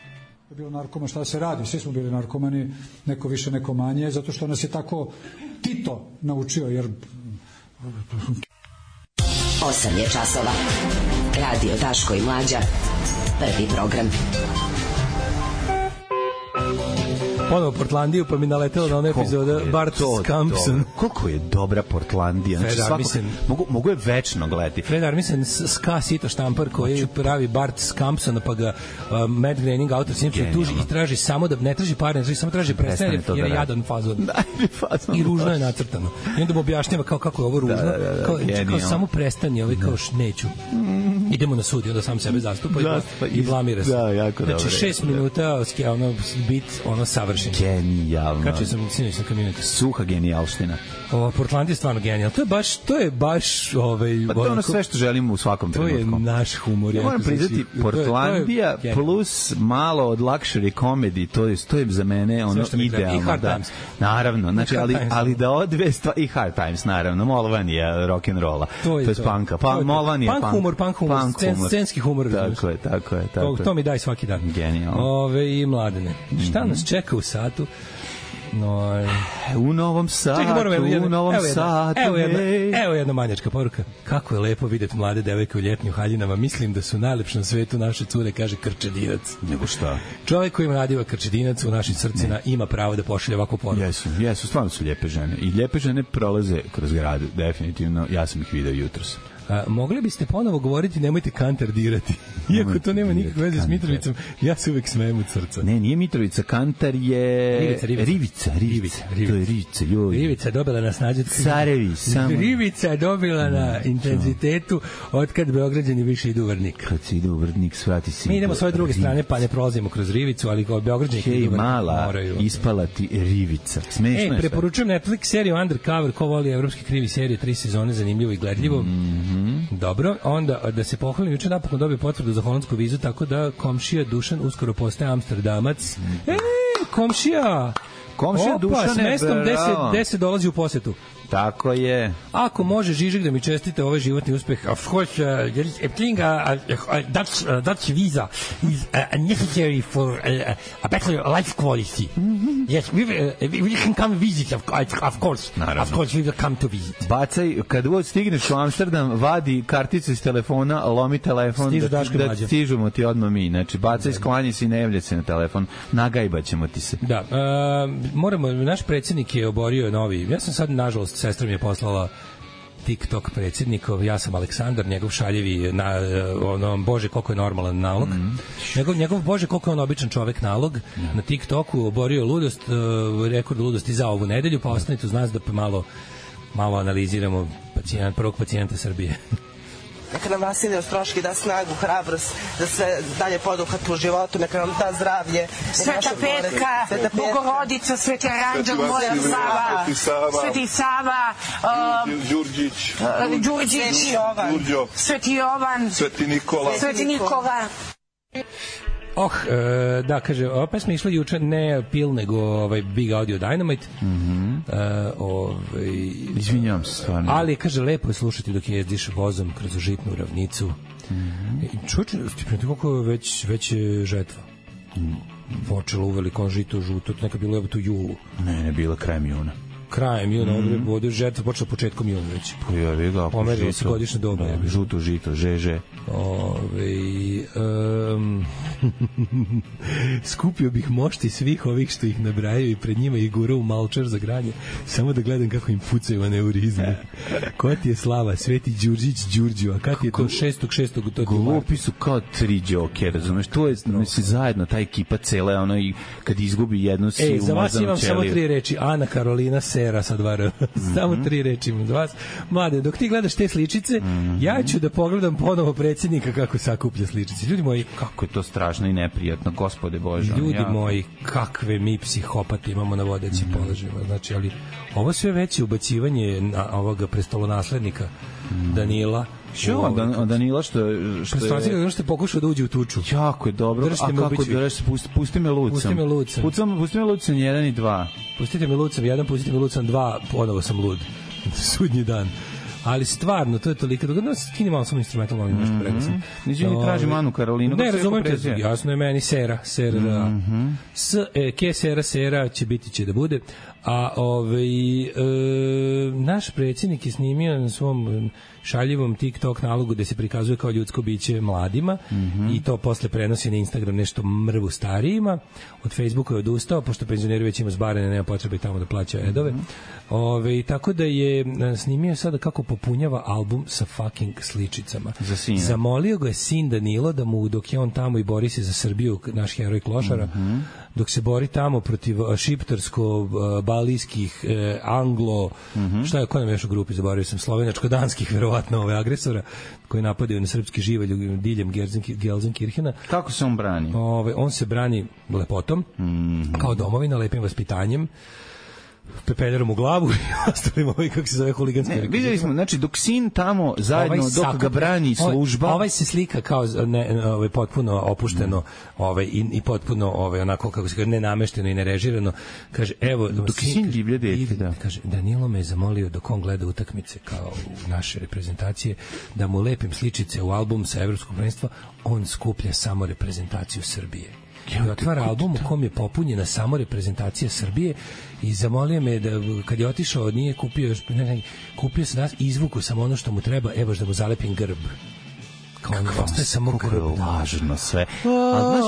Bilo narkoma, šta se radi, svi smo bili narkomani, neko više, neko manje, zato što nas je tako Tito naučio, jer... osam je časova. Radio Daško i Mlađa. Prvi program. Ponovo Portlandiju, pa mi naletelo na ona epizoda Bart Scampson. Koliko je dobra Portlandija. Fred znači, Armisen. Mogu, mogu je večno gledati. Fred Armisen, ska sito štampar koji pravi Bart Scampsona, pa ga uh, Matt Groening, autor snimke, tuži i traži samo da, ne traži pare, ne traži, samo traži prestane, jer je jadan fazon. fazon. I ružno je nacrtano. I onda mu objašnjava kao kako je ovo ružno. Da, da, da, kao, kao samo prestani, ovaj kao neću. Idemo na sud i onda sam sebe zastupa i, i blamira se. Da, jako znači, dobro. šest minuta, ono, bit, ono, savršen. Genijalno. Kačio sam sinoć na community. Suha genijalština. O, Portland je stvarno genijalno. To je baš, to je baš ovaj pa to je ono sve što želimo u svakom trenutku. To je naš humor. Ja moram priznati, Portlandija to je, to je plus malo od luxury comedy, to je, to je za mene ono idealno. I Hard da, Times. Naravno, znači, ali, ali da odve stvari, i Hard Times, naravno, Molvanija rock'n'rolla, to je, to je spanka. Pa, Molvanija, punk humor, punk humor, punk scen, humor. Scenski humor. Tako je, tako je. Tako to, to mi daj svaki dan. Genijalno. Ove i Mladene. Šta nas čeka u satu? No, u Novom Sadu, čekaj, u Novom evo Sadu. Evo jedna, evo jedna manjačka poruka. Kako je lepo videti mlade devojke u ljetnim haljinama. Mislim da su najlepše na svetu naše cure, kaže Krčedinac. Nego šta? Čovjek koji ima nadiva Krčedinac u našim srcima ima pravo da pošalje ovakvu poruku. Jesu, jesu, stvarno su lijepe žene. I lijepe žene prolaze kroz grad, definitivno. Ja sam ih video jutros. A, mogli biste ponovo govoriti nemojte Kantar dirati. Iako to nema nikakve veze s Mitrovicom, ja se uvek smejem od srca. Ne, nije Mitrovica, Kantar je... Rivica, Rivica. Rivica, Rivica. Rivica. To je Rivica, joj. Rivica je dobila na snađu... Carevi, samo... Rivica je dobila na intenzitetu otkad Beograđani više idu u Vrnik. Kad se ide u Vrnik, svrati si... Mi idemo s ove druge strane, pa ne prolazimo kroz Rivicu, ali kao Beograđani Hej, idu u Vrnik. mala, moraju. ispala ti Rivica. Smešno e, preporučujem Netflix seriju Undercover, ko voli evropski krivi serije, tri sezone, zanimljivo i gledljivo. Mm-hmm. Dobro, onda da se pohvalim, juče napokon dobio potvrdu za holandsku vizu, tako da komšija Dušan uskoro postaje Amsterdamac. E, komšija! Komšija Dušan s mestom gde se dolazi u posetu. Tako je. Ako može Žižek da mi čestite ovaj životni uspeh, of course, uh, everything, uh, uh, Dutch, uh, Dutch visa is uh, necessary for uh, a better life quality. Mm-hmm. Yes, we, uh, we can come visit, of, of course. Naravno. Of course, we will come to visit. Bacaj, kad god stigneš u Amsterdam, vadi karticu iz telefona, lomi telefon, Stižu da, da stižemo ti odmah mi. Znači, bacaj, sklanji se i ne javlja se na telefon, nagajbaćemo ti se. Da, uh, moramo, naš predsjednik je oborio novi, ja sam sad, nažalost, sestra mi je poslala TikTok predsjednikov, ja sam Aleksandar, njegov šaljevi na, ono, bože koliko je normalan nalog. Mm. Njegov, njegov bože koliko je on običan čovek nalog. Mm. Na TikToku oborio ludost, uh, rekord ludosti za ovu nedelju, pa ostanite uz nas da malo, malo analiziramo pacijent, prvog pacijenta Srbije. Neka nam Vasilij Ostroški da snagu, hrabrost, da sve dalje poduhvati u životu, neka nam da zdravlje. Sveta Petka, Bogorodica, Sveti Aranđel, Moja Sava, Sveti Sava, Đurđić, Đurđić, Sveti Jovan, Sveti Nikola, Sveti Nikola. Oh, e, da, kaže, ova pesma išla juče ne Pil, nego ovaj Big Audio Dynamite. Mhm. e, ovaj, Izvinjavam se stvarno. Ali, kaže, lepo je slušati dok jezdiš vozom kroz žitnu ravnicu. Mm-hmm. Čuče, ti koliko je već, već je žetva? Mm. Počelo uveliko žito žuto, to neka bilo je u julu. Ne, ne, bila krajem juna. Krajem juna, mm. ovdje žetva počela početkom juna već. Pa ja vi ga, pomerilo se godišnje doba. Da, žuto žito, žeže. Ove, um, skupio bih mošti svih ovih što ih nabrajaju i pred njima ih gurao u malčar za granje, samo da gledam kako im pucaju aneurizme. Koja ti je slava? Sveti Đurđić Đurđio, a kad je to šestog šestog to glupi su kao tri džoke, razumeš? To je, mislim, zajedno, ta ekipa cela, ono, i kad izgubi jednu si e, u za vas imam ćeliju. Samo tri reči, Ana Karolina Sera sa dva R. Mm-hmm. Samo tri reči imam za vas. Mlade, dok ti gledaš te sličice, mm-hmm. ja ću da pogledam ponovo predsjednika kako sakuplja sličice. Ljudi moji, kako je to strašno i neprijatno, gospode Bože. Ljudi ja. moji, kakve mi psihopate imamo na vodećim mm-hmm. položajima. Znači, ali ovo sve veće ubacivanje na ovoga prestolonaslednika mm-hmm. Danila. Što, Dan, Danila što, što Prestolonaslednika je... što je pokušao da uđe u tuču. Jako je dobro. Držite a kako da reći, pusti, pusti me lucam. Pusti me lucam. Pucam, pusti me lucam jedan i dva. Pustite me lucam jedan, pustite me lucam dva, ponovo sam lud. Sudnji dan. Ali stvarno, to je toliko da no, skini malo samo instrumentalno ovim nešto rekao sam. Niđe mi traži Anu Karolinu. Ne, razumete, jasno je meni Sera, Sera, mm-hmm. S, e, ke Sera, Sera će biti će da bude. A ovaj, e, naš predsjednik je snimio na svom šaljivom TikTok nalogu gde se prikazuje kao ljudsko biće mladima mm-hmm. i to posle prenosi na Instagram nešto mrvu starijima. Od Facebooka je odustao, pošto penzioneri već ima zbarene, nema potrebe tamo da plaća edove. Mm-hmm. Ove, tako da je snimio sada kako popunjava album sa fucking sličicama. Za sina. Zamolio ga je sin Danilo da mu, dok je on tamo i bori se za Srbiju, naš heroj Klošara, mm-hmm. dok se bori tamo protiv šiptarsko-balijskih, eh, anglo, mm-hmm. šta je, ko nam još u grupi, zaboravio sam, slovenačko-danskih, verovatno, ove agresora, koji napadaju na srpski živalj diljem Gelsenkirchena. Kako se on brani? Ove, on se brani lepotom, mm-hmm. kao domovina, lepim vaspitanjem, pepeljerom u glavu i ostalim ovaj, kako se zove, huliganski. Vidjeli smo, znači, dok sin tamo zajedno, ovaj dok sakup, ga brani služba... Ovaj, ovaj se slika kao ne, ovaj, potpuno opušteno mm. ovaj, i, i potpuno ovaj, onako, kako se kaže, nenamešteno i nerežirano. Kaže, evo... Dok sin, sin divlje dete, da. Kaže, Danilo me je zamolio dok on gleda utakmice kao u naše reprezentacije, da mu lepim sličice u album sa evropskog prvenstva, on skuplja samo reprezentaciju Srbije. I otvara album u kom je popunjena samo reprezentacija Srbije i zamolio me da kad je otišao nije kupio još ne, ne, kupio sam nas, izvuku samo ono što mu treba, evo da mu zalepim grb. Kao on ostaje samo grb. Lažno sve. A znaš,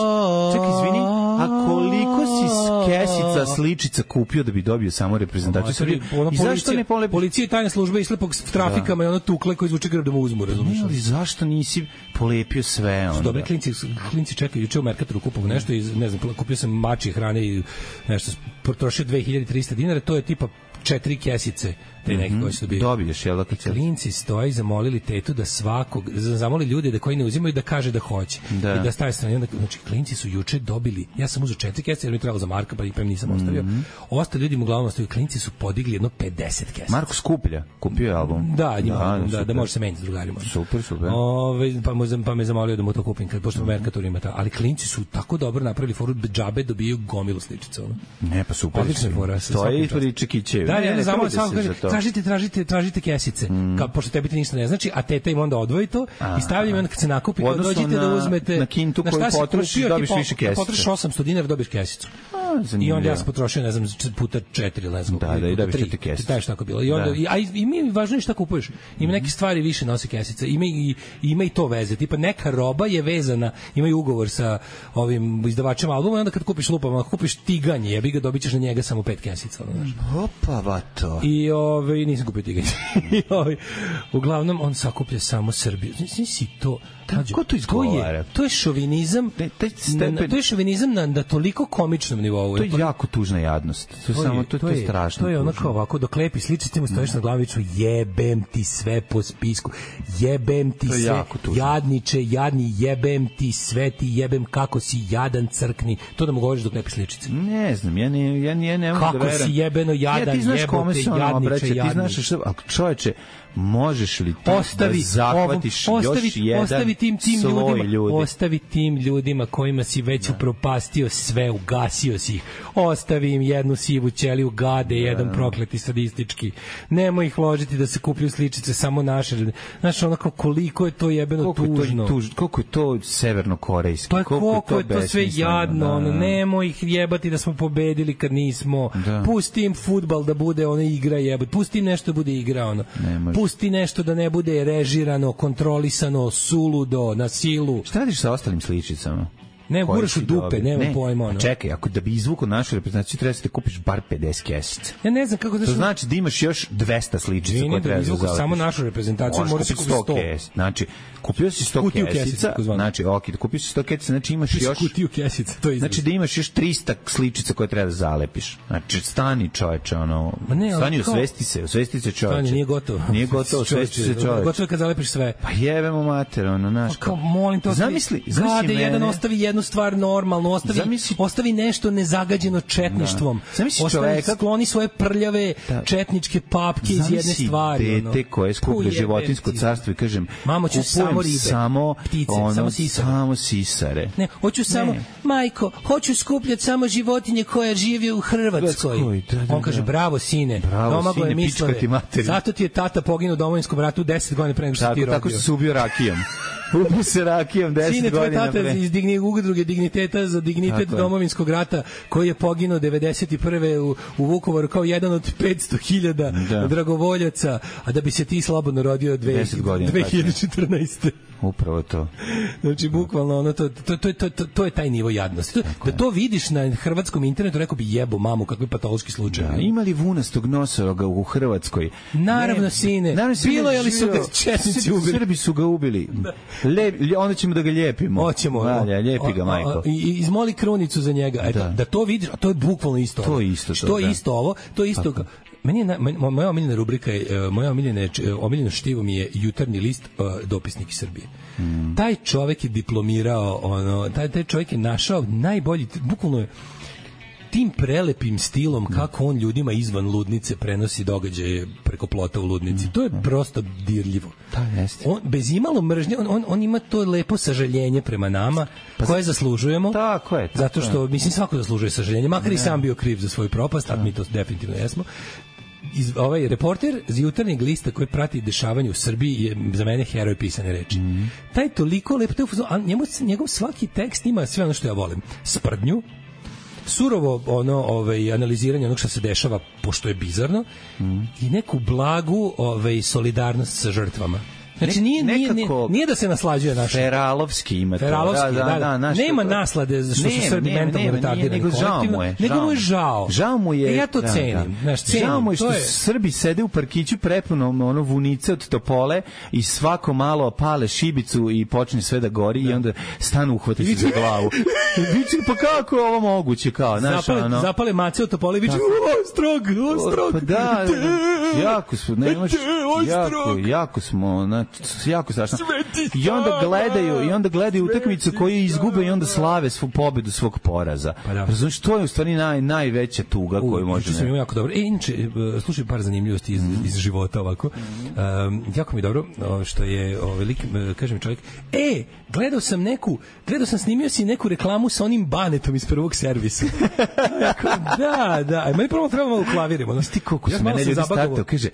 čekaj, izvini, a koliko si kesica sličica kupio da bi dobio samo reprezentaciju Srbije? I zašto ne polepiš? Policija i tajna služba išle po trafikama i ono tukle koji zvuče grb da mu uzmu, razumiješ? Ne, ali zašto nisi polepio sve onda? Dobri klinci, klinci čekaju, juče u Merkatoru kupovao nešto i ne znam, kupio sam mačje hrane i nešto, potrošio dve hiljade trista dinara, to je tipa četiri kesice te neke koji su dobili. Dobiješ, jel da kad klinci stoji, zamolili tetu da svakog, zamolili ljude da koji ne uzimaju da kaže da hoće. Da. I da staje strane. Znači, klinci su juče dobili, ja sam uzeo četiri kesice jer mi trebalo za Marka, pa i nisam ostavio. Mm-hmm. Ostali ljudi mu uglavnom ostavio, klinci su podigli jedno pedeset kesica. Marko skuplja, kupio je album. Da, njima, da, da, da može se meniti s drugarima. Super, super. Ove, pa, mu, pa me zamolio da mu to kupim, kad, pošto mm-hmm. Merkator ima ta. Ali klinci su tako dobro napravili foru, džabe dobiju gomilu sličica. Ono. Ne, pa super. Odlična fora. To je i Čekićevi. Da, ja ne zamolio, samo kaže, tražite, tražite, tražite kesice. Mm. Kao, pošto tebi ti ništa ne znači, a teta im onda odvoji to i stavlja im onda kad se nakupi, kao dođite na, da uzmete... Na kintu koju potrošiš, dobiš više kesice. Potrošiš osamsto dinara, dobiš kesicu. A, i onda ja sam potrošio, ne znam, puta četiri, ne znam. Da, da, i dobiš četiri kesice. Da, je tako bilo. I, onda, i, a i mi važno je šta kupuješ. Ima neke stvari više nosi kesice. Ima i, ima i to veze. Tipa neka roba je vezana, imaju ugovor sa ovim izdavačem albuma i onda kad kupiš lupama, kupiš tiganje, jebi ga, dobićeš na njega samo pet kesica. Opa, vato. I ove, nisam kupio tiganje. I ove, uglavnom, on sakuplja samo Srbiju. Nisi to... Kako to izgovara? To je, to je šovinizam, na, to je šovinizam na, na toliko komičnom nivou. nivou. To je jako tužna jadnost. To, to, je, samo, to, to, je, to je strašno. To je onako ovako, dok lepi sličice mu stojiš na glaviću, jebem ti sve po spisku, jebem ti sve, jadniče, jadni, jebem ti sve, ti jebem kako si jadan, crkni. To da mu govoriš dok lepi sličice. Ne znam, ja ne, ja ne, ne mogu da verujem. Kako si jebeno jadan, ja, ti znaš jebote, kome se ono jadniče, obraća, jadni. Ti znaš što, a čoveče, možeš li ti ostavi, da zahvatiš ovom, ostavi, još jedan ostavi tim, tim ljudima, ljudi. Ostavi tim ljudima kojima si već da. upropastio sve, ugasio si ih. Ostavi im jednu sivu ćeliju, gade, da. jedan prokleti sadistički. Nemoj ih ložiti da se kuplju sličice samo naše. Znaš, onako, koliko je to jebeno koliko tužno. Je to, tuž, koliko je to severnokorejski. Pa koliko, koliko je to, je to sve jadno. Da, ono, da. Nemoj ih jebati da smo pobedili kad nismo. Da. Pusti im fudbal da bude ona igra jebati. Pusti im nešto da bude igra. Ono. Pusti nešto da ne bude režirano, kontrolisano, suludo, na silu. Šta radiš sa ostalim sličicama? Ne, guraš u dupe, nema ne. pojma. Ono. Čekaj, ako da bi izvukao našu reprezentaciju, treba da kupiš bar pedeset kesica. Ja ne znam kako da... To znači da imaš još dvesta sličica koje treba da zalepiš. Samo našu reprezentaciju, moraš da kupiš sto. Znači, kupio si sto kesica, znači, ok, da kupio si sto kesica, znači imaš još... Kutiju kesica, to izgleda. Znači da imaš još trista sličica koje treba da zalepiš. Znači, stani čoveče, ono... Ne, stani, usvesti se, usvesti se čoveče. Stani, nije gotovo. Nije gotovo, usvesti se čoveče. Gotovo kad zalepiš sve. Pa jebemo mater, ono, znaš. Kao, molim te, zamisli, zamisli jedan ostavi jednu stvar normalno, ostavi, zamisli, ostavi nešto nezagađeno četništvom. Da. Ostavi, čoveka, skloni svoje prljave da. četničke papke iz jedne stvari. Zamisli dete koje skuplja životinjsko carstvo i kažem, mamo, ću samo ribe, samo, ptice, ono, samo sisare. Samo sisare. Ne, hoću samo, ne. majko, hoću skupljati samo životinje koja žive u Hrvatskoj. Da, da, On kaže, bravo sine, bravo sine, pička ti materiju. Zato ti je tata poginuo u Domovinskom ratu deset godina pre nego što ti rodio. Tako što se ubio rakijom. Ubio se rakijom deset godina pre. Sine, tvoj tata iz digni, udruge digniteta za dignitet tako Domovinskog rata, koji je poginuo devedeset prve u, u Vukovaru kao jedan od petsto hiljada da. dragovoljaca, a da bi se ti slobodno rodio dve hiljade četrnaeste. Upravo to. Znači, bukvalno, ono, to, to, to, to, to, to je taj nivo jadnosti. To, da to vidiš na hrvatskom internetu, rekao bi jebo mamu, kakvi patološki slučaj. Da, ima li vunastog nosoroga u Hrvatskoj? Naravno, ne, sine. Naravno, bilo je li su ga četnici ubili? Srbi su ga ubili. Le, onda ćemo da ga lijepimo. Hoćemo. Valja, lijepi ga, majko. I izmoli krunicu za njega. Eto, da. da to vidiš, a to je bukvalno isto. To je isto. Što je isto ovo, to je isto. Tako. Meni je, moja omiljena rubrika je, moja omiljena, omiljena štivo mi je Jutarnji list, uh, dopisnik iz Srbije. Mm. Taj čovek je diplomirao, ono, taj, taj čovek je našao najbolji, bukvalno je tim prelepim stilom kako on ljudima izvan ludnice prenosi događaje preko plota u ludnici. To je prosto dirljivo. Da, jeste. On, bez imalo mržnje, on, on, on ima to lepo sažaljenje prema nama, pa koje zaslužujemo. Tako je. Tako zato što, mislim, svako zaslužuje sažaljenje, makar ne. i sam bio kriv za svoju propast, a mi to definitivno jesmo. Iz, ovaj reporter iz Jutarnjeg lista koji prati dešavanje u Srbiji je za mene heroj pisane reči. Mm. Taj toliko lep, a njemu, njegov svaki tekst ima sve ono što ja volim. Sprdnju, surovo ono ovaj analiziranje onog što se dešava pošto je bizarno mm. i neku blagu ovaj solidarnost sa žrtvama. Znači nije, nije, nije, nije da se naslađuje naš Feralovski ima to. Feralovski, da, da, da, da nema to, naslade što su Srbi mentalno retardirani, nego žao mu je. Nego mu je žao. Žao mu je. E, ja to da, cenim. Da. Naš, cenim. Žao mu je što je... Srbi sede u parkiću prepunom ono vunice od topole i svako malo pale šibicu i počne sve da gori da. I onda stanu uhvate se za glavu. Viče, pa kako je ovo moguće kao, znaš, zapale, ono. Zapale mace od topole i viče, o, strog, o, strog. Pa da, jako smo, nemaš, jako, jako smo, znači, jako strašno. I onda gledaju, i onda gledaju utakmicu koju izgube i onda slave svu pobedu svog poraza. Pa da. Razumiješ, to je u stvari naj, najveća tuga U, koju može... Sam jako dobro. E, inače, slušaj par zanimljivosti iz, mm. iz života ovako. Um, jako mi je dobro što je ovaj lik, kaže mi čovjek, e, gledao sam neku, gledao sam, snimio si neku reklamu sa onim banetom iz Prvog servisa. Jako, da, da. A meni prvo treba malo klavirimo. Ti koliko su mene ljudi startao, kaže,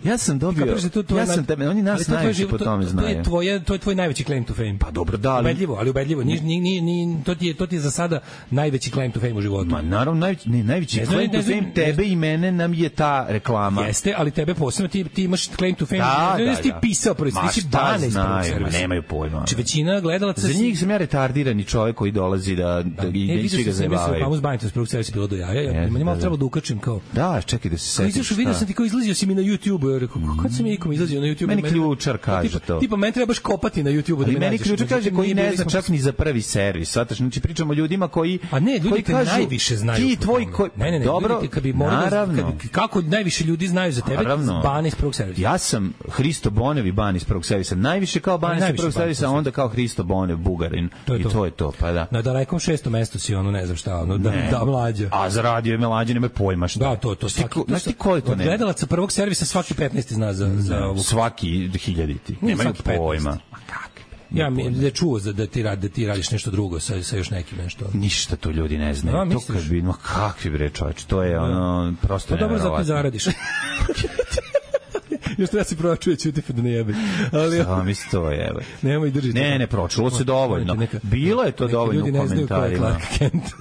ja sam dobio, ja sam tebe, oni nas najviše po tome znaju. To je tvoje, to je tvoj najveći claim to fame. Pa dobro, da, ali ubedljivo, ali ubedljivo. Ni ni ni ni to ti je to ti je za sada najveći claim to fame u životu. Ma naravno najveći, ne, najveći ne, claim ne, to fame ne, tebe i mene nam je ta reklama. Jeste, ali tebe posebno ti ti imaš claim to fame. Da, ne, da, ne, ti pisao prvi, ti si bane iz Prvog servisa. Nemaju pojma. Znači većina gledalaca za njih sam ja retardirani čovjek koji dolazi da da i svi ga zabavaju. Reklamu s banetom iz Prvog servisa bilo do jaja. Ja meni malo treba da ukačim kao. Da, čekaj da se setiš. Izašao, video sam ti kao izlazio si mi na YouTube, ja rekao, kako sam ja ikom izlazio na YouTube. Meni ključar kaže to. Tipa meni treba baš kopati na YouTubeu da mi nađeš. Meni ključ kaže koji ne zna čak ni za prvi servis. Svataš, znači pričamo o ljudima koji a ne, ljudi koji kažu, najviše znaju. Ti tvoj koji ne, ne, ne, dobro, ljudi, kad bi naravno. Da, kad, kako najviše ljudi znaju za tebe? Ban iz prvog servisa. Ja sam Hristo Bonev i ban iz prvog servisa. Najviše kao ban iz prvog servisa, onda kao Hristo Bonev Bugarin. To I to. to je to, pa da. Na dalekom šestom mestu si ono, ne znam šta, ono, da, da mlađa. A za radio je mlađe, nema pojma šta. Da, to, to. Svaki, to, znaš ti koji to ne? Gledalaca prvog servisa svaki petnaesti zna za, za ovu. Svaki hiljaditi. Nemaju pojma. Ma kakvi? Ja mi ne čuo za da ti radi da ti radiš nešto drugo sa sa još nekim nešto. Ništa to ljudi ne znaju. A, to kad bi, no kakvi bre čoveče, to je ono prosto neverovatno. Dobro, zato zaradiš. Još treba se pročuje ćuti pa da ne jebe. Ali ja mislim to je. Nemoj držite. Ne, ne pročulo se dovoljno. Neka, bilo je to dovoljno u komentarima.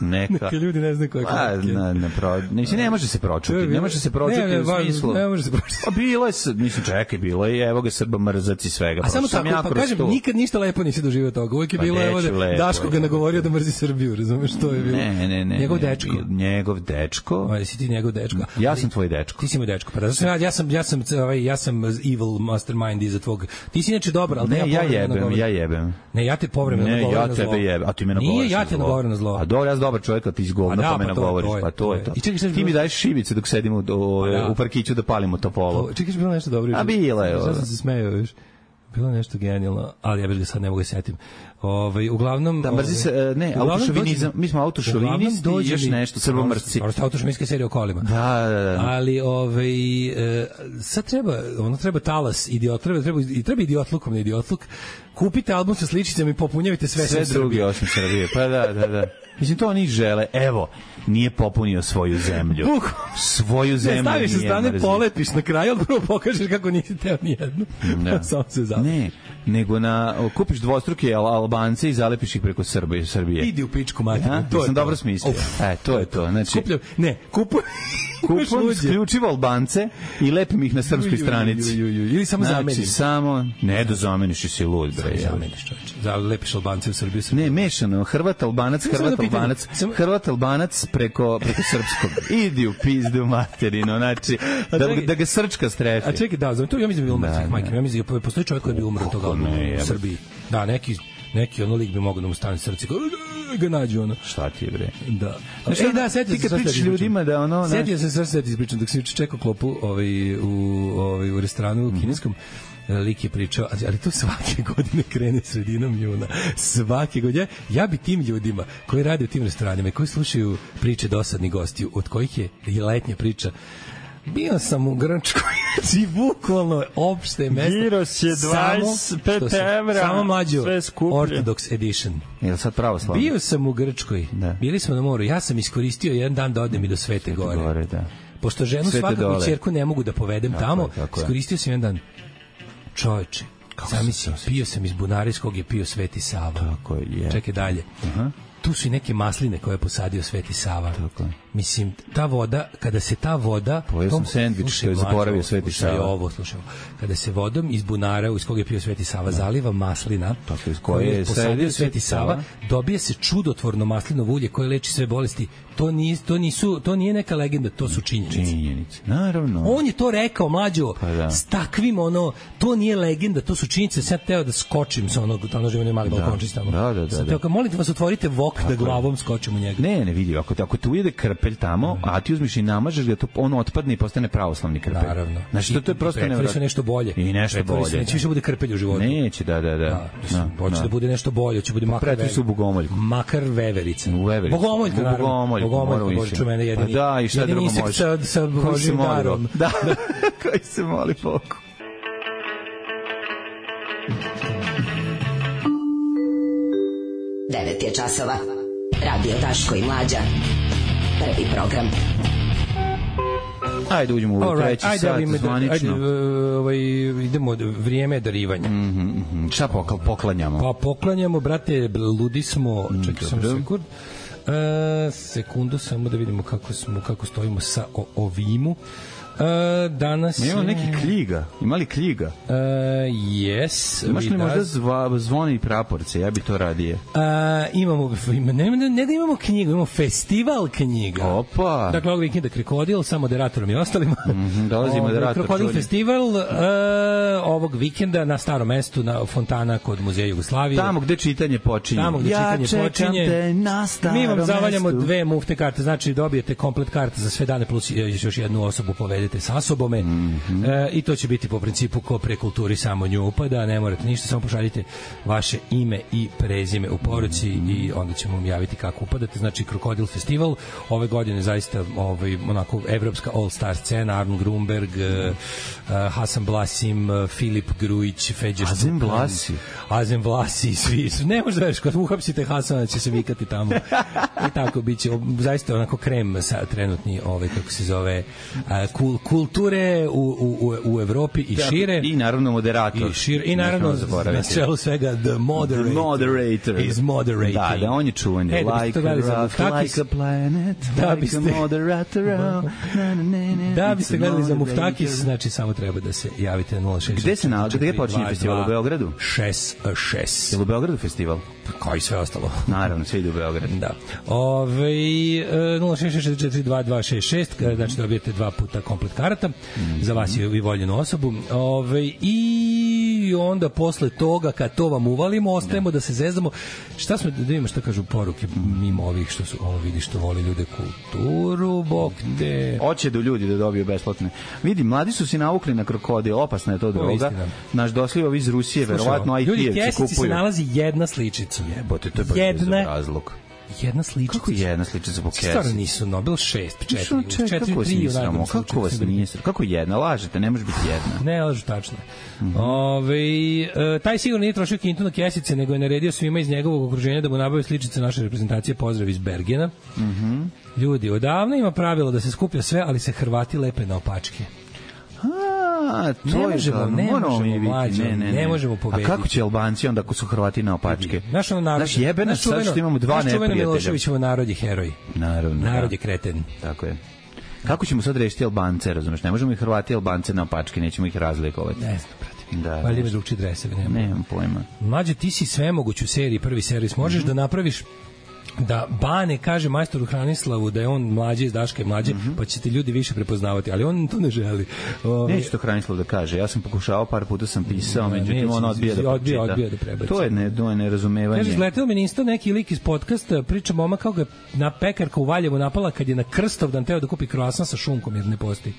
Neka. Neka ljudi ne znaju ko je Clark Kent. Ne, ne, pro, ne, ne može se pročuti. Ne može se pročuti ne, ne, u smislu. Ne može se pročuti. Pa bilo je, mislim čekaj, bilo je evo ga Srba mrzac i svega. A samo tako, pa kažem, nikad ništa lepo nisi doživio toga. Uvijek je bilo evo da Daško ga nagovorio da mrzi Srbiju, razumeš što je bilo. Ne, ne, ne. Njegov dečko. Njegov dečko. Aj si ti njegov dečko. Ja sam tvoj dečko. Ti si moj dečko. Pa ja sam ja sam ovaj ja sam evil mastermind iza tvog. Ti si inače dobar, al ne, ja, ja jebem, ja jebem. Ne, ja te povremeno govorim na zlo. Ne, ja tebe jebem, a ti me nagovoriš. Nije, ja te nagovorim na zlo. A dobro, ja sam dobar čovjek, a ti izgovno pa me nagovoriš, pa to je to. Ti mi daješ šibice dok sedimo u parkiću da palimo topolo. Čekaj, bilo nešto dobro. A bilo je. Ja sam se smejao, viš. Bilo nešto genijalno, ali ja bih ga sad ne mogu da setim. Ovaj uglavnom da mrzi se ne autošovinizam, mi smo autošovinisti i još nešto srbomrsci. Prosto autošovinska serija o kolima. Da, da, da. Ali ovaj e, sad treba, ono treba talas idiot, treba treba i treba idiotlukom na idiotluk. Kupite album sa sličicama i popunjavite sve sve drugi osim Srbije. Pa da, da, da. Mislim, to oni žele. Evo, nije popunio svoju zemlju. Svoju zemlju ne, staviš sa strane, polepiš na kraju, ali prvo pokažeš kako nisi teo nijednu. Da. Samo se zapiš. Ne, nego na, kupiš dvostruke Albance i zalepiš ih preko Srbije. Srbije. Idi u pičku materinu. Ja, to sam dobro smislio. E, to je to. Znači, Skupljam, ne, kupuj... Kupom isključivo Albance i lepim ih na srpskoj stranici. Ili samo znači, zameniš. Samo, ne da zameniš i si lud, bre. Zameniš, čovječe. Zalepiš Albance u Srbiju. Ne, mešano. Hrvat, Albanac, Hrvat, Albanac, Hrvat, Albanac preko, preko srpskog. Idi u pizdu materinu, znači, da, da ga srčka strefi. A čekaj, da, znam, to ja mislim da bi umrtih, majke. Ja mislim da postoji čovjek koji bi umro toga u Srbiji. Da, neki neki ono lik bi mogao da mu stane srce kao ga nađu ono. Šta ti je bre? Da. Znači, e, da, setio se sad ljudima da ono, setio se sad sad ispričam dok sam čekao klopu ovaj u ovaj u restoranu u kineskom. Lik je pričao, ali to svake godine krene sredinom juna. Svake godine. Ja bi tim ljudima koji rade u tim restoranima i koji slušaju priče dosadnih gostiju, od kojih je letnja priča, bio sam u Grčkoj, znači bukvalno opšte mesto. Giros je dvadeset pet evra, samo mlađo, Orthodox edition. Je li sad pravoslavno? Bio sam u Grčkoj, da. Bili smo na moru, ja sam iskoristio jedan dan da odem i do Svete, Svete Gore. gore da. Pošto ženu Svete svakako dole. Ćerku ne mogu da povedem tako tamo, je, iskoristio sam jedan dan. Čovječe, zamisli, pio sam iz bunara iz kog je pio Sveti Sava. Tako je. Čekaj dalje. Aha. Tu su i neke masline koje je posadio Sveti Sava. Tako. Mislim, ta voda, kada se ta voda... Pojeo sam sendvič koji je zaboravio Sveti Sava. Slušaj ovo, slušaj ovo. Kada se vodom iz bunara iz kog je pio Sveti Sava da. Zaliva maslina tako, iz koje je posadio Sveti Sava, Sava, dobije se čudotvorno maslinovo ulje koje leči sve bolesti. To nije, to nisu, to nije neka legenda, to su činjenice. Činjenice, naravno. On je to rekao, mlađo, pa da. S takvim, ono, to nije legenda, to su činjenice. Sad teo da skočim sa onog, tamo živim mali balkončić tamo. Da, da, da. Sad teo, kao, molim te vas, otvorite vok tako da glavom skočim u njega. Ne, ne vidi, ako, ako te ujede krpelj tamo, a ti uzmiš i namažeš ga, to on otpadne i postane pravoslavni krpelj. Naravno. Znači, to, to je prosto nevjerojatno. Pretvori se nešto bolje. I nešto bolje. Se, neće više bude krpelj u životu. Neće, da, da, da. Hoće da bude nešto bolje, hoće bude makar veverica. U Bogomoljku. Makar veverica. U vevericu. Bogomoljka, naravno. Bogomoljku. Bogomoljka, Bože, ču mene jedini. Pa da, i šta drugo može. Sa, sa Božim darom. Da, koji se moli Bogu. devet je časova. Radio Daško i Mlađa. Prvi program. Ajde uđemo u right, treći ajde, sat ajde, zvanično. Ajde, ovaj, idemo, vrijeme darivanja. Mm -hmm. Šta poklanjamo? Pa poklanjamo, brate, ludi smo, mm, čekaj sam sekund. Uh, sekundu, samo da vidimo kako smo, kako stojimo sa o, ovimu. Uh, danas ima je... neki kljiga. Ima li kljiga? Uh, yes. Imaš li možda zva, zvoni i praporce? Ja bi to radije. Uh, imamo, ne, ne, ne da imamo knjigu, imamo festival knjiga. Opa! Dakle, ovog vikenda Krokodil, sa moderatorom i ostalima. Mm-hmm, dolazi moderator. Krokodil čuli. festival uh, ovog vikenda na Starom mestu, na fontana kod Muzeja Jugoslavije. Tamo gde čitanje počinje. Tamo gde ja čitanje počinje. Te na Starom Mi vam zavaljamo mestu. dve mufte karte, znači dobijete komplet karte za sve dane plus još jednu osobu povedete sa sobome. Mm-hmm. E, i to će biti po principu ko pre kulturi samo nju upada, ne morate ništa, samo pošaljite vaše ime i prezime u poruci mm-hmm. i onda ćemo vam javiti kako upadate. Znači Krokodil festival ove godine zaista ovaj onako evropska all star scena, Arno Grunberg, mm-hmm. uh, Hasan Blasim, uh, Filip Grujić, Feđer Azem Blasi, Azem Blasi, svi ne možda veš kad uhapsite Hasana će se vikati tamo i tako biće zaista onako krem sa trenutni ovaj kako se zove uh, kul, kulture u, u, u Evropi i šire. I naravno moderator. I, šire, i naravno na čelu svega the moderator, the moderator. is moderating. Da, da, on je čuveni. E, like, a rough, like a planet, da like biste, a moderator. Da biste gledali za Muftakis, znači samo treba da se javite na nula šest. Gde se nalazi? Gde počinje festival? U Beogradu? šest šest. Je li u Beogradu festival? Kao i sve ostalo. Naravno, sve ide u Beograd. Da. Ove, nula šest šest četiri dva dva šest šest, znači dobijete dva puta komplet karata mm-hmm. za vas i voljenu osobu. Ove, I onda posle toga, kad to vam uvalimo, ostajemo da, da se zezdamo. Šta smo, da vidimo šta kažu poruke mimo ovih što su, ovo vidi što voli ljude kulturu, bok te. Hoće do ljudi da dobiju besplatne. Vidi, mladi su se navukli na krokodil, opasna je to droga. Naš došli iz Rusije, verovatno I T-evci kupuju. Ljudi, se nalazi jedna sličica. Jebote, to je baš jedna razlog. Jedna sličica. Kako jedna sličica po kesi? Stvarno nisu Nobel šest, četiri, četiri, tri. Kako vas nije sramo? Kako jedna? Lažete, ne može biti jedna. Ne, lažu, tačno. Mm-hmm. Ove, e, taj sigurno nije trošio kintu na kesice, nego je naredio svima iz njegovog okruženja da mu nabave sličice naše reprezentacije. Pozdrav iz Bergena. Mhm. Ljudi, odavno ima pravilo da se skuplja sve, ali se Hrvati lepe na opačke. A, to ne je možemo, da, ne možemo možemo, mlađo, ne, ne, ne. ne možemo pobediti. A kako će Albanci onda ako su Hrvati na opačke? Naš ono narod, naš jebe nas sad što imamo dva neprijatelja. Naš Miloševićevo narod je heroj. Naravno. Narod je kreten. Tako je. Kako ćemo sad rešiti Albance, razumeš? Ne možemo i Hrvati i Albance na opačke, nećemo ih razlikovati. Ne znam, brate. Da. Valjda ima drugčije dreseve, nema. Nemam pojma. Mlađe, ti si svemoguć u seriji, prvi servis. Možeš mm-hmm. da napraviš da Bane kaže majstoru Hranislavu da je on mlađi iz Daške mlađe, mm-hmm. pa ćete ljudi više prepoznavati, ali on to ne želi. Ove... Neće to Hranislav da kaže. Ja sam pokušao, par puta sam pisao, ne, međutim on odbija da odbija, odbija da prebaci. To je ne, to je nerazumevanje. Kaže, izletelo mi isto neki lik iz podcasta, priča moma kako ga na pekarka u Valjevu napala kad je na Krstovdan teo da kupi kroasan sa šunkom jer ne postoji.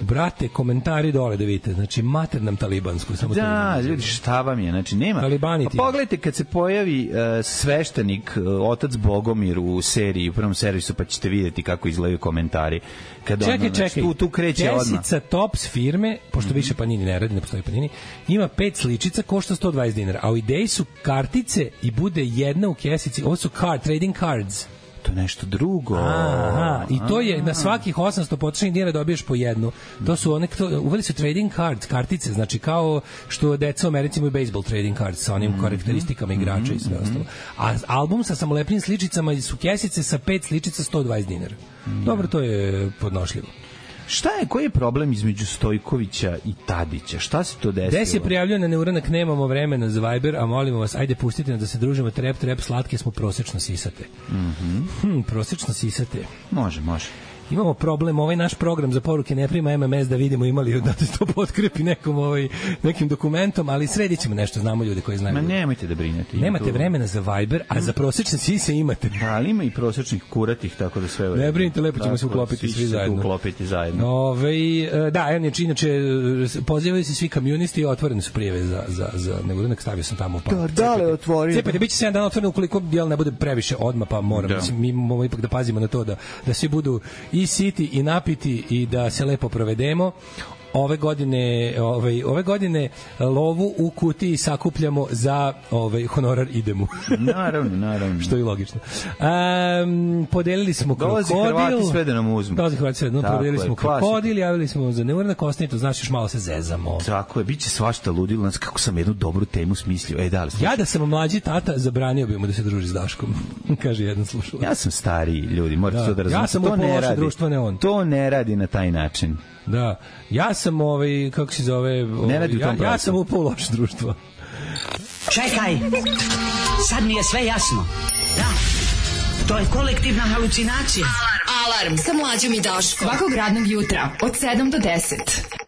Brate, komentari dole da vidite, znači mater nam talibansku, samo da, ljudi, šta vam je, znači nema. Talibani ti. Pa pogledajte kad se pojavi uh, sveštenik, uh, otac Bogomir u seriji, u prvom servisu, pa ćete vidjeti kako izgledaju komentari. Kad čekaj, ono, znači, čekaj, tu, tu kreće odmah. Kesica Tops firme, pošto mm-hmm. više Panini ne radi, ne postoji Panini, ima pet sličica, košta sto dvadeset dinara, a u ideji su kartice i bude jedna u kesici, ovo su card, trading cards. To je nešto drugo. Aha, i to je na svakih osamsto potrošenih dinara dobiješ po jednu. To su one, to, uveli su trading cards, kartice, znači kao što deca u Americi imaju baseball trading cards sa onim mm-hmm. karakteristikama igrača mm-hmm. i sve ostalo. A album sa samolepnim sličicama su kesice sa pet sličica sto dvadeset dinara. Mm-hmm. Dobro, to je podnošljivo. Šta je, koji je problem između Stojkovića i Tadića? Šta se to desilo? Gde se prijavljaju na neuranak, nemamo vremena za Viber, a molimo vas, ajde pustite nas da se družimo, trep, trep, slatke smo, prosečno sisate. Mm-hmm. Hm, prosečno sisate. Može, može. Imamo problem, ovaj naš program za poruke ne prima M M S da vidimo imali da to potkrepi nekom ovaj nekim dokumentom, ali sredit ćemo nešto, znamo ljude koji znaju. Ma nemojte da brinete. Nemate tu vremena za Viber, a za prosečne sise imate. Da, ali ima i prosečnih kuratih, tako da sve. Ne brinite, lepo ćemo se uklopiti svi zajedno. Uklopiti zajedno. Ove, da, evo inače pozivaju se svi komunisti i otvorene su prijave za za za nego nek stavio sam tamo pa. Da, dale otvori. Cepajte, biće sedam dana otvoreno ukoliko jel ne bude previše odma pa moramo da. Mislim, mi moramo ipak da pazimo na to da da svi budu i siti i napiti i da se lepo provedemo. ove godine, ovaj ove godine lovu u kutiji sakupljamo za ovaj honorar idemo. Naravno, naravno. Što je logično. Um, podelili smo Dolazi krokodil. Dolazi Hrvati sve da nam uzmu. Dolazi Hrvati sve da nam podelili smo krokodil, javili smo za neurna kostnicu, znači još malo se zezamo. Tako je, biće svašta ludilo, znači kako sam jednu dobru temu smislio. Ej, da li ja da sam mlađi tata, zabranio bi mu da se druži s Daškom. Kaže jedan slušalac. Ja sam stariji, ljudi, morate da, to da razumete. Ja sam to ne radi. Društvo, ne on. To ne radi na taj način. Da. Ja sam ovaj kako se zove, ovaj, ja, ja sam upao u loše društvo. Čekaj. Sad mi je sve jasno. Da. To je kolektivna halucinacija. Alarm. Alarm sa Mlađom i Daškom. Svakog radnog jutra od sedam do deset.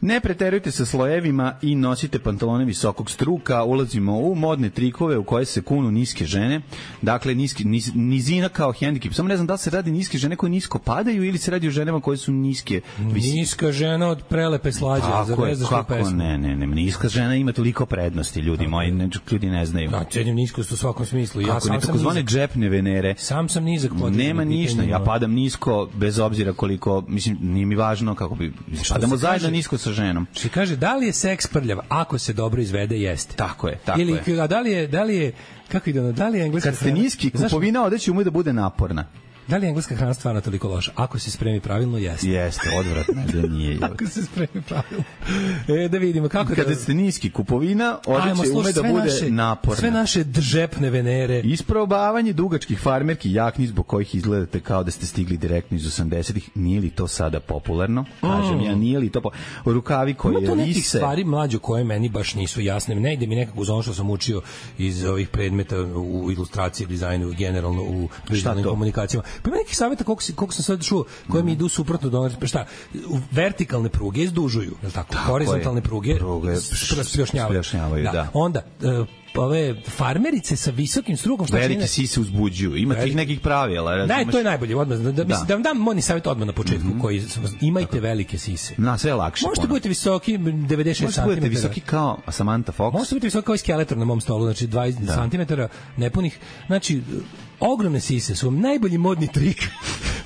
Ne preterujte sa slojevima i nosite pantalone visokog struka. Ulazimo u modne trikove u koje se kunu niske žene. Dakle, niski, niz, nizina kao hendikep. Samo ne znam da li se radi niske žene koje nisko padaju ili se radi o ženama koje su niske. Vis... Niska žena od prelepe slađe. Tako je, kako ne, ne, ne. Niska žena ima toliko prednosti, ljudi moji. Ne, ljudi ne znaju. Da, cenim niskost u svakom smislu. Ja sam tako zvane džepne venere. Sam sam nizak. Nema ništa. Ja padam nisko, bez obzira koliko, mislim, nije mi važno kako bi... Padamo zajedno nisko sa ženom. Što kaže, da li je seks prljav? Ako se dobro izvede, jeste. Tako je, tako Ili, je. A da li je, da li je, kako ide ono, da li je engleska Kad ste niski, kupovina odeće ume da bude naporna. Da li je engleska hrana stvarno toliko loša? Ako se spremi pravilno, jeste. Jeste, odvratno da nije. Ako se spremi pravilno. E, da vidimo kako... Kada da... ste niski, kupovina odeće ume da bude naše, naporna. Sve naše džepne venere. Isprobavanje dugačkih farmerki jakni zbog kojih izgledate kao da ste stigli direktno iz osamdesetih. Nije li to sada popularno? Kažem mm. ja, nije li to popularno? Rukavi koji vise... Ima to nekih vise... stvari mlađe koje meni baš nisu jasne. Ne ide mi nekako uz ono što sam učio iz ovih predmeta u ilustraciji, dizajnu, generalno u digitalnim komunikacijama. Pa ima nekih savjeta koliko, koliko sam sad čuo, koje mi idu suprotno do onoga, pa šta, vertikalne pruge izdužuju, je li tako? tako horizontalne je. pruge, pruge spriošnjavaju, da. da. Onda, uh, ove farmerice sa visokim strukom što velike sise uzbuđuju. Ima tih nekih pravila, razumeš? Da, to je najbolje odmah. Da, da, mislim, da vam dam modni savjet odmah na početku, mm-hmm. koji imajte velike sise. Na sve je lakše. Možete biti visoki devedeset šest centimetara. Možete biti visoki kao Samantha Fox. Možete biti visoki kao Skeletor na mom stolu, znači dvadeset centimetara nepunih. Znači, ogromne sise su vam najbolji modni trik.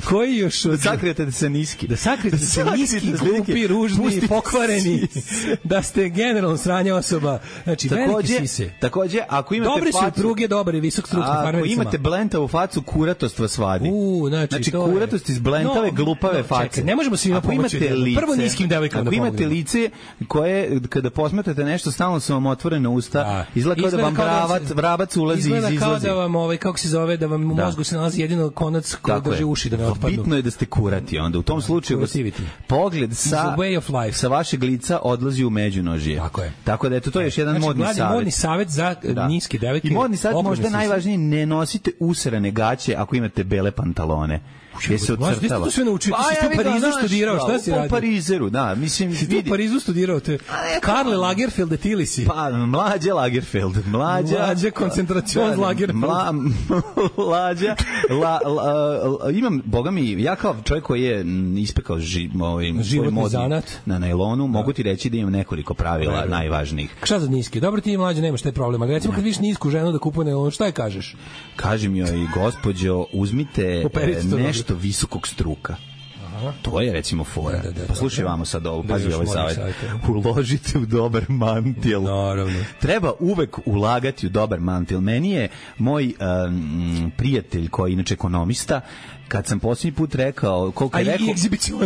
Koji još od... Da sakrijete se niski. Da sakrijete se niski, glupi, ružni, pokvareni. Da ste generalno sranja osoba. Znači, velike sise. Takođe, ako imate Dobri facu... Dobri su pruge, dobar i visok struk. Ako imate blentavu facu, kuratost vas vadi. U, znači, znači to kuratost je... iz blentave, no, glupave no, face. Čekaj, ne možemo svima pomoći. Lice, prvo niskim devojkama da pomoći. Ako imate lice koje, kada posmetate nešto, stalno su vam otvorene usta, da. izgleda kao da vam brabac, vrabac ulazi iz izlazi. Izgleda kao da vam, ovaj, kako se zove, da vam u mozgu se nalazi jedino konac koji drži uši da ne otpadnu. Bitno je da ste kurati, onda u tom slučaju pogled sa, sa vašeg lica odlazi u međunožje. Tako je. Tako da eto, to je još jedan znači, modni savjet. Modni savjet za da. niske devojke. I modni savjet možda najvažnije, ne nosite usrane gaće ako imate bele pantalone. Gde se odcrtava. Možda to sve naučio, ti si tu u Parizu studirao, šta si radio? U Parizeru, da, mislim... Si tu u Parizu studirao, te Karle Lagerfeld ili si? Pa, mlađe Lagerfeld, mlađa... Mlađe koncentracion Lagerfeld. Mlađa, la, la, imam, boga mi, ja kao čovjek koji je ispekao ži, ovaj, životni zanat na najlonu, mogu ti reći da imam nekoliko pravila najvažnijih. Šta za niski? Dobro, ti mlađe nemaš taj problem, ali recimo kad vidiš nisku ženu da kupuje najlon, šta je kažeš? Kažem joj, gospođo, uzmite nešto visokog struka. Aha. To je recimo fora. Da, da, da, pa slušaj vamo sad ovo, pazi ovaj savjet. Uložite u dobar mantil. Naravno. Treba uvek ulagati u dobar mantil. Meni je moj um, prijatelj koji je inače ekonomista, kad sam posljednji put rekao koliko je rekao,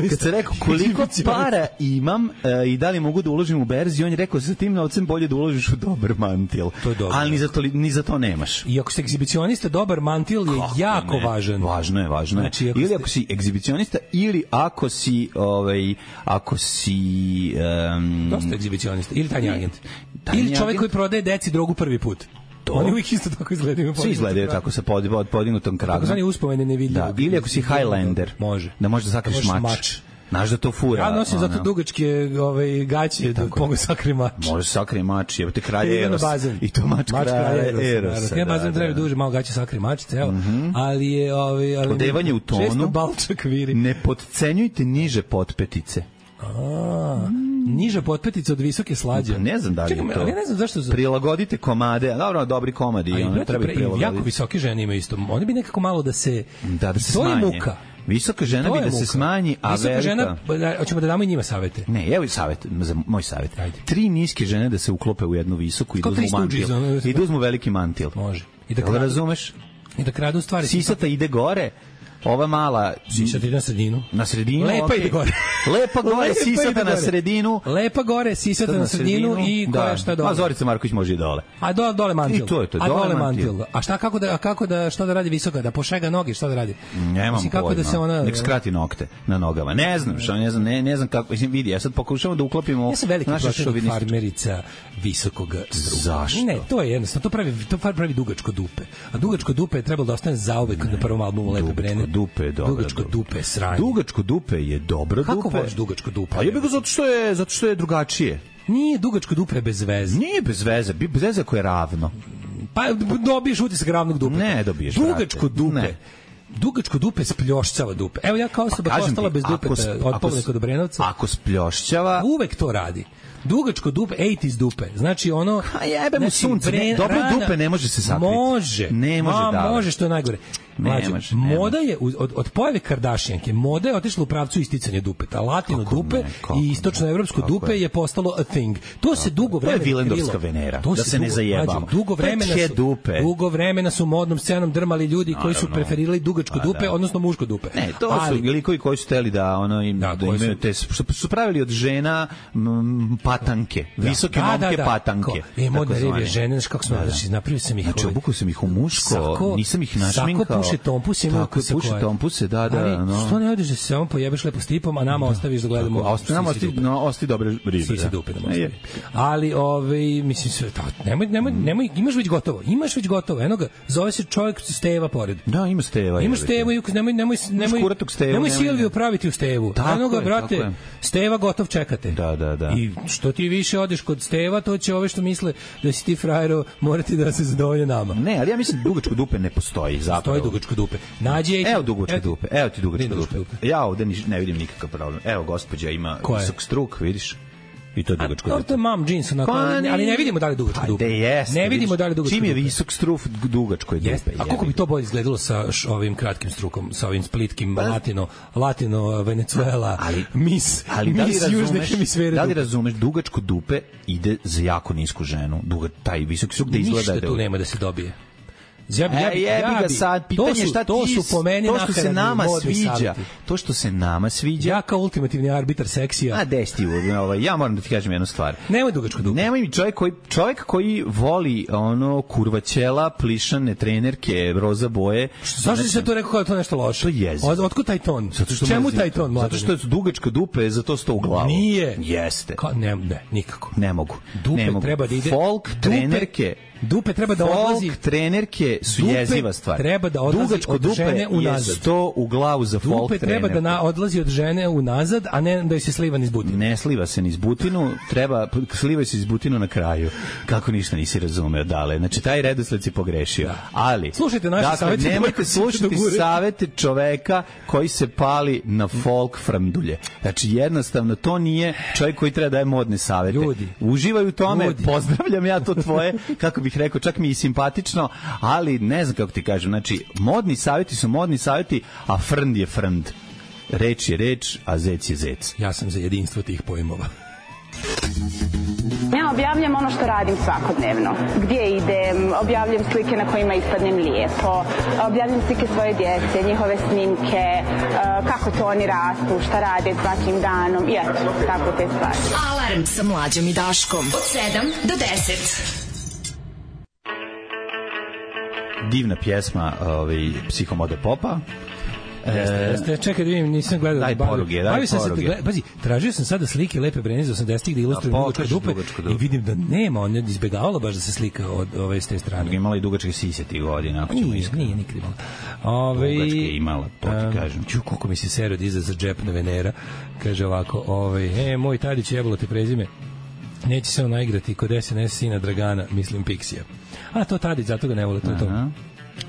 kad sam rekao koliko para imam uh, i da li mogu da uložim u berzi, on je rekao sa tim novcem bolje da uložiš u dobar mantil. To je dobro. Ali ni za to, ni za to nemaš. I ako ste egzibicionista, dobar mantil je kako jako ne? važan. Važno je, važno je. Znači, ako ili ste... ako si egzibicionista ili ako si ovaj ako si um, dosta egzibicionista ili tajni agent. Tajni ili čovjek agent? Koji prodaje deci drogu prvi put. To. Oni uvijek isto tako izgledaju. Svi izgledaju tako sa pod, pod podignutom kragom. Tako zvani uspomene nevidljivo. Da, ili ako si Highlander, može. Da možeš da sakriš mač. mač. Znaš da to fura. Ja nosim zato dugačke ovaj, gaće da mogu sakri mač. Može sakri mač, je te kralj Eros. I to mač, mač kralja Erosa. Ja bazen treba duže, malo gaće sakri mač, ceo. Mm-hmm. Ali je... Ovaj, ali odevanje u tonu. Često balčak viri. Ne potcenjujte niže potpetice. A, niža potpetica od visoke slađe. Ne znam da li Čekaj, je to. Ja ne znam zašto za... Prilagodite komade. Dobro, dobri komadi. A i one treba pre, prilagoditi. Jako visoke žene imaju isto. Oni bi nekako malo da se... Da, da se to smanje. je muka. Visoka žena bi da muka. Se smanji, a visoka velika... žena, hoćemo da damo i njima savete. Ne, evo i savjet, za moj savjet. Ajde. Tri niske žene da se uklope u jednu visoku i da uzmu mantil. I da uzmu veliki mantil. Može. I da kradu, razumeš? I da kradu stvari. Sisata ide gore, ova mala... Sisata ide na sredinu. Na sredinu, Lepa okay. ide gore. Lepa gore, Lepa sisata na sredinu. Lepa gore, sisata na sredinu i koja da. Šta dole. A Zorica Marković može i dole. A do, dole mantil. I to je to, a dole, dole mantil. mantil. A šta, kako da, kako da, šta da radi visoka? Da pošega noge, šta da radi? Nemam Mislim, kako pojma. Da se ona... Nek skrati nokte na nogama. Ne znam, što, ne znam, ne, ne znam kako, vidi, ja sad pokušamo da uklopimo ja sam veliki protiv farmerica visokog struka. Zašto? Ne, to je jednostavno, to pravi, to pravi dugačko dupe. A dugačko dupe je trebalo da ostane zauvek na prvom albumu Lepe Brene. Dupe je dobro. Dugačko dupe je sranje. Dugačko dupe je dobro dupe. Kako voliš dugačko dupe? A je bih zato što je zato što je drugačije. Nije dugačko dupe bez veze. Nije bez veze, bez veze koje je ravno. Pa dobiješ utisak ravnog dupe. Ne dobiješ. Dugačko dupe. Ne. Dugačko dupe spljošćava dupe. Evo ja kao osoba koja ostala bez dupeta od Pavlika do Brenovca. Ako spljošćava, uvek to radi. Dugačko dupe, osamdesetih dupe. Znači ono... A jebe mu sunce, ne, dobre dupe ne može se sakriti. Može. Ne može Ma, da. Može, što je najgore. Mlađe, ne može, moda je, od, od pojave Kardashijanke, moda je otišla u pravcu isticanja dupeta. Latino kako dupe ne, i istočnoevropsko dupe je? je postalo a thing. To kako se dugo vremena krilo. To je Vilendorska Venera, to da se dugo, ne zajebamo. Mlađe, dugo vremena su, dupe. dugo vremena su modnom scenom drmali ljudi koji su preferirali dugačko a, dupe, da. odnosno muško dupe. Ne, to Ali, su likovi koji su teli da, ono, im, da, da imaju te, što su pravili od žena m, patanke. Visoke da, momke da, da, patanke. E, modne revije žene, znaš kako smo, da, da. znači, napravio sam ih... Znači, obukao sam ih u muško, sako, nisam ih našminkao. Sako puše tompuse, ima tako, puše tompuse, da, da. Ali, no. što ne odeš da se samo pojebeš lepo s tipom, a nama da. ostaviš da gledamo... Tako, ostavi, nama ostavi, no, ostavi dobre ribe. Sisi dupe nam ostavi. Ali, ovaj, mislim, sve, ta, nemoj, nemoj, nemoj, imaš već gotovo, imaš već gotovo, eno ga, zove se čovjek Steva pored. Da, ima Steva. Imaš Stevu, nemoj, nemoj, nemoj, nemoj Silviju praviti u Stevu. Eno ga, brate, Steva gotov čekate. Da, da, da. I što ti više odeš kod Steva, to će ove što misle da si ti frajero morati da se zadovolje nama. Ne, ali ja mislim dugačko dupe ne postoji zapravo. Postoji dugačko dupe. Nađe Evo dugačko dupe. Evo ti dugačko dupe. dupe. Ja ovde ne vidim nikakav problem. Evo gospođa ima visok struk, vidiš? I to je dugačko dupe. To je mom jeans, onako, ali ne vidimo da li dugačko dupe. Ne vidimo da li dugačko dupe. Čim je visok struk, dugačko je dupe. A kako bi to bolje izgledalo sa ovim kratkim strukom, sa ovim splitkim latino, latino Venezuela, mis, ali da li razumeš, da li razumeš, dugačko dupe ide za jako nisku ženu. Duga, taj visok struk da izgleda... Ništa tu nema da se dobije. Ja bi, ja bi, ja bi ga sad, pitanje šta to su po meni to što se nama sviđa, to što se nama sviđa. Ja kao ultimativni arbitar seksija. A desti, ovaj, ja moram da ti kažem jednu stvar. Nemoj dugačko dupe. Nemoj mi čovjek koji, čovjek koji voli ono kurvaćela, plišane trenerke, roza boje. Zašto si se to rekao kao to nešto loše? To je. Od, otkud taj ton? Zato što čemu taj ton, mladen? Zato što je dugačko dupe, zato sto u glavu. Nije. Jeste. Ka, ne, ne, nikako. Ne mogu. Dupe ne mogu. treba da ide. Folk trenerke. Dupe treba da odlazi. Folk trenerke su dupe jeziva stvar. Treba da odlazi dugačko od žene unazad. Je sto u glavu za folk trenerku. Dupe treba da na, odlazi od žene unazad, a ne da joj se sliva niz butinu. Ne sliva se niz butinu, treba, sliva se iz butinu na kraju. Kako ništa nisi razumeo, dale. Znači, taj redosled si pogrešio. Da. Ali, slušajte naše dakle, savete. Nemojte slušati savete čoveka koji se pali na folk framdulje. Znači, jednostavno, to nije čovjek koji treba da daje modne savete. Ljudi. Uživaj u tome, Ljudi. Pozdravljam ja to tvoje, kako bih rekao, čak mi i simpatično, ali ne znam kako ti kažem. Znači, modni savjeti su modni savjeti, a frnd je frnd. Reč je reč, a zec je zec. Ja sam za jedinstvo tih pojmova. Ja objavljam ono što radim svakodnevno. Gdje idem, objavljam slike na kojima ispadnem lijepo, objavljam slike svoje djece, njihove snimke, kako to oni rastu, šta rade svakim danom i eto, tako te stvari. Alarm sa Mlađom i Daškom od sedam do deset. Divna pjesma, ovaj, Psihomode popa. Jeste, jeste. Čekaj da vidim, nisam gledao. Daj poruge, daj poruge. Gleda, pazi, tražio sam sada slike Lepe Brene iz osamdesetih da ilustruju dugačke dupe i vidim da nema, on je izbegavala baš da se slika od ove s te strane. Imala i dugačke sise tih godina, ako ćemo nije, iskreno. Nije, nikad imala. Ove, dugačke imala, to ti kažem. Ču, koliko mi se sero diza za džepna Venera. Kaže ovako, ovaj, e, moj Tadić jebalo te prezime. Neće se on naigrati kod S N S sina Dragana, mislim Pixija. A to Tadić, zato ga ne vole, to je to.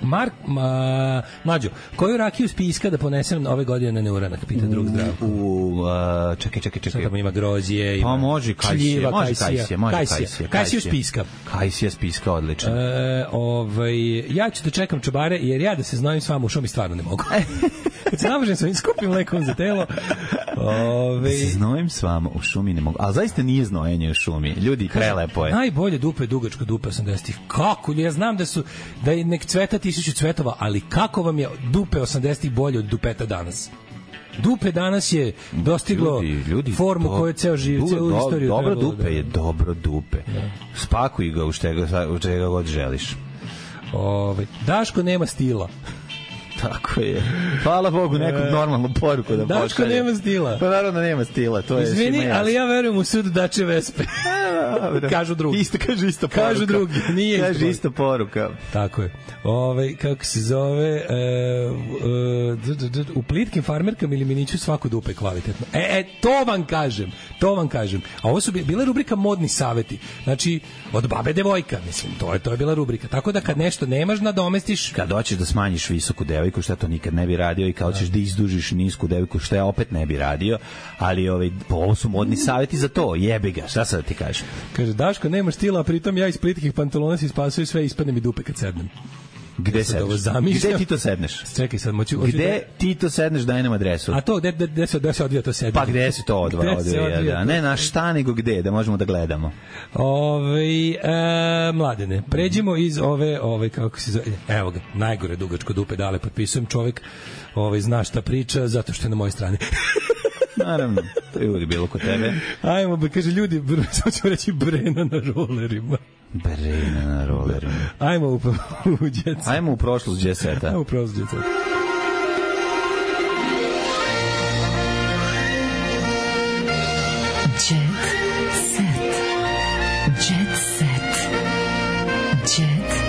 Mark, ma, Mlađo, koju rakiju spiska da ponesem ove godine na neuranak, pita drug Zdravko. U, uh, čekaj, čekaj, čekaj. Sada ima grožđe, ima pa može kajsije, može kajsije, može kajsije. Kajsiju spiska. Kajsija spiska, odlično. E, ovaj, ja ću da čekam čobare, jer ja da se znojim s vama u šomi stvarno ne mogu. se namažem svojim skupim lekom za telo. Ove... Se znojim s vama u šumi ne mogu. Ali zaista nije znojenje u šumi. Ljudi, prelepo je. Najbolje dupe je dugačka dupe osamdesetih. Kako? Ja znam da su da je nek cveta tisuću cvetova, ali kako vam je dupe osamdesetih bolje od dupeta danas? Dupe danas je dostiglo ljudi, ljudi, formu do, koju je ceo živ, ceo do, istoriju. Dobro dupe da... je dobro dupe. Da. Spakuj ga u čega, u čega god želiš. Ove, Daško nema stila. Tako je. Hvala Bogu, nekog normalnu poruku da pošalje. Daško nema stila. Pa naravno nema stila, to je. Izvini, ali ja verujem u sud Dače Vespe. Kažu drugi. Isto, kaže isto poruka. Kažu drugi, nije isto. Kaže isto poruka. Tako je. Ove, kako se zove, e, e, u plitkim farmerkama ili miniću svako dupe kvalitetno. E, e, to vam kažem, to vam kažem. A ovo su bila rubrika modni saveti. Znači, od babe devojka, mislim, to je, to je bila rubrika. Tako da kad nešto nemaš, nadomestiš. Kad hoćeš da smanjiš visoku devojku, šta to nikad ne bi radio, i kao ćeš da izdužiš nisku devojku, šta ja opet ne bi radio, ali ovaj, ovo su modni saveti za to, jebi ga, šta sad da ti kažeš? Kaže, Daško, nemaš stila, a pritom ja iz plitkih pantalona si spasaju sve, ispadne mi dupe kad sednem. Gde ja sedneš? Gde ti to sedneš? Čekaj sad, moću... Gde da... ti to sedneš, daj nam adresu. A to, gde, gde, gde, se, gde se odvija to sedneš? Pa gde se to odvija? odvija da. Ne na šta, nego gde, da možemo da gledamo. Ove, e, mladene, pređimo iz ove, ove, kako se zove, evo ga, najgore dugačko dupe, dale, potpisujem, čovjek ove, zna šta priča, zato što je na mojoj strani. Naravno, to je uvijek bilo kod tebe. Ajmo, kaže ljudi, samo ćemo reći Brena na rolerima. Brena na rolerima. Ajmo u, u djeca. Ajmo u prošlost džeseta. Ajmo u prošlost džeseta. Jet set. Jet set. Jet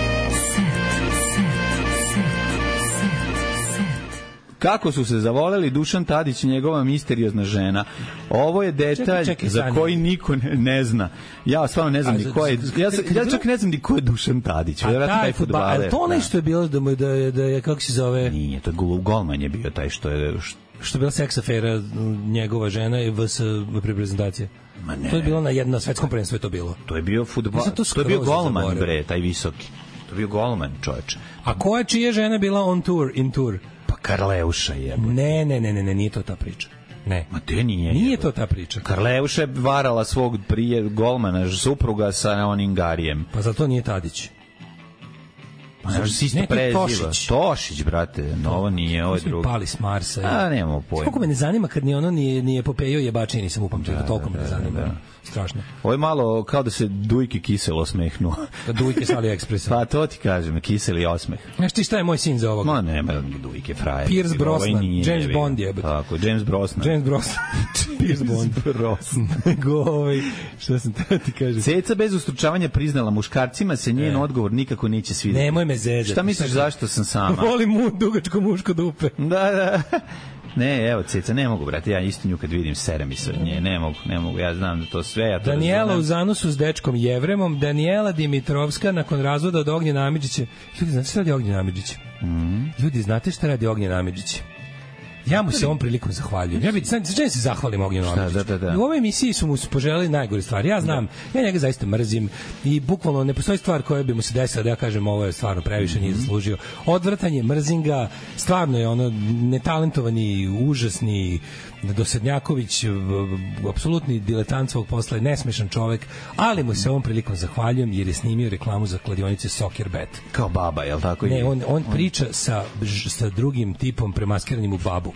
Kako su se zavoleli Dušan Tadić i njegova misteriozna žena. Ovo je detalj čekaj, čekaj, za koji niko ne, ne zna. Ja stvarno ne znam ni ko je. Ja, ja čak ne znam ni ko je Dušan Tadić. Vjerojatno taj fudbaler. A to nešto je bilo da mu da je, da je kako se zove? Nije, to je golman je bio taj što je što je bila seks afera njegova žena i vs reprezentacije. Ma ne. To je bilo na jednom svetskom prvenstvu je to bilo. To je bio fudbal. To, to je bio golman bre, taj visoki. To je bio golman, čoveče. A koja čija žena bila on tour, in tour? Karleuša je. Ne, ne, ne, ne, ne, nije to ta priča. Ne. Ma te nije. Nije to ta priča. Karleuša je varala svog prije golmana, supruga sa onim Garijem. Pa zato nije Tadić. Pa ne, si isto preziva. Tošić. Tošić, brate, no, ovo nije, ovo je drugo. Pali s Marsa. A, nemamo pojma. Koliko me ne zanima kad ni ono nije, nije Popejo jebačije, nisam upamtio, da, toliko da, me ne zanima. Da, da. Strašno. Ovo je malo kao da se Dujke kiselo osmehnuo. Da Dujke s AliExpressa. Pa to ti kažem, kiseli osmeh. Znaš ti šta je moj sin za ovoga? Ma nema Dujke frajer. Pierce Brosnan, nije, James je, Bond je. Tako, James Brosnan. James Brosnan. Pierce Bond. Brosnan. Go, ovaj, šta sam te ti kažem? Ceca bez ustručavanja priznala muškarcima se njen e. odgovor nikako neće svidjeti. Nemoj me zezati. Šta misliš zašto sam sama? Volim mu dugačko muško dupe. Da, da. Ne, evo, Ceca, ne mogu, brate, ja isto nju kad vidim, sere mi se od nje, ne mogu, ne mogu, ja znam da to sve, ja to Daniela razumem. U zanosu s dečkom Jevremom, Daniela Dimitrovska nakon razvoda od Ognjena Amidžića. Ljudi, znate šta radi Ognjen Amidžić? Mm. Ljudi, znate šta radi Ognjen Amidžić? Ja mu se ovom prilikom zahvaljujem. Ja bih sad se zahvalim Ognjenu Amidžiću. Da, da, da. U ovoj emisiji su mu poželeli najgore stvari. Ja znam, da. Ja njega zaista mrzim i bukvalno ne postoji stvar koja bi mu se desila da ja kažem ovo je stvarno previše, mm-hmm. nije zaslužio. Odvrtanje, mrzinga, stvarno je ono netalentovani, užasni Dosadnjaković, apsolutni diletant svog posla, nesmešan čovek, ali mu se ovom prilikom zahvaljujem jer je snimio reklamu za kladionice Soccer Bet. Kao baba, je li tako? Ne, on, on priča sa, sa drugim tipom premaskiranim u babu.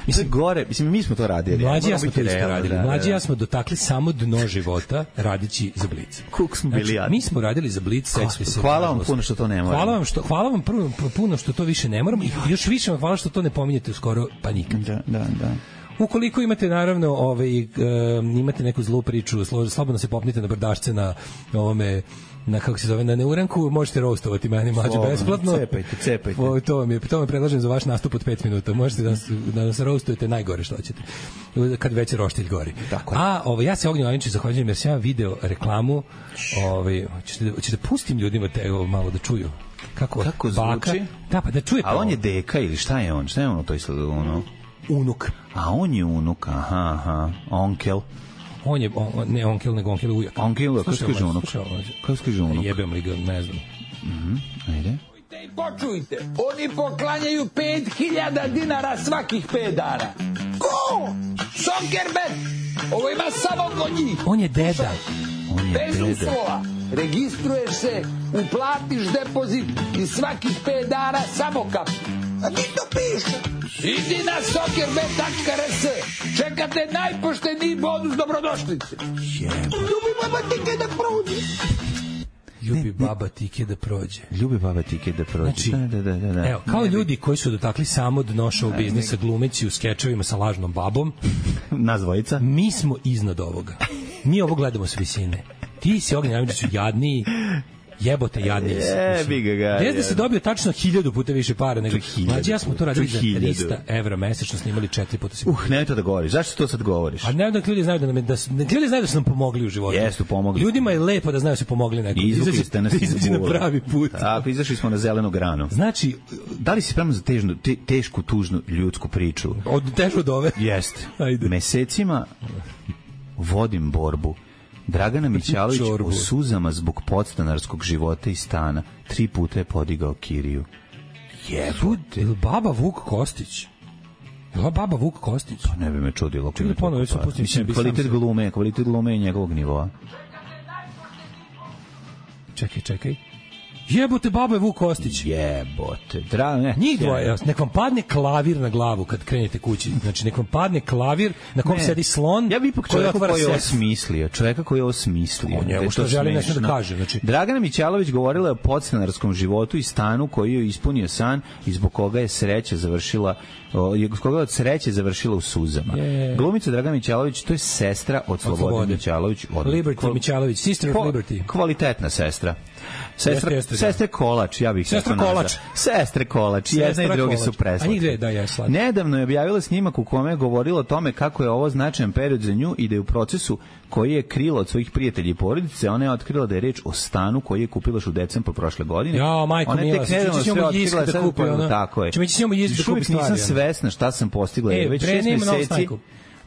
Mislim, gore, mislim, mi smo to radili. Mlađi ja smo to isto radili. Mlađi ja smo dotakli samo dno života radići za Blic. Kuk smo bili znači, mi smo radili za Blic. Hvala vam puno što to ne moramo. Hvala vam, što, hvala vam prvo, puno što to više ne moramo i još više vam hvala što to ne pominjete skoro pa nikad. Da, da, da. Ukoliko imate naravno ovaj um, imate neku zlu priču, slobodno se popnite na brdašce na ovome na kako se zove na neuranku, možete roastovati meni Mlađu besplatno. Cepajte, cepajte. O, to vam je, to vam predlažem za vaš nastup od pet minuta. Možete da nas, da nas roastujete najgore što hoćete. Kad već je roštilj gori. Tako. A ovaj ja se Ognjenu Amidžiću zahvaljujem jer sam ja video reklamu, ovaj hoćete hoćete pustim ljudima te ovo malo da čuju. Kako kako baka, zvuči? Da, pa da čujete. A on je deka ili šta je on? Šta je on to izgleda ono? Unuk. A on je unuk, aha, aha, onkel. On je, on, ne onkel, nego onkel ujak. Onkel, kako se kaže unuk? Kako se kaže unuk? Jebem li ga, ne znam. Mhm, ajde. For čujte, oni poklanjaju pet hiljada dinara svakih pet dana. Ko? Soccerbet! Ovo ima samo kod njih. On je deda. On je Bez deda. uslova. Registruješ se, uplatiš depozit i svakih pet dana samo kapi. A ti to piše? Idi na soccerbet tačka r s. Čekate najpošteniji bonus dobrodošlice. Ljubi baba tike da prođe. Ljubi baba tike da prođe. Ljubi baba tike da prođe. Znači, da, da, da, da. Evo, kao ljudi koji su dotakli samo dno show biznisa glumeći u skečevima sa lažnom babom. Nas dvojica. Mi smo iznad ovoga. Mi ovo gledamo s visine. Ti si Ognjen Ajmičiću jadniji, jebote jadniji si. Jebi ga ga. Gdje da se dobio tačno hiljadu puta više para nego mlađi, ja smo to radili za trista evra mesečno, snimali četiri puta se. Uh, nemoj to da govoriš. Zašto to sad govoriš? A ne da ljudi znaju da nam da ljudi znaju da su nam pomogli u životu. Jesu pomogli. Ljudima je lepo da znaju da su pomogli nekom. Izvukli ste nas iz na pravi put. Tako, izašli smo na zelenu granu. Znači, da li si spreman za težnu, te, tešku, tužnu ljudsku priču? Od težu od ove? Jeste. Mesecima vodim borbu. Dragana Mićalović u suzama zbog podstanarskog života i stana tri puta je podigao kiriju. Jebote. Je li baba Vuk Kostić? Je li baba Vuk Kostić? Pa ne bi me čudilo. Čekaj, ponovno, pa, pustim mislim, sebi kvalitet sam glume, kvalitet glume je njegovog nivoa. Čekaj, čekaj. Jebote, baba je Vuk Kostić. Jebote. Dra, ne. Njih dvoje. Nek vam padne klavir na glavu kad krenete kući. Znači, nek vam padne klavir na kom ne. Sedi slon. Ja bih ipak čovjeka koji je ovo smislio. Čovjeka koji je ovo smislio. O njemu što želi nešto da kaže. Znači. Dragana Mićalović govorila o podstanarskom životu i stanu koji je ispunio san i zbog koga je sreća završila je koga od sreće završila u suzama. Je. Glumica Dragana Mićalović, to je sestra od Slobode Mićalović. Od Liberty kval... Mićalović, sister of Liberty. Kvalitetna sestra. Sestra, jeste, jeste, sestre Kolač, ja bih sestra Kolač. Sestre Kolač, sestra jedna i druge su preslatke. A njih dve, da, je slatke. Nedavno je objavila snimak u kome je govorila o tome kako je ovo značajan period za nju i da je u procesu koji je krila od svojih prijatelja i porodice, ona je otkrila da je reč o stanu koji je kupila u decembru prošle godine. Ja, majko mila, će ćemo jiska da kupi, ona. Tako je. Ćemo ćemo jiska da kupi stvari. Nisam svesna šta sam postigla. E, već šest meseci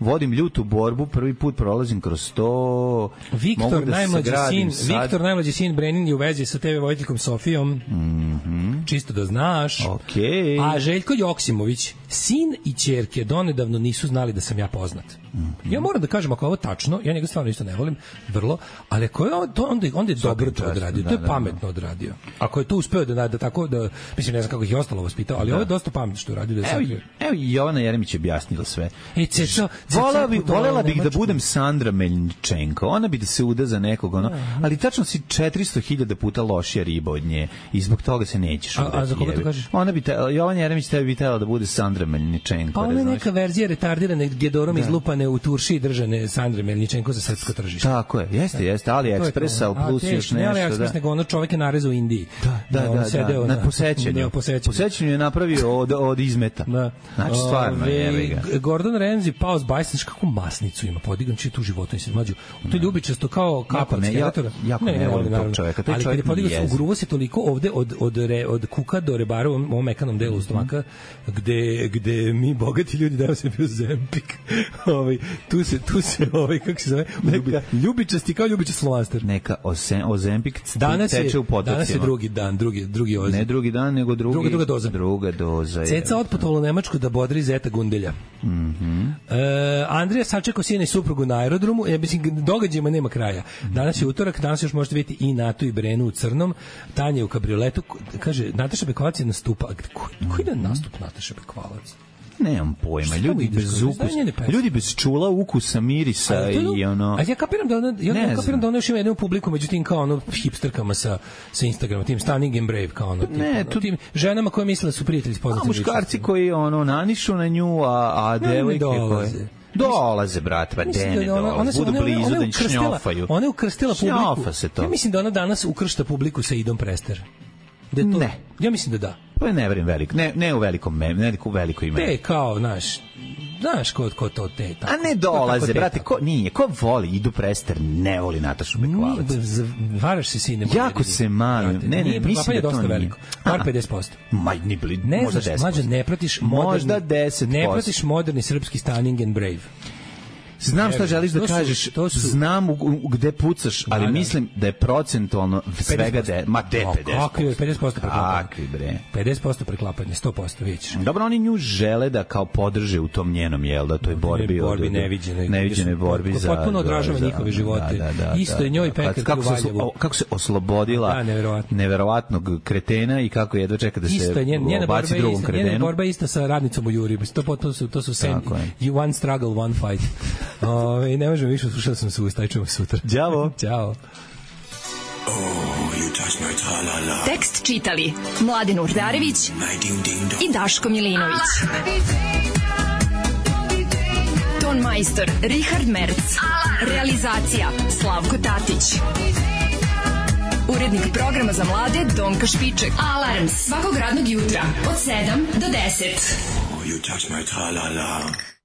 vodim ljutu borbu, prvi put prolazim kroz to. Viktor, da najmlađi sin, sad. Viktor, najmlađi sin Brenin je u vezi sa te ve voditeljkom Sofijom. Mm-hmm. Čisto da znaš. Okay. A Željko Joksimović, sin i ćerke donedavno nisu znali da sam ja poznat. Mm-hmm. Ja moram da kažem, ako je ovo tačno, ja njega stvarno isto ne volim, vrlo, ali ako je to, onda, onda je dobro to odradio, da, to je da, pametno da. odradio. Ako je to uspeo da, da tako, da, mislim, ne znam kako ih je ostalo vaspitao, ali da. ovo je dosta pametno što je uradio. Da evo, evo Jovana Jeremić je objasnila sve. E, ceco, Volela bi, volela bih da budem Sandra Meljničenko. Ona bi da se uda za nekog, ono, ali tačno si četiristo hiljada puta lošija riba od nje i zbog toga se nećeš udati. A, a za koga to kažeš? Ona bi, te, Jovan Jeremić tebi bi tela da bude Sandra Meljničenko. Pa ona je neka verzija retardirane Gedorom izlupane u turši i držane Sandre Meljničenko za srpsko tržište. Tako je, jeste, jeste, Ali Express, ali plus još nešto. Ne Ali Express, nego ono čovek je narezao u Indiji. Da, da, da, na posećanju. Posećanju je napravio od izmeta. Znači, stvarno, jebi ga. Gordon Ramsay pao s bajsniš, kako masnicu ima podigan, či tu životu se mlađu. To je ljubičasto kao kapa od skeletora. Jako ne, ne volim tog čoveka. Ali kad je podigao, ugruvo se toliko ovde od, od, re, od kuka do rebara u ovom mekanom delu stomaka, gde, gde mi bogati ljudi daju se bio Zempik. ovaj, tu se, tu se, ovaj, kako se zove, neka, ljubičasti kao ljubičast Slovanster. Neka Ozempik teče u potocima. Danas je drugi dan, drugi, drugi ozim. Ne drugi dan, nego drugi, druga, druga doza. Druga doza je. Ceca otputovala u Nemačku da bodri Zeta Gundelja. Mhm. E, Andrija sačekao sina i suprugu na aerodromu, ja mislim, događajima nema kraja. Danas je utorak, danas još možete vidjeti i Natu i Brenu u crnom, Tanja u kabrioletu, kaže, Nataša Bekvalac je nastupa, ko, koji je nastup Nataša Bekvalac? Nemam pojma, ljudi bez ukusa, ljudi bez čula, ukusa, mirisa i ono... A ja kapiram da ona, ja ne kapiram da ona još ima jednu publiku, međutim kao ono hipsterkama sa, sa Instagrama, tim Stunning and Brave, kao ono, tim, ne, ono, tu... tim ženama koje misle da su prijatelji s poznatim ličnostima. A muškarci koji ono nanišu na nju, a, a devojke koje... Dolaze, brate, pa dene dolaze, budu blizu da njih šnjofaju. Ona je ukrstila publiku. Ja mislim da ona danas ukršta publiku sa Idom Prester. Da to, ne. Ja mislim da da. Pa ne verujem veliko, ne, ne u velikom mem, ne u velikoj ime. Te kao, znaš, znaš ko, ko to te tako. A ne dolaze, brate, ko, nije, ko voli Idu Prester, ne voli Natašu Bekvalac. Varaš se sine. Jako se malim, ne, ne, mislim da to nije. Veliko. Par pedeset posto. Ma, ni bili, ne možda deset posto. Mlađe, ne pratiš moderni, možda deset posto. Ne pratiš moderni srpski Stunning and Brave. znam šta želiš da kažeš, znam gde pucaš, ali mislim da je procentualno svega de, ma de pedeset posto. Kako je pedeset posto preklapanje? Kakvi bre? pedeset posto preklapanje, sto posto vidiš. Dobro, oni nju žele da kao podrže u tom njenom, jel da, toj borbi, borbi neviđenoj, neviđenoj borbi za... Potpuno odražava njihove živote. Da, da, isto je njoj Pekarki u Valjevu. Kako se oslobodila neverovatnog kretena i kako jedva čeka da se baci drugom kretenu. Njena borba je ista sa radnicom u Juri. To, to su, to su sen, you one struggle, one fight. Ove, ne možemo više, slušao sam se u stajčemo sutra. Ćao. Ćao. Tekst čitali Mladen Urdarević i Daško Milinović. Ton majstor Richard Merc. Realizacija Slavko Tatić. Urednik programa za mlade Donka Špiček. Alarms svakog radnog jutra od sedam do deset. You touch my tra-la-la.